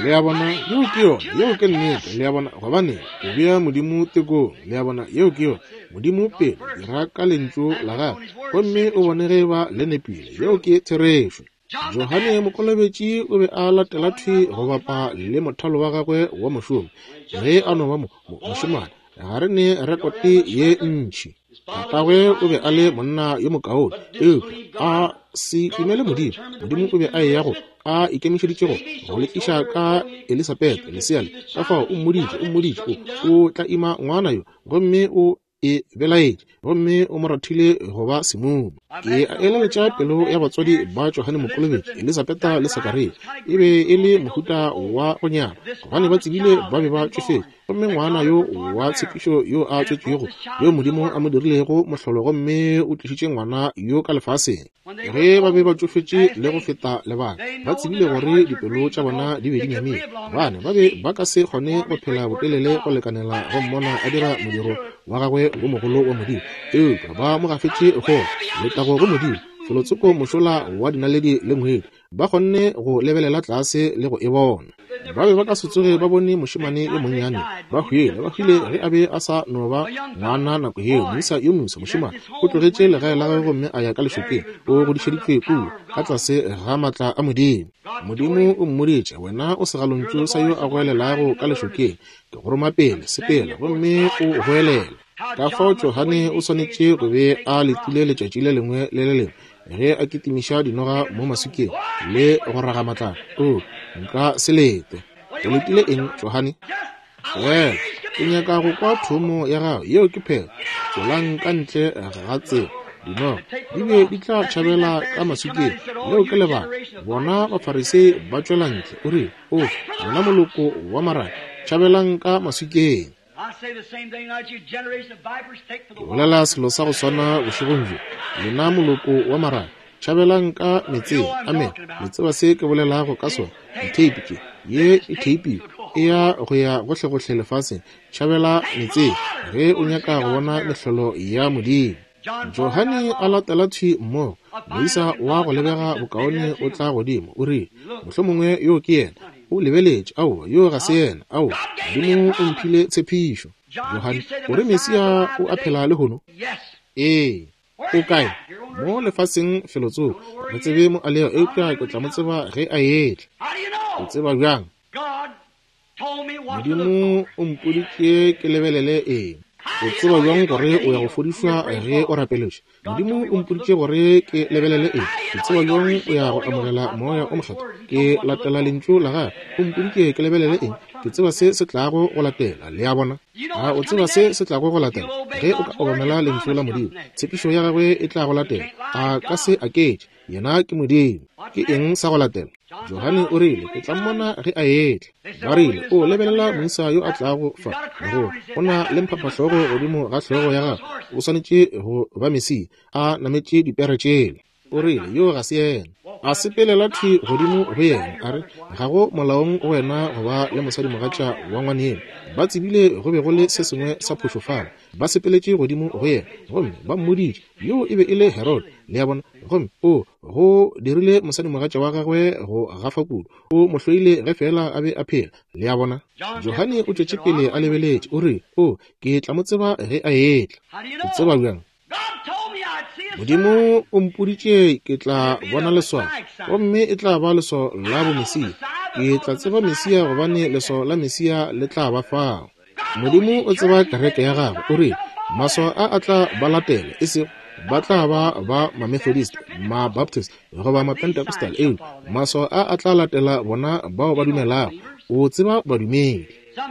Le a bona, yeo ke yona, yeo ke nnete. Le a bona, gobane o bea Modimo tekong. Le a bona, yeo ke yona. Modimo pele, dira ka lentšu la gagwe, gomme o bone ge ba le nepile. Yeo ke therešo. Johane Mokolobetši o be a latela thwi go bapa le mothalo wa gagwe wa mošomo ge a no ba mo mošemane. Ga re ne rekote ye ntši. Tatagwe o be a le monna yo mokaone, eupša a se dumele Modimo. Modimo o be a eya go a ikemišeditšego go le tliša ka Elisabetha lesea le. Ka fao o mmoditše, o mmoditše, o, o tla ima ngwana yo, gomme o e belaetše, gomme o mo rathile go ba semumu. Ke a eleletša pelo ya batswadi ba Johane Mokolobetši, Elisabetha le Sakaria, e be e le mohuta wa go nyala, gobane ba tsebile ba be ba tšofetše. Gomme ngwana yo wa tshepišo yo a tswetšwego, yo Modimo a mo dirilego mohlolo, gomme o tlišitše ngwana yo ka lefaseng. Ge ba be ba tšofetše le go feta lebaka, ba tsebile gore dipelo tša bona di be di nyamile, gobane ba be ba ka se kgone go phela botelele go lekanela go mmona a dira modiro wa gagwe wo mogolo wa Modimo. Eupša ba mo gafetše go letago go Modimo, felotsoko mošola wa dinaledi le ngwedi, ba kgonne go lebelela tlase le go e bona. Ba be ba ka se tsoge ba bone mošemane yo monnyane, ba hwile, ba hwile ge a be a sa no ba ngwana nako yeo. Moisa yo moswa mošemane o tlogetše legae la gagwe gomme a ya ka lešokeng, o godišeditšwe kua ka tlase ga maatla a Modimo. Modimo o mmoditše, wena o segalontšu sa yo a goelelago ka lešokeng, ke go roma pele, sepela gomme o goelela. Ka fao Johane o swanetše go be a letile letšatši le lengwe le le lengwe ge a kitimiša dinoga mo maswikeng le go raga matlapa. O, nka se lete. O letile eng, Johane? Fela ke nyaka go kwa thomo ya gago, yeo ke phela. Tšwelang ka ntle ga tsela, dinoga di be di tla tšhabela ka maswikeng. Leo ke lebaka bona Bafarisei ba tšwela ntle. O rile, o, lena moloko wa maraka, tšhabelang ka maswikeng. Ke bolela selo sa go swana bošegong bjo, lena moloko wa maraka, tšhabelang ka metseng. Amen. Le tseba se ke bolelago ka sona. Ditheipi tše, ye e theipi e ya go ya gohlegohle lefaseng. Tšhabela metseng ge o nyaka go bona mehlolo ya Modimo. Johane a latela thwi mmogo, moisa wa go lebega bokaone o tla godimo, o rile, mohlomongwe yo ke yena. O lebeletše, aowa, yo ga se yena, aowa, Modimo o mphile tshepišo. Johane, o re Mesia o a phela lehono? Ee. O kae? Mo lefaseng felotsoko. Re tsebe mo a lego, eupša ke tla mo tseba ge a etla. O tseba bjang? Modimo o mpoditše ke lebelele eng. O tseba bjang gore o ya go fodišwa ge o rapeletše? Modimo o mpoditše gore ke lebelele eng. Ke tseba bjang o ya go amogela moya o mokgethwa? Ke latela lentšu la gagwe. O mpoditše ke lebelele eng. Ke tseba se se tlago go latela. Le a bona? A o tseba se se tlago go latela? Ge o ka obamela lentšu la Modimo, tshepišo ya gagwe e tla go latela. A ka se aketše. Yena ke Modimo. Ke eng sa go latela? Johane o rile, ke tla mmona ge a etla. Ba rile, o lebelela moisa yo a tlago fa, go o na le mphaphahlogo godimo ga hlogo ya gagwe, o swanetše go ba Mesia, a nametše dipere tšela. O rile, yo ga se yena. A sepelela thwi godimo go yena, a re, ga go molaong go wena go ba le mosadimogatša wa ngwaneno. Ba tsebile go be go le se sengwe sa phošo fale. Ba sepeletše godimo go yena, gomme ba mmoditše, yo e be e le Herod. Le a bona? Gomme o go dirile mosadimogatša wa gagwe go gafa kudu, o mo hloile ge fela a be a phela. Le a bona? Johane o tšwetše pele a lebeletše, o rile, o, ke tla mo tseba ge a etla. O tseba bjang? Modimo o mpoditše ke tla bona leswao, gomme e tla ba leswao la bomesia. Ke tla tseba Mesia gobane leswao la Mesia le tla ba fao. Modimo o tseba kereke ya gagwe. O rile, maswao a a tla ba latela, e sego ba tla ba ba ma-Methodist, ma-Baptist goba ma-Pentecostal, eupša maswao a a tla latela bona bao ba dumelago. O tseba badumedi.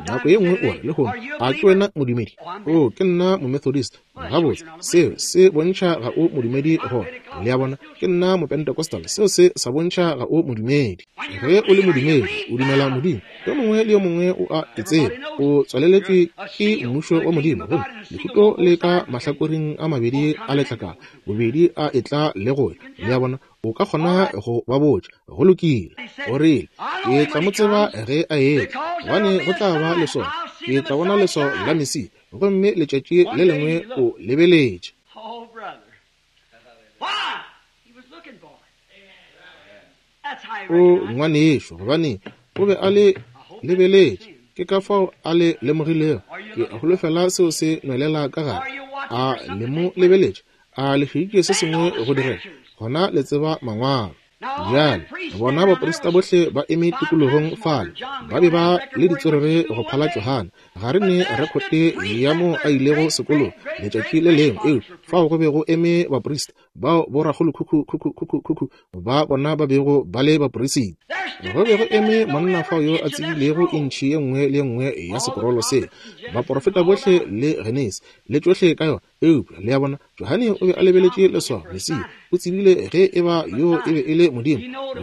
Nako ye nngwe o re lehono, a ke wena modumedi? O, ke nna mo-Methodist. Gabotse, seo se bontšha ga o modumedi gona. Le a bona? Ke nna mo-Pentecostal. Seo se sa bontšha ga o modumedi. Ge o le modumedi, o dumela Modimo. Yo mongwe le yo mongwe o a e tseba. O tswaleletšwe ke mmušo wa Modimo, gomme lehuto le ka mahlakoreng a mabedi a letlakala, bobedi a etla le go ya. Le a bona? O ka kgona go ba botša, go lokile. O rile, ke tla mo tseba ge a etla, gobane go tla ba leswao. Ke tla bona leswao la Mesia, gomme letšatši le lengwe o lebeletše. O ngwanešo, gobane o be a le lebeletše. Ke ka fao a le lemogilego. Ke holofela seo se nwelela ka gare. A le mo lebeletše, a le hweditše se sengwe go direga, gona le tseba mangwalo. Bjale bona baprista bohle ba eme tikologong fale, ba be ba le ditswerere go phala Johane. Ga re ne rekhote ya mo a ilego sekolong letšatši le lengwe, eupša fao go be go eme baprista bao borakgolokhukhu-khukhu-khukhu ba bona ba bego ba le baporisita. Go be go eme monna fao yo a tsebilego intšhi ye nngwe le ye nngwe ya sekorolo se, baporofeta bohle le Genesi le tšohle ka yona. Eupša le a bona, Johane o be a lebeletše leswao, Mesia. O tsebile ge e ba yo e be e le Modimo,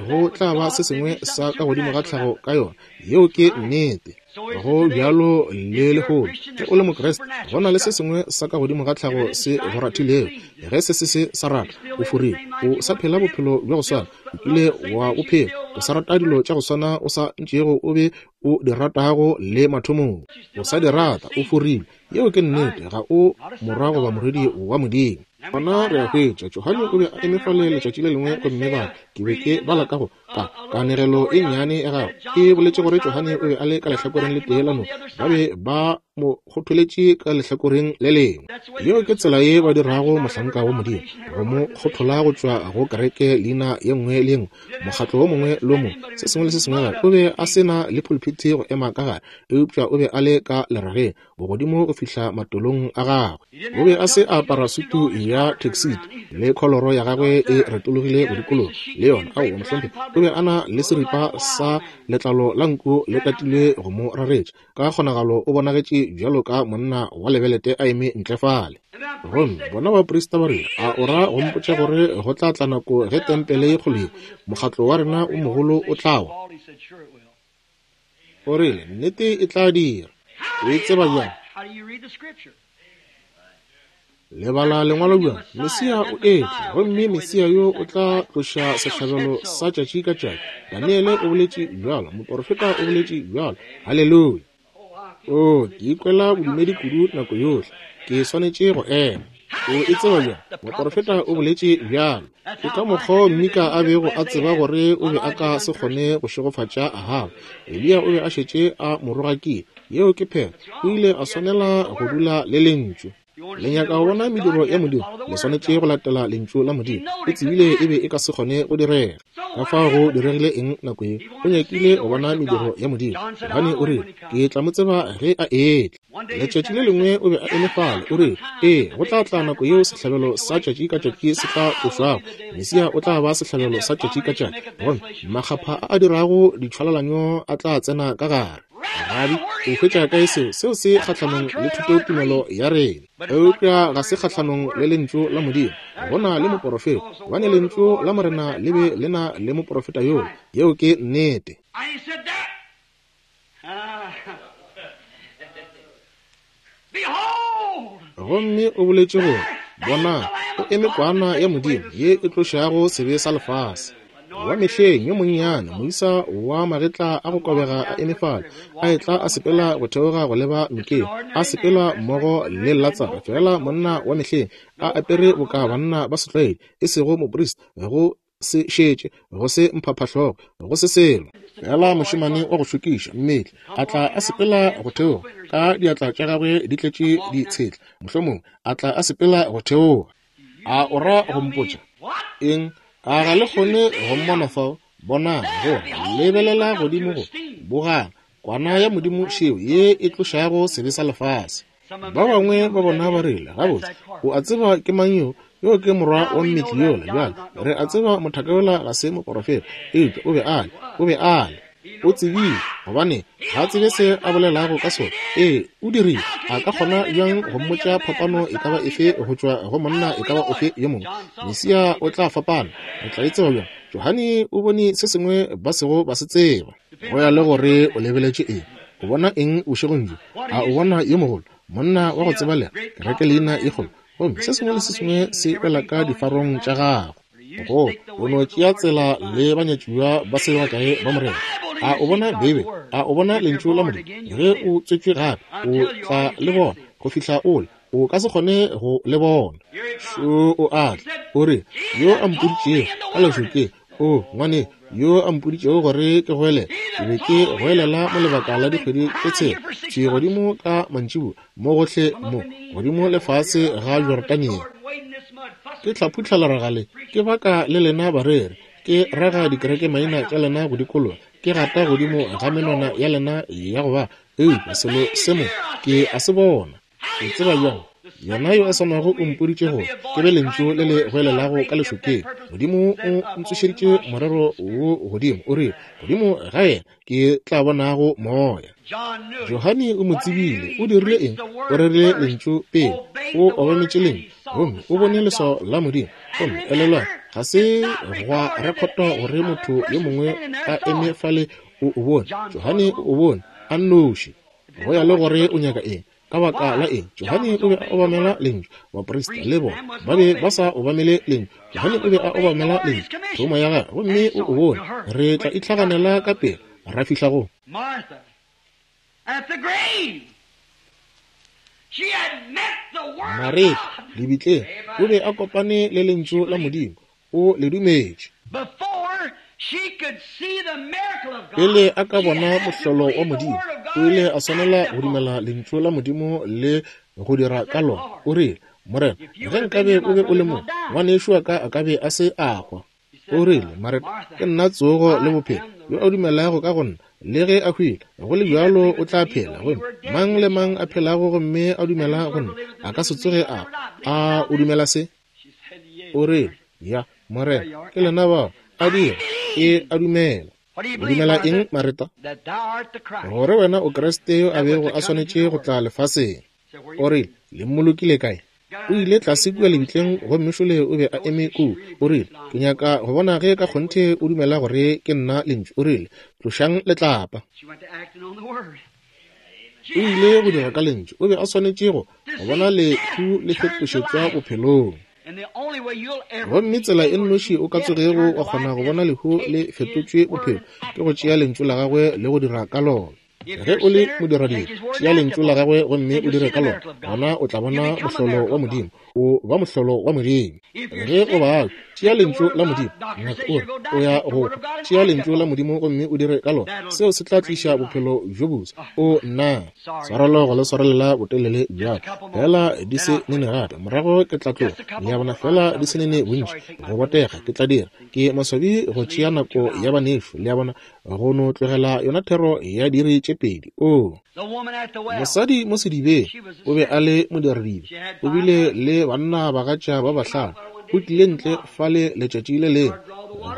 go tla ba se sengwe sa ka godimo ga tlhago ka yona. Yeo ke nnete. Go bjalo le lehono. Ge o le Mokriste, go na le se sengwe sa ka godimo ga tlhago se go rathilego. Ge se se se sa rata, o forile. O sa phela bophelo bja go swana, o kile wa bophelo. O sa rata dilo tša go swana o sa ntšego o be o di ratago le mathomong. O sa di rata, o forile. Yeo ke nnete, ga o morwa goba morwedi wa Modimo. Gona re a hwetša, Johane o be a eme fale letšatši le lengwe, gomme ba ke be ke bala ka go ka kanegelo e nnyane ya gagwe. E boletše gore Johane o be a le ka lehlakoreng le tee la noka, ba be ba mo kgotholetše ka lehlakoreng le lengwe. Yeo ke tsela ye ba dirago mohlanka wa Modimo, go mo kgothola go tšwa go kereke leina ye nngwe le ye nngwe, mokgatlo wo mongwe le wo mongwe, se sengwe le se sengwe gape. O be a se na le pulpiti go ema ka gare, eupša o be a le ka lerageng bogodimo go fihla matolong a gagwe. O be a se a apara sutu ya tuxedo le kholoro ya gagwe e retologile go dikologa le yona. Aowa, mohlomphegi, o be a na le seripa sa letlalo la nku le tatilwe go mo raretša. Ka kgonagalo o bonagetše bjalo ka monna wa lebelete a eme ntle fale. Gomme bona baprista ba rile, a o ra go mpotša gore go tla tla nako ge tempele ye kgolo ye, mokgatlo wa rena o mogolo o tla wa? O rile, nnete e tla dira. O e tseba bjang? Lebala lengwalo bjang? Mesia o etla, gomme Mesia yo o tla tloša sehlabelo sa tšatši ka tšatši. Daniele o boletše bjalo, moporofeta o boletše bjalo. Haleluya! O, ke ikwela bodumedi kudu nako yohle, ke swanetše go ema. O e tseba bjang? Moporofeta o boletše bjalo. Ke ka mokgwa Mika a bego a tseba gore o be a ka se kgone go šegofatša Ahaba. Eliya o be a šetše a mo rogakile. Yeo ke phela. O ile a swanela go dula le lentšu. Le nyaka go bona mediro ya Modimo, le swanetše go latela lentšu la Modimo. O tsebile e be e ka se kgone go direga. Ka fao go diregile eng nako ye? O nyakile go bona mediro ya Modimo. Johane o rile, ke tla mo tseba ge a etla. Letšatši le lengwe o be a eme fale, o rile, ee, go tla tla nako yeo sehlabelo sa tšatši ka tšatši se tla tlošwago. Mesia o tla ba sehlabelo sa tšatši ka tšatši, gomme makgapha a a dirago ditšhwalalanyo a tla tsena ka gare. Rabi, o hwetša kae seo? Seo se kgahlanong le thutotumelo ya rena, eupša ga se kgahlanong le lentšu la Modimo. Go na le moporofeta, gobane lentšu la Morena le be le na le moporofeta yoo. Yeo ke nnete. Gomme o boletše gore, bona, o eme kwana ya Modimo ye e tlošago sebe sa lefase. Wa mehleng yo monnyane, moisa wa magetla a go kobega a eme fale, a etla a sepela go theoga go leba nokeng, a sepela mmogo le Latsaro, fela monna wa mehleng, a apere boka banna ba setlwaedi, e sego moprista, go se šetše, go se mphaphahlogo, go se selo. Fela mošemane wa go šokiša mmetli a tla a sepela go theoga, ka diatla tša gagwe di tletše ditshetla, mohlomongwe a tla a sepela go theoga. A o ra go mpotša eng? A ga le kgone go mmona fao? Bonang, go lebelela godimo go bogang kwana ya Modimo šeo ye e tlošago sebe sa lefase. Ba bangwe ba bona ba rile, gabotse, o a tseba ke mang yo? Yo ke morwa wa mmetli yola. Bjale re a tseba mothaka yola ga se moporofeta, eupša o be a le, o be a le. O tsebile, gobane ga a tsebe se a bolelago ka sona. Ee, o dirile. A ka kgona bjang go mmotša phapano e ka ba efe go tšwa go monna e ka ba ofe yo mongwe? Mesia o tla fapana. Re tla e tseba bjang? Johane o bone se sengwe ba sego ba se tseba. Go ya le gore o lebeletše eng. O bona eng bošegong bjo? A o bona yo mogolo, monna wa go tsebalega, kereke leina e kgolo, gomme se sengwe le se sengwe se wela ka difarong tša gago. Go o no tšea tsela le banyatšiwa ba se bakae ba Morena. A o bona Beibe? A o bona lentšu la Modimo? Ge o tswetšwe gape, o tla le bona go fihla ole. O ka se kgone go le bona. Šo o a tla, o re, yo a mpoditšego ka lešokeng, o ngwane, yo a mpoditšego gore ke goelela, ke be ke goelela mo lebaka la dikgwedi tše tshela, tše godimo ka mantšiboa, mo gohle mo, godimo lefase ga Jordania. Ke tla phutla leragale, ke baka le lena bareri, Ke raga dikereke maina tša lena go dikologa, ke gata godimo ga menwana ya lena ya go ba, eupša selo se mo ke a se bona. O tseba bjang? Yena yo a swanago o mpoditše gore ke be lentšu le le goelelago ka lešokeng. Modimo o ntsošeditše morero wo godimo, o rile, godimo ga yena ke tla bonago moya. Johane o mo tsebile. O dirile eng? O rerile lentšu pele, o obametše lentšu, gomme o bone leswao la Modimo. Gomme elelwa, ga se gwa rekotwa gore motho yo mongwe a eme fale o o bone. Johane o o bone a nnoši. Go ya le gore o nyaka eng. Ka baka la eng? Johane o be a obamela lentšu. Baprista le bona ba be ba sa obamele lentšu. Johane o be a obamela lentšu, thomo ya gagwe, gomme o o bone. Re tla itlhaganela ka pele ra fihla go Mareta lebitleng. O be a kopane le lentšu la Modimo, o le dumetše. Pele a ka bona mohlolo wa Modimo, o ile a swanela go dumela lentšu la Modimo le go dira ka lona. O rile, Morena, ge nkabe o be o le mo, ngwanešo wa ka a ka be a se a hwa. O rile, Mareta, ke nna tsogo le bophelo. Yo a dumelago ka go nna, le ge a hwile, go le bjalo o tla phela. Gomme mang le mang a phelago gomme a dumela go nna, a ka se tsoge a. A o dumela se? O rile, ya, Morena, ke lena bao. A dira, ke a dumela. O dumela eng, Mareta? Gore wena o Kriste yo a bego a swanetše go tla lefaseng. O rile, le mmolokile kae? O ile tlase kua lebitleng, gomme šole o be a eme kua. O rile, ke nyaka go bona ge ka kgonthe o dumela gore ke nna lentšu. O rile, tlošang letlapa. O ile go dira ka lentšu. O be a swanetše go go bona lehu le fetošetšwa bophelong. Gomme tsela e nnoši o ka tsogego wa kgona go bona lehu le fetotšwe bophelo ke go tšea lentšu la gagwe le go dira ka lona. Ge o le modiradibe, tšea lentšu la gagwe gomme o dire ka lona, gona o tla bona mohlolo wa Modimo. O ba mohlolo wa Modimo. Ge o bala, tšea lentšu la Modimo. Ngaka o re o ya go tšea lentšu la Modimo gomme o dire ka lona, seo se tla tliša bophelo bjo boswa. O nna swarelo go le swarelela botelele bjalo, fela di se nene gape, morago ke tla tloga. Le a bona, fela di se nene bontši go botega ke tla dira. Ke maswabi go tšea nako ya banešu, le a bona, go no tlogela yona thero ya diiri tše pedi. O mosadi mo sedibeng o be a le modiradibe, o bile le banna bagatša ba bahlano. O tlile ntle fale letšatši le lengwe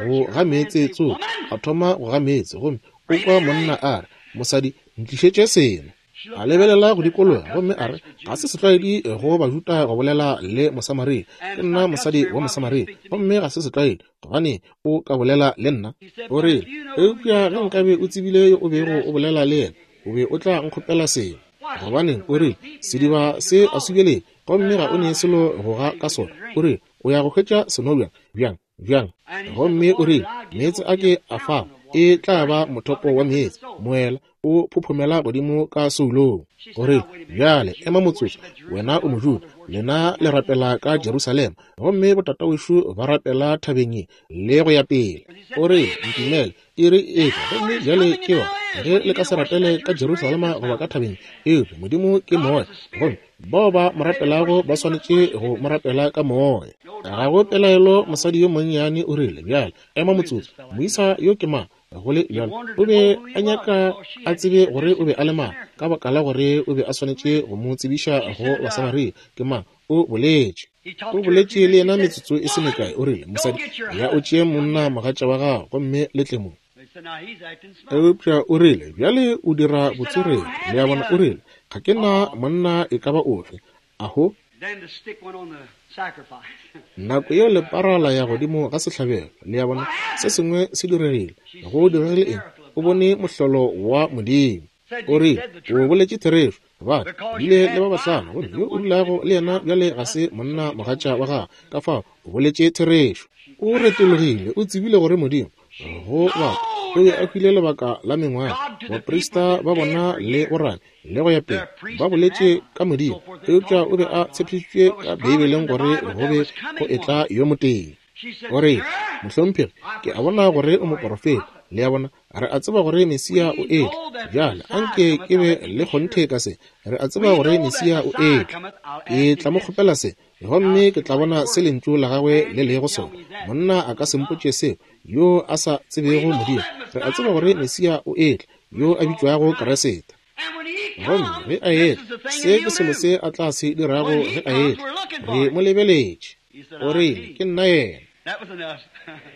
go ga meetse tsoka, a thoma go ga meetse, gomme o kwa monna a re, mosadi, ntlišetše seno. A lebelela go dikologa gomme a re, ga se setlwaedi go Bajuda go bolela le Mosamaria. Ke nna mosadi wa Mosamaria, gomme ga se setlwaedi, gobane o ka bolela le nna. O rile, eupša ge nkabe o tsebile yo o bego o bolela le yena, o be o tla nkgopela seno. Gobaneng, o rile, sediba se a subeleng, gomme ga o ne selo go ga ka sona. O rile, o ya go hwetša seno bjang, bjang, bjang? Gomme o rile, meetse a ke a fago e tla ba mothopo wa meetse, moela o phophomela godimo ka soulong. O rile, bjale ema motsotso, wena o Mojuda, lena le rapela ka Jerusalema, gomme botatawešo ba rapela thabeng ye le go ya pele. O rile, ntumele, iri e tla, gomme bjale ke yona, ge le ka se rapele ka Jerusalema goba ka thabeng, eupša Modimo ke moya, gomme bao ba mo rapelago ba swanetše go mo rapela ka moya. Ga go pelaelo mosadi yo monnyane o rile, bjale ema motsotso, moisa yo ke mang? Go le bjalo o be a nyaka a tsebe gore o be a le mang, ka baka la gore o be a swanetše go mo tsebiša go Basamaria. Ke mang? O boletše. O boletše le yena metsotso e se mekae. O rile, mosadi, ya o tšee monna mogatša wa gago gomme le tle mo. Eupša o rile, bjale o dira botswerere. Le a bona, o rile, ga ke na monna e ka ba ofe. Aho. Nako yeo lepara la ya godimo ga sehlabelo. Le a bona, se sengwe se diregile. Go diregile eng? O bone mohlolo wa Modimo. O rile, o boletše therešo. Ba bile le ba bahlano, gomme yo o dulago le yena bjale ga se monna mogatša wa gagwe. Ka fao o boletše therešo. O retologile, o tsebile gore Modimo go batho o be a hwile lebaka la mengwaga. Baprista ba bona le borane le go ya pele ba boletše ka Modimo, eupša o be a tshepišitšwe ka Beibeleng gore go be go etla yo motee. O re, Mohlomphegi, ke a bona gore o moporofeta. Le a bona, re a tseba gore Mesia o etla. Bjale anke ke be le kgonthe ka se. Re a tseba gore Mesia o etla. Ke tla mo kgopela se, gomme ke tla bona se lentšu la gagwe le lego sona. Monna a ka se mpotše seo, yo a sa tsebego Modimo. Re a tseba gore Mesia o etla, yo a bitšwago Kriste. Gomme ge a etla, se ke selo se a tla se dirago ge a etla. Re mo lebeletše. O rile, ke nna yena.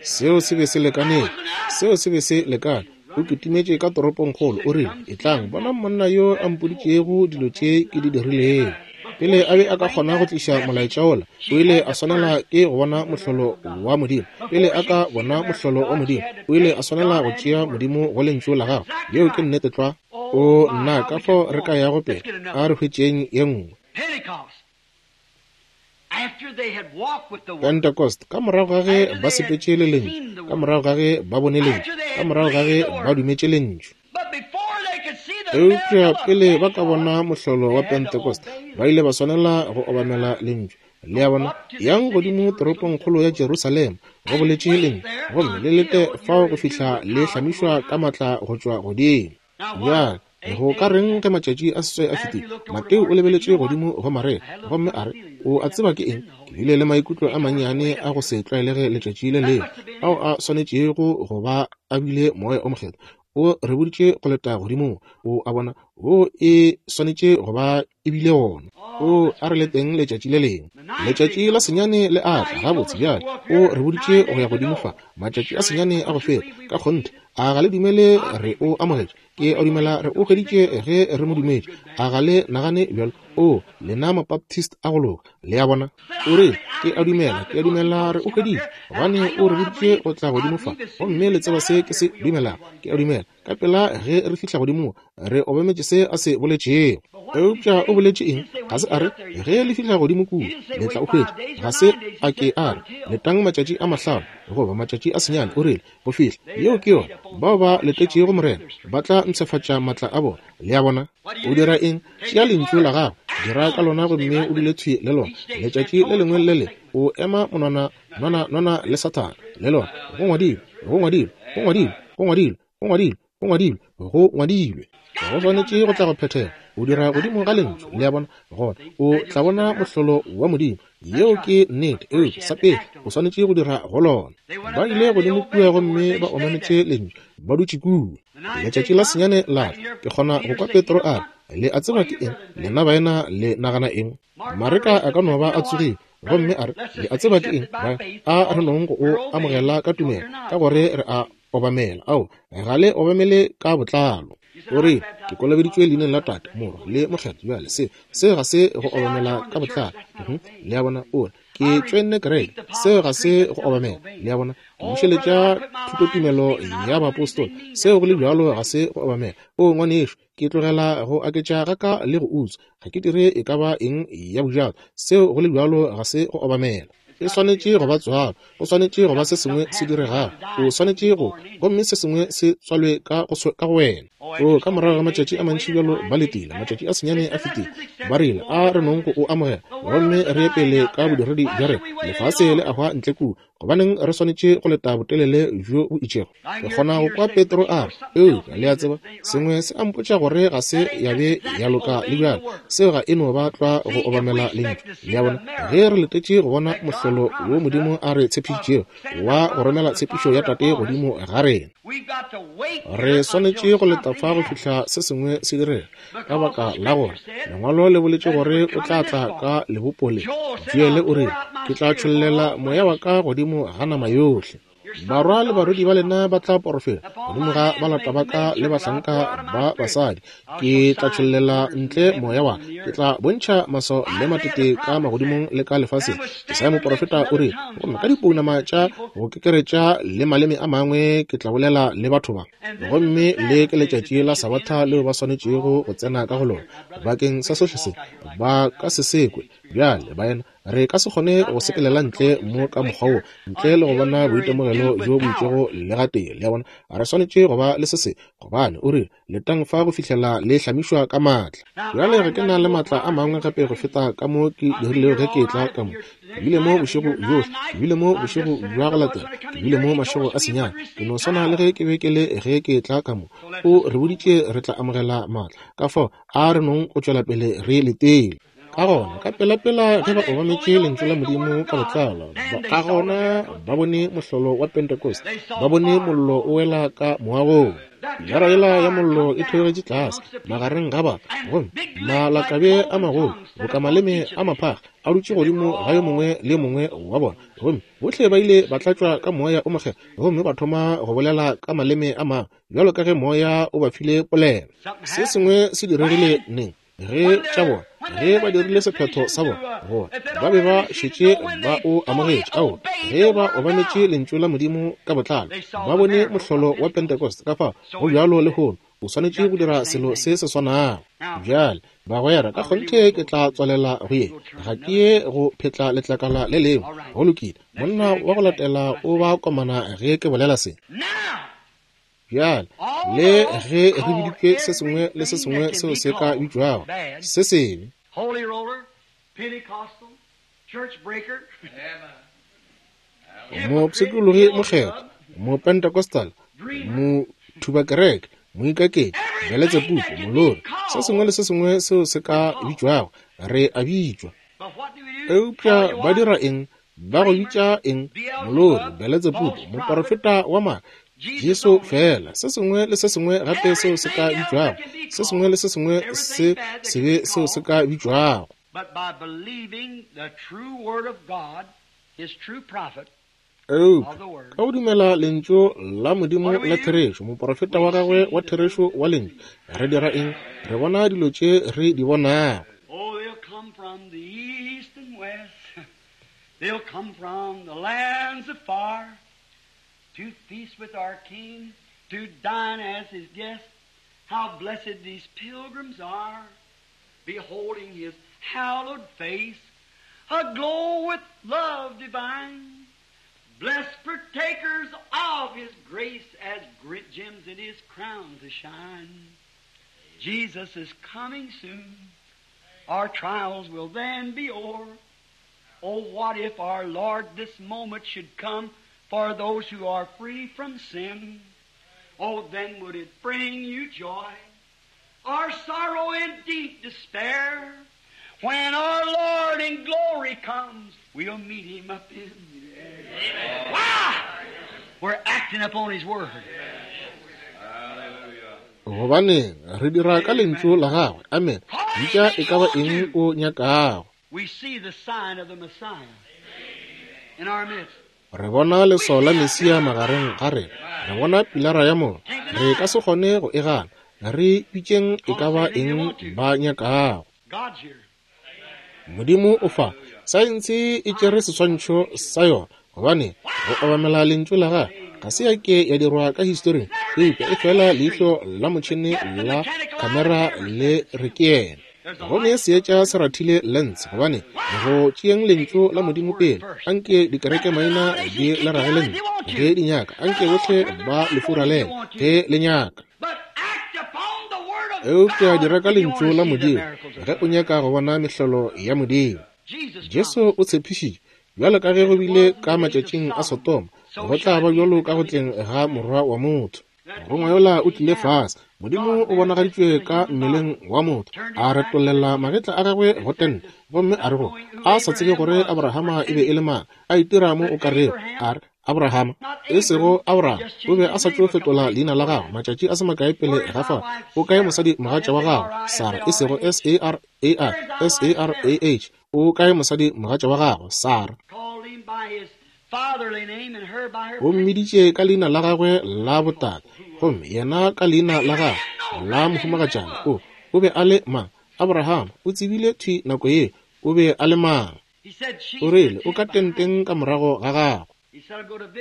Seo se be se lekaneng. Seo se be se lekane. O kitimetše ka toropongkgolo. O rile, etlang, bona monna yo a mpoditšego dilo tše ke di dirilego. Pele a be a ka kgona go tliša molaetša wola, o ile a swanela ke go bona mohlolo wa Modimo. Pele a ka bona mohlolo wa Modimo, o ile a swanela go tšea Modimo go lentšu la gagwe. Yeo ke nnete tlwa. O nna ka fao re ka yago pele, a re hwetšeng ye nngwe. Pentecost, ka morago ga ge ba sepetše le lentšu, ka morago ga ge ba bone lentšu, ka morago ga ge ba dumetše lentšu. Eupša pele ba ka bona mohlolo wa Pentecost, ba ile ba swanela go obamela lentšu. Le a bona, yang godimo toropongkgolo ya Jerusalema, go boletše lentšu, gomme le lete fao go fihla le hlamišwa ka matla go tšwa godimo. Bjale go ka reng ge matšatši a seswai a fetile? Mateo o lebeletše godimo go Maria gomme a re, o a tseba ke eng? Ke bile le maikutlo a mannyane a go se tlwaelege letšatši le lengwe, ao a swanetšego go ba a bile moya o mokgethwa. O re boditše go leta godimo. O a bona, o e swanetše go ba e bile gona. O a re leteng letšatši le lengwe. Letšatši la senyane le a tla. Gabotse bjale, o re boditše go ya godimo fa. Matšatši a senyane a go feta. Ka kgonthe, a ga le dumele re o amogetše? Ke a dumela re o hweditše ge re mo dumetše. A ga le nagane bjalo? O, lena Mabaptist a go loka. Le a bona? O re, ke a dumela, ke a dumela re o hweditše, gobane o re boditše go tla godimo fa, gomme le tseba se ke se dumelago. Ke a dumela ka pela ge re fihla godimo re obametše se a se boletšego. Eupša o boletše eng? Ga se a re ge le fihla godimo kua le tla o hwetša. Ga se a ke a re letang matšatši a mahlano goba matšatši a senyane. O rile go fihla. Yeo ke yona. Bao ba letetšego Morena ba tla mpshafatša matla a bona. Le a bona? O dira eng? Tšea lentšu la gago, dira ka lona gomme o dule thwi le lona. Letšatši le lengwe le le o ema monwana nwana nwana le Sathane le lona. Go ngwadilwe, go ngwadilwe, go ngwadilwe, go ngwadilwe, go ngwadilwe, go ngwadilwe, go ngwadilwe. Go swanetše go tla go phethega. O dira godimo ga lentšu. Le a bona? Gona o tla bona mohlolo wa Modimo. Yeo ke nnete. Eupša sa pele o swanetše go dira go lona. Ba ile godimo kua gomme ba omametše lentšu, ba dutše kua. Letšatši la senyane la tla. Ke kgona go kwa Petro a re, le a tseba ke eng? Lena baena le nagana eng? Mareka a ka no ba a tsogile gomme a re, le a tseba ke eng? A re nong go o amogela ka tumelo, ka gore re a obamela. Ao, ga le obamele ka botlalo. O re, ke kolobeditšwe leineng la Tate, Morwa le Mokgethwa. Bjale se se ga se go obamela ka botlalo. Le a bona? O re, ke tšoenne kereke. Seo ga se go obamela. Le a bona? Ke bušeletša thutotumelo ya baapostola. Seo go le bjalo ga se go obamela. O ngwanešo, ke tlogela go aketša ga ka le go utswa. Ga ke dire e ka ba eng ya bojato. Seo go le bjalo ga se go obamela. E swanetše go ba tswalo. Go swanetše go ba se sengwe se diregago. O swanetše go, gomme se sengwe se tswalwe ka go ka go wena. O ka morago ga matšatši a mantši bjalo ba letile. Matšatši a senyane a fetile. Ba rile, a re nong go o amogela gomme re ye pele ka bodiredi bja rena. Lefase le a hwa ntle kua. Gobaneng re swanetše go leta botelele bjo bo itšego? Ke kgona go kwa Petro a re, eupša le a tseba, sengwe se a mpotša gore ga se ya be ya loka le bjalo. Seo ga e no ba tlwa go obamela lentšu. Le a bona? Ge re letetše go bona mohlolo wo Modimo a re tshepišitšego wa go romela tshepišo ya Tate godimo ga rena, re swanetše go leta fa go fihla se sengwe se direga, ka baka la gore lengwalo le boletše gore o tla tla ka lebopo le. Joele o rile, ke tla tšhollela moya wa ka godimo ga nama yohle. Barwa le barwedi ba lena ba tla porofeta godimo ga balata ba ka le bahlanka ba basadi. Ke tla tšhollela ntle moya wa, ke tla bontšha maswao le matete ka magodimong le ka lefaseng. Jesaya moporofeta o re, gomme ka dipounama tša go kekeretša le maleme a mangwe ke tla bolela le batho ba. Gomme le ke letšatši la Sabatha leo ba swanetšego go tsena ka go lona. Bakeng sa sohle se ba ka se sekwe. Bjale, baena, re ka se kgone go sepelela ntle mo ka mokgwa wo ntle le go bona boitemogelo bjo bo itšego le gatee. Le a bona, re swanetše go ba le se se, gobane o rile, letang fa go fihlela le hlamišwa ka maatla. Bjale ga ke na le maatla a mangwe gape go feta ka mo ke dirilego ge ke etla ka mo. Ke bile mo bošego bjohle, ke bile mo bošego bja go latela, ke bile mo mašego a senyane. Ke no swana le ge ke be ke le ge ke etla ka mo. O re boditše re tla amogela maatla. Ka fao a re nong go tšwela pele re letele. Ka gona, ka pelapela ge ba obametše lentšu la Modimo ka botlalo, ka gona ba bone mohlolo wa Pentecost, ba bone mollo o wela ka moagong. Pilara yela ya mollo e theogetše tlase magareng ga batho, gomme malakabe a magolo boka maleme a maphaga a dutše godimo ga yo mongwe le yo mongwe wa bona, gomme bohle ba ile ba tlatšwa ka moya o mokgethwa gomme ba thoma go bolela ka maleme a mangwe bjalo ka ge moya o ba file polelo. Se sengwe se diregile neng? Ge tša bona, ge ba dirile sephetho sa bona, gore ba be ba šetše ba o amogetše, ao ge ba obametše lentšu la Modimo ka botlalo, ba bone mohlolo wa Pentecost. Ka fao go bjalo lehono, o swanetše go dira selo se se swanago. Bjale, bagwera, ka kgonthe ke tla tswalela go ye. Ga ke ye go phetla letlakala le lengwe. Go lokile, monna wa go latela o ba komana ge ke bolela se. Bjale, le ge re biditšwe se sengwe le se sengwe seo se ka bitšwago se sebe, mopshikologi mokgethwa, mopentecostal, mothubakereke, moikaketši, Beletsebubu, molori, se sengwe le se sengwe seo se ka bitšwago, re a bitšwa. Eupša ba dira eng? Ba go bitša eng? Molori, Beletsebubu, moporofeta wa maaka, Jesu fela. Se sengwe le se sengwe gape seo se ka bitšwago, se sengwe le se sengwe se sebe seo se ka bitšwago. Eupša ka go dumela lentšu la Modimo la therešo, moporofeta wa gagwe wa therešo wa lentšu, re dira eng? Re bona dilo tše re di bonago. They'll come from the lands afar to feast with our King, to dine as his guest. How blessed these pilgrims are, beholding his hallowed face, aglow with love divine. Blessed partakers of his grace, as great gems in his crown to shine. Jesus is coming soon. Our trials will then be o'er. Oh, what if our Lord this moment should come for those who are free from sin? Oh, then would it bring you joy, or sorrow and deep despair? When our Lord in glory comes, we'll meet him up in the air. Why? We're acting upon his word. Gobane re dira ka lentšu la gagwe. Amen. Bitša e ka ba eng o nyakago. We see the sign of the Messiah in our midst. Re bona leswao la Mesia magareng ga rena. Re bona pilara ya mollo. Re ka se kgone go e gana. Re bitšeng e ka ba eng ba nyakago. Modimo o fa. Saense e tšere seswantšho sa yona, gobane go obamela lentšu la gagwe ga se ya ke ya dirwa ka historing, eupša e fela leihlo la motšhene la kamera le re ke yena. Gomme seetša se rathile lens, gobane go tšeeng lentšu la Modimo pele, anke dikereke maina di le ragele ntle ge di nyaka, anke bohle ba le furalele ge le nyaka. Eupša dira ka lentšu la Modimo ge o nyaka go bona mehlolo ya Modimo. Jesu o tshepišitše, bjalo ka ge go bile ka matšatšing a Sodoma, go tla ba bjalo ka go tleng ga Morwa wa motho. Morongwa yola o tlile fase. Modimo o bonagaditšwe ka mmeleng wa motho, a retollela magetla a gagwe go tente, gomme a re go a sa tsebe gore Abrahama e be e le mang, a itira mo o ka rego, a re Abrahama, e sego Abraham, o be a sa tšo fetola leina la gagwe matšatši a se makae pele ga fao. O kae mosadi mogatša wa gago Sara, e sego S A R A I, S A R A H? O kae mosadi mogatša wa gago Sara? O mmiditše ka leina la gagwe la botate, gomme yena ka leina la gagwe la mohumagatšana. O o be a le mang? Abraham o tsebile thwi nako ye o be a le mang. O rile o ka tenteng ka morago ga gagwe.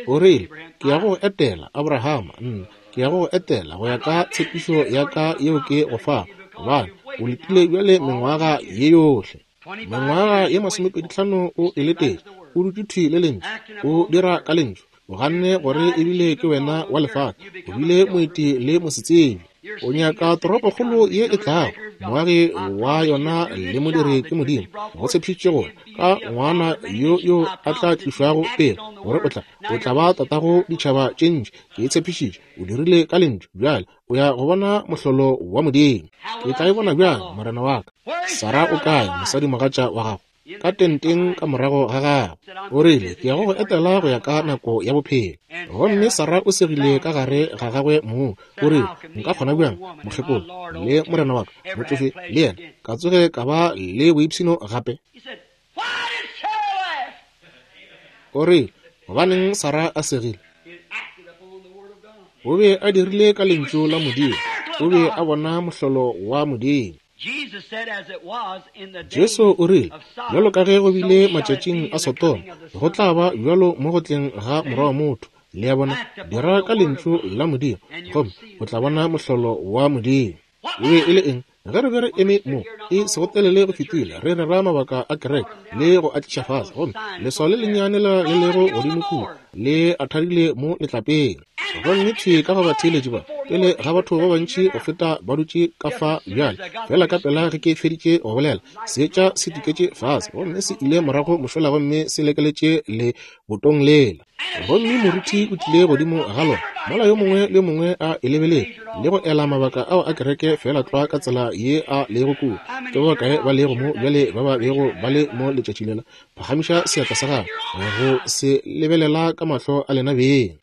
O rile ke ya go etela Abrahama, nna ke ya go etela go ya ka tshepišo ya ka yeo ke go fa, gobane o letile bjale mengwaga ye yohle. Mengwaga ye masomepedi hlano o e letetše, o dutše thwi le lentšu, o dira ka lentšu. O ganne gore ebile ke wena wa lefase, o bile moeti le mosetsebje. O nyaka toropokgolo ye e tlago, moagi wa yona le modiri ke Modimo. Go tshepišitše gore ka ngwana yo yo a tla tlišwago pele, gore o tla o tla ba tatago ditšhaba tše ntši. Ke e tshepišitše, o dirile ka lentšu. Bjale o ya go bona mohlolo wa Modimo. Ke tla e bona bjang, morena wa ka? Sara o kae, mosadimogatša wa gago? Ka tenteng ka morago ga gagwe. O rile, ke ya go go etela go ya ka nako ya bophelo. Gomme Sara o segile ka gare ga gagwe mong. O rile, nka kgona bjang, mokgekolo, le morena wa ka, motšofe, le yena, ka tsoge ka ba le boipshino gape? O rile, gobaneng Sara a segile? O be a dirile ka lentšu la Modimo. O be a bona mohlolo wa Modimo. Jesu o rile, bjalo ka ge go bile matšatšing a Sodoma, go tla ba bjalo mo go tleng ga Morwa wa motho. Le a bona, dira ka lentšu la Modimo, gomme o tla bona mohlolo wa Modimo. E be e le eng? Ge re be re eme mo, e sego telele go fetile, re rera mabaka a kereke le go a tliša fase, gomme leswao le lennyane la le lego godimo kua le a thadile mo letlapeng. Gomme thwi ka go batheeletši ba, pele ga batho ba bantši go feta ba dutše ka fa bjale, fela ka pela ge ke feditše go bolela, seetša se tuketše fase, gomme se ile morago mošola gomme se lekeletše le botong lela. Gomme moruti o tlile godimo ga lona, mola yo mongwe le yo mongwe a e lebeletše le go ela mabaka ao a kereke fela tlwa ka tsela ye a lego kua. Ke ba bakae ba lego mo bjale ba ba bego ba le mo letšatši lela? Phagamiša seatla sa gago go se lebelela ka mahlo a lena beng.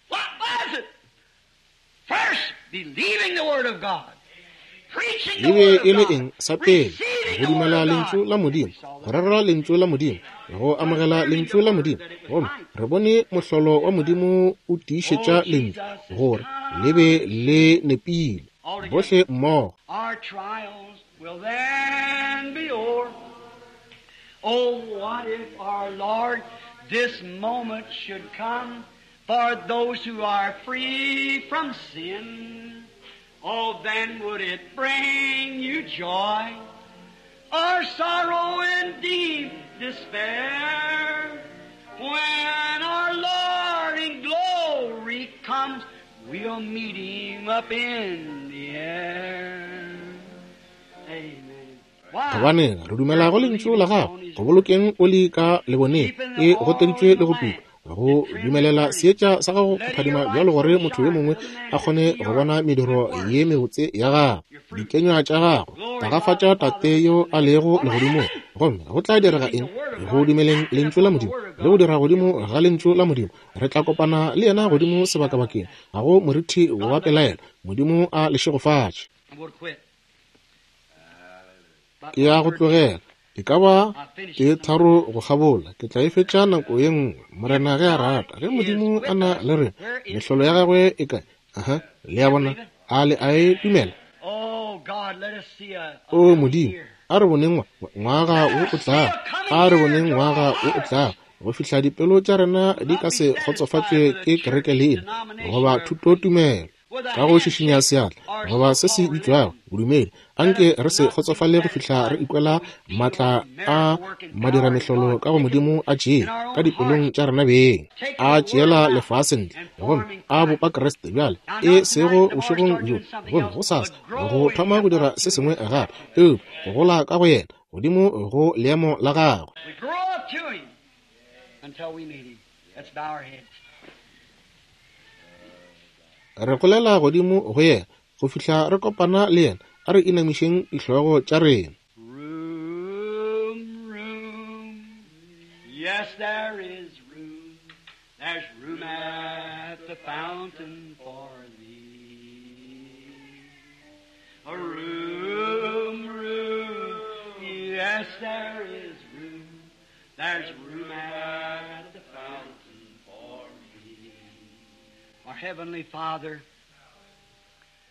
E be e le eng? Sa pele, go dumela lentšu la Modimo, go rera lentšu la Modimo, go amogela lentšu la Modimo. Gomme re bone mohlolo wa Modimo o tiišetša lentšu gore le be le nepile. Bohle mmogo. Our trials will then be o'er. Oh, what if our Lord this moment should come for those who are free from sin? Oh, then would it bring you joy or sorrow and deep despair? When our Lord in glory comes, we'll meet him up in the air. Amen. Gobane re dumela go lentšu la gago, go bolokeng oli ka leboneng e goteditšwe le go tuka, go dumelela seetša sa gago go phadima bjalo gore motho yo mongwe a kgone go bona mediro ye mebotse ya gago, dikenywa tša gago. Tagafatša Tate yo a lego legodimong. Gomme go tla direga eng? Go dumeleng lentšu la Modimo le go dira godimo ga lentšu la Modimo, re tla kopana le yena godimo sebakabakeng. Ga go morithi wa pelaelo. Modimo a le šegofatše. Ke ya go tlogela. E ka ba ke tharo go kgabola. Ke tla e fetša nako ye nngwe, Morena ge a rata. Ge Modimo a na le rena, mehlolo ya gagwe e kae? Aha, le a bona, a le a e dumela? O Modimo, a re boneng ngwaga wo o tlago, a re boneng ngwaga wo o tlago, go fihla dipelo tša rena di ka se kgotsofatšwe ke kereke leina goba thutotumelo, ka go šišinya seatla goba se se bitšwago bodumedi. Anke re se kgotsofale go fihla re ikwela maatla a madiramehlolo ka go Modimo a tšee ka dipelong tša rena beng, a tšeela lefase ntle gomme a bopa Kriste bjale, e sego bošegong bjo gomme gosasa go thoma go dira se sengwe gape, eupša go gola ka go yena godimo go leemo la gagwe. Re golela godimo go yena go fihla re kopana le yena. A re inamišeng dihlogo tša rena. Room, room, yes, there is room. There's room at the fountain for thee. Room, room, yes, there is room. There's room at the fountain for thee. Our Heavenly Father,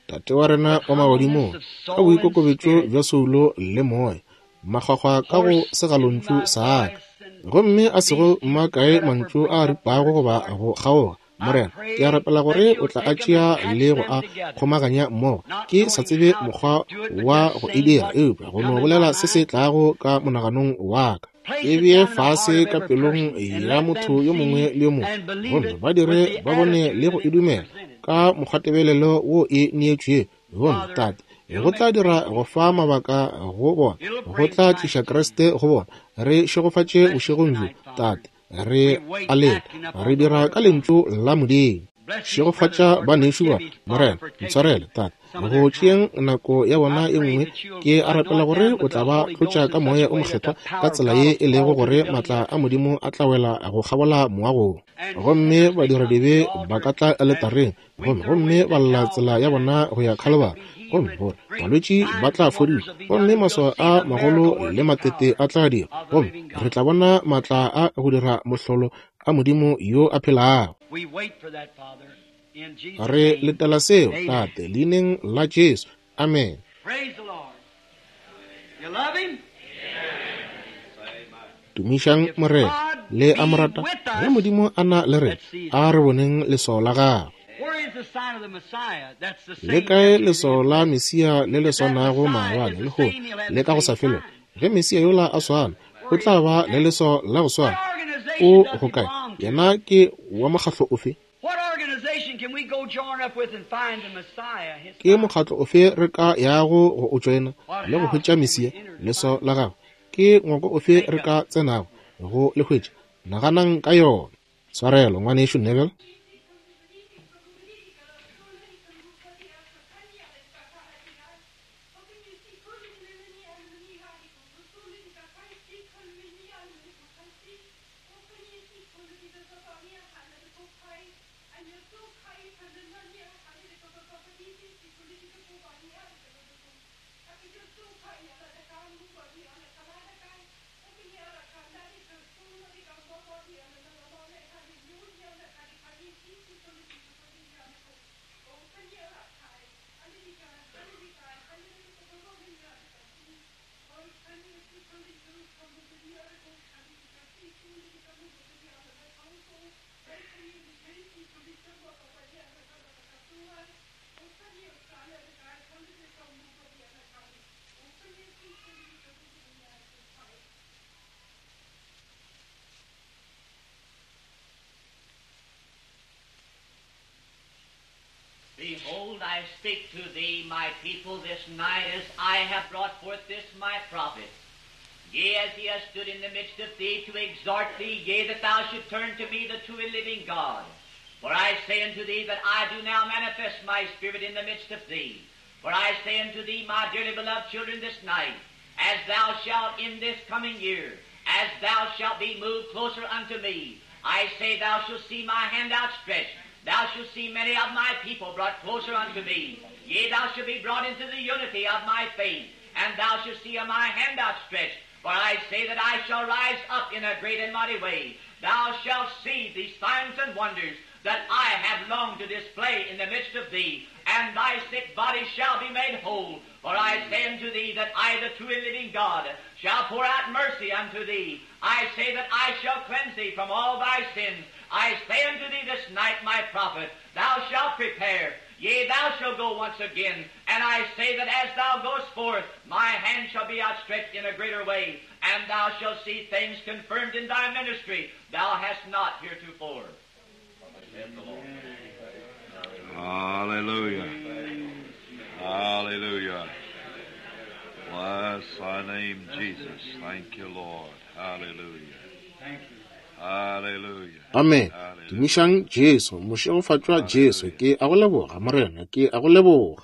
Tate wa rena wa magodimong, ka boikokobetšo bja soulo le moya, makgwakgwa ka go segalontšu sa ka, gomme a sego makae mantšu a ripago goba go kgaoga Morena, ke a rapela gore o tla a tšea le go a kgomaganya mmogo. Ke sa tsebe mokgwa wa go e dira, eupša go no bolela se se tlago ka monaganong wa ka. E bee fase ka pelong ya motho yo mongwe le yo mongwe, gomme ba dire ba bone le go e dumela ka mokgwatebelelo wo e neetšwego. Gomme Tate, go tla dira go fa mabaka go bona, go tla tliša Kriste go bona. Re šegofatše bošegong bjo, Tate. Re a leta, re dira ka lentšu la Modimo. Šegofatša banešu ba, Morena, ntshwarele, Tate, go tšeeng nako ya bona e nngwe. Ke a rapela gore o tla ba tlotša ka moya o mokgethwa ka tsela ye e lego gore matla a Modimo a tla wela go kgabola moagong, gomme badiradibe ba ka tla aletareng gomme gomme ba lla tsela ya bona go ya Khalibari, gomme gore balwetši ba tla fodišwa, gomme maswao a magolo le matete a tla dira, gomme re tla bona matla a go dira mohlolo a Modimo yo a phelago. Re letela seo, Tate, leineng la Jesu. Amen. Tumišang Morena. Le a mo rata. Ge Modimo a na le rena, a re boneng leswao la gagwe. Le kae leswao la Mesia le le swanago maabane, lehono le ka go sa felego? Ge Mesia yola a swana, o tla ba le leswao la go swana. O go kae? Yena ke wa mokgatlo ofe? Ke mokgatlo ofe re ka yago go o tšoena le go hwetša Mesia, leswao la gagwe? Ke ngwako ofe re ka tsenago go le hwetša? Naganang ka yona. Tshwarelo, ngwanešu Neville. Behold, I speak to thee, my people, this night, as I have brought forth this my prophet. Yea, as he has stood in the midst of thee to exhort thee, yea, that thou should turn to me, the true and living God. For I say unto thee that I do now manifest my spirit in the midst of thee. For I say unto thee, my dearly beloved children, this night, as thou shalt in this coming year, as thou shalt be moved closer unto me, I say thou shalt see my hand outstretched. Thou shalt see many of my people brought closer unto me. Yea, thou shalt be brought into the unity of my faith, and thou shalt see my hand outstretched. For I say that I shall rise up in a great and mighty way. Thou shalt see these signs and wonders that I have longed to display in the midst of thee, and thy sick body shall be made whole. For I say unto thee that I, the true and living God, shall pour out mercy unto thee. I say that I shall cleanse thee from all thy sins. I say unto thee this night, my prophet, thou shalt prepare. Yea, thou shalt go once again. And I say that as thou goest forth, my hand shall be outstretched in a greater way, and thou shalt see things confirmed in thy ministry thou hast not heretofore. Saith the Lord. Hallelujah. Hallelujah. Bless thy name, Jesus. Thank you, Lord. Hallelujah. Thank you. Hallelujah. Amen. Tumišang Jesu, mošegofatšwa Jesu. Ke a go leboga, Morena, ke a go leboga.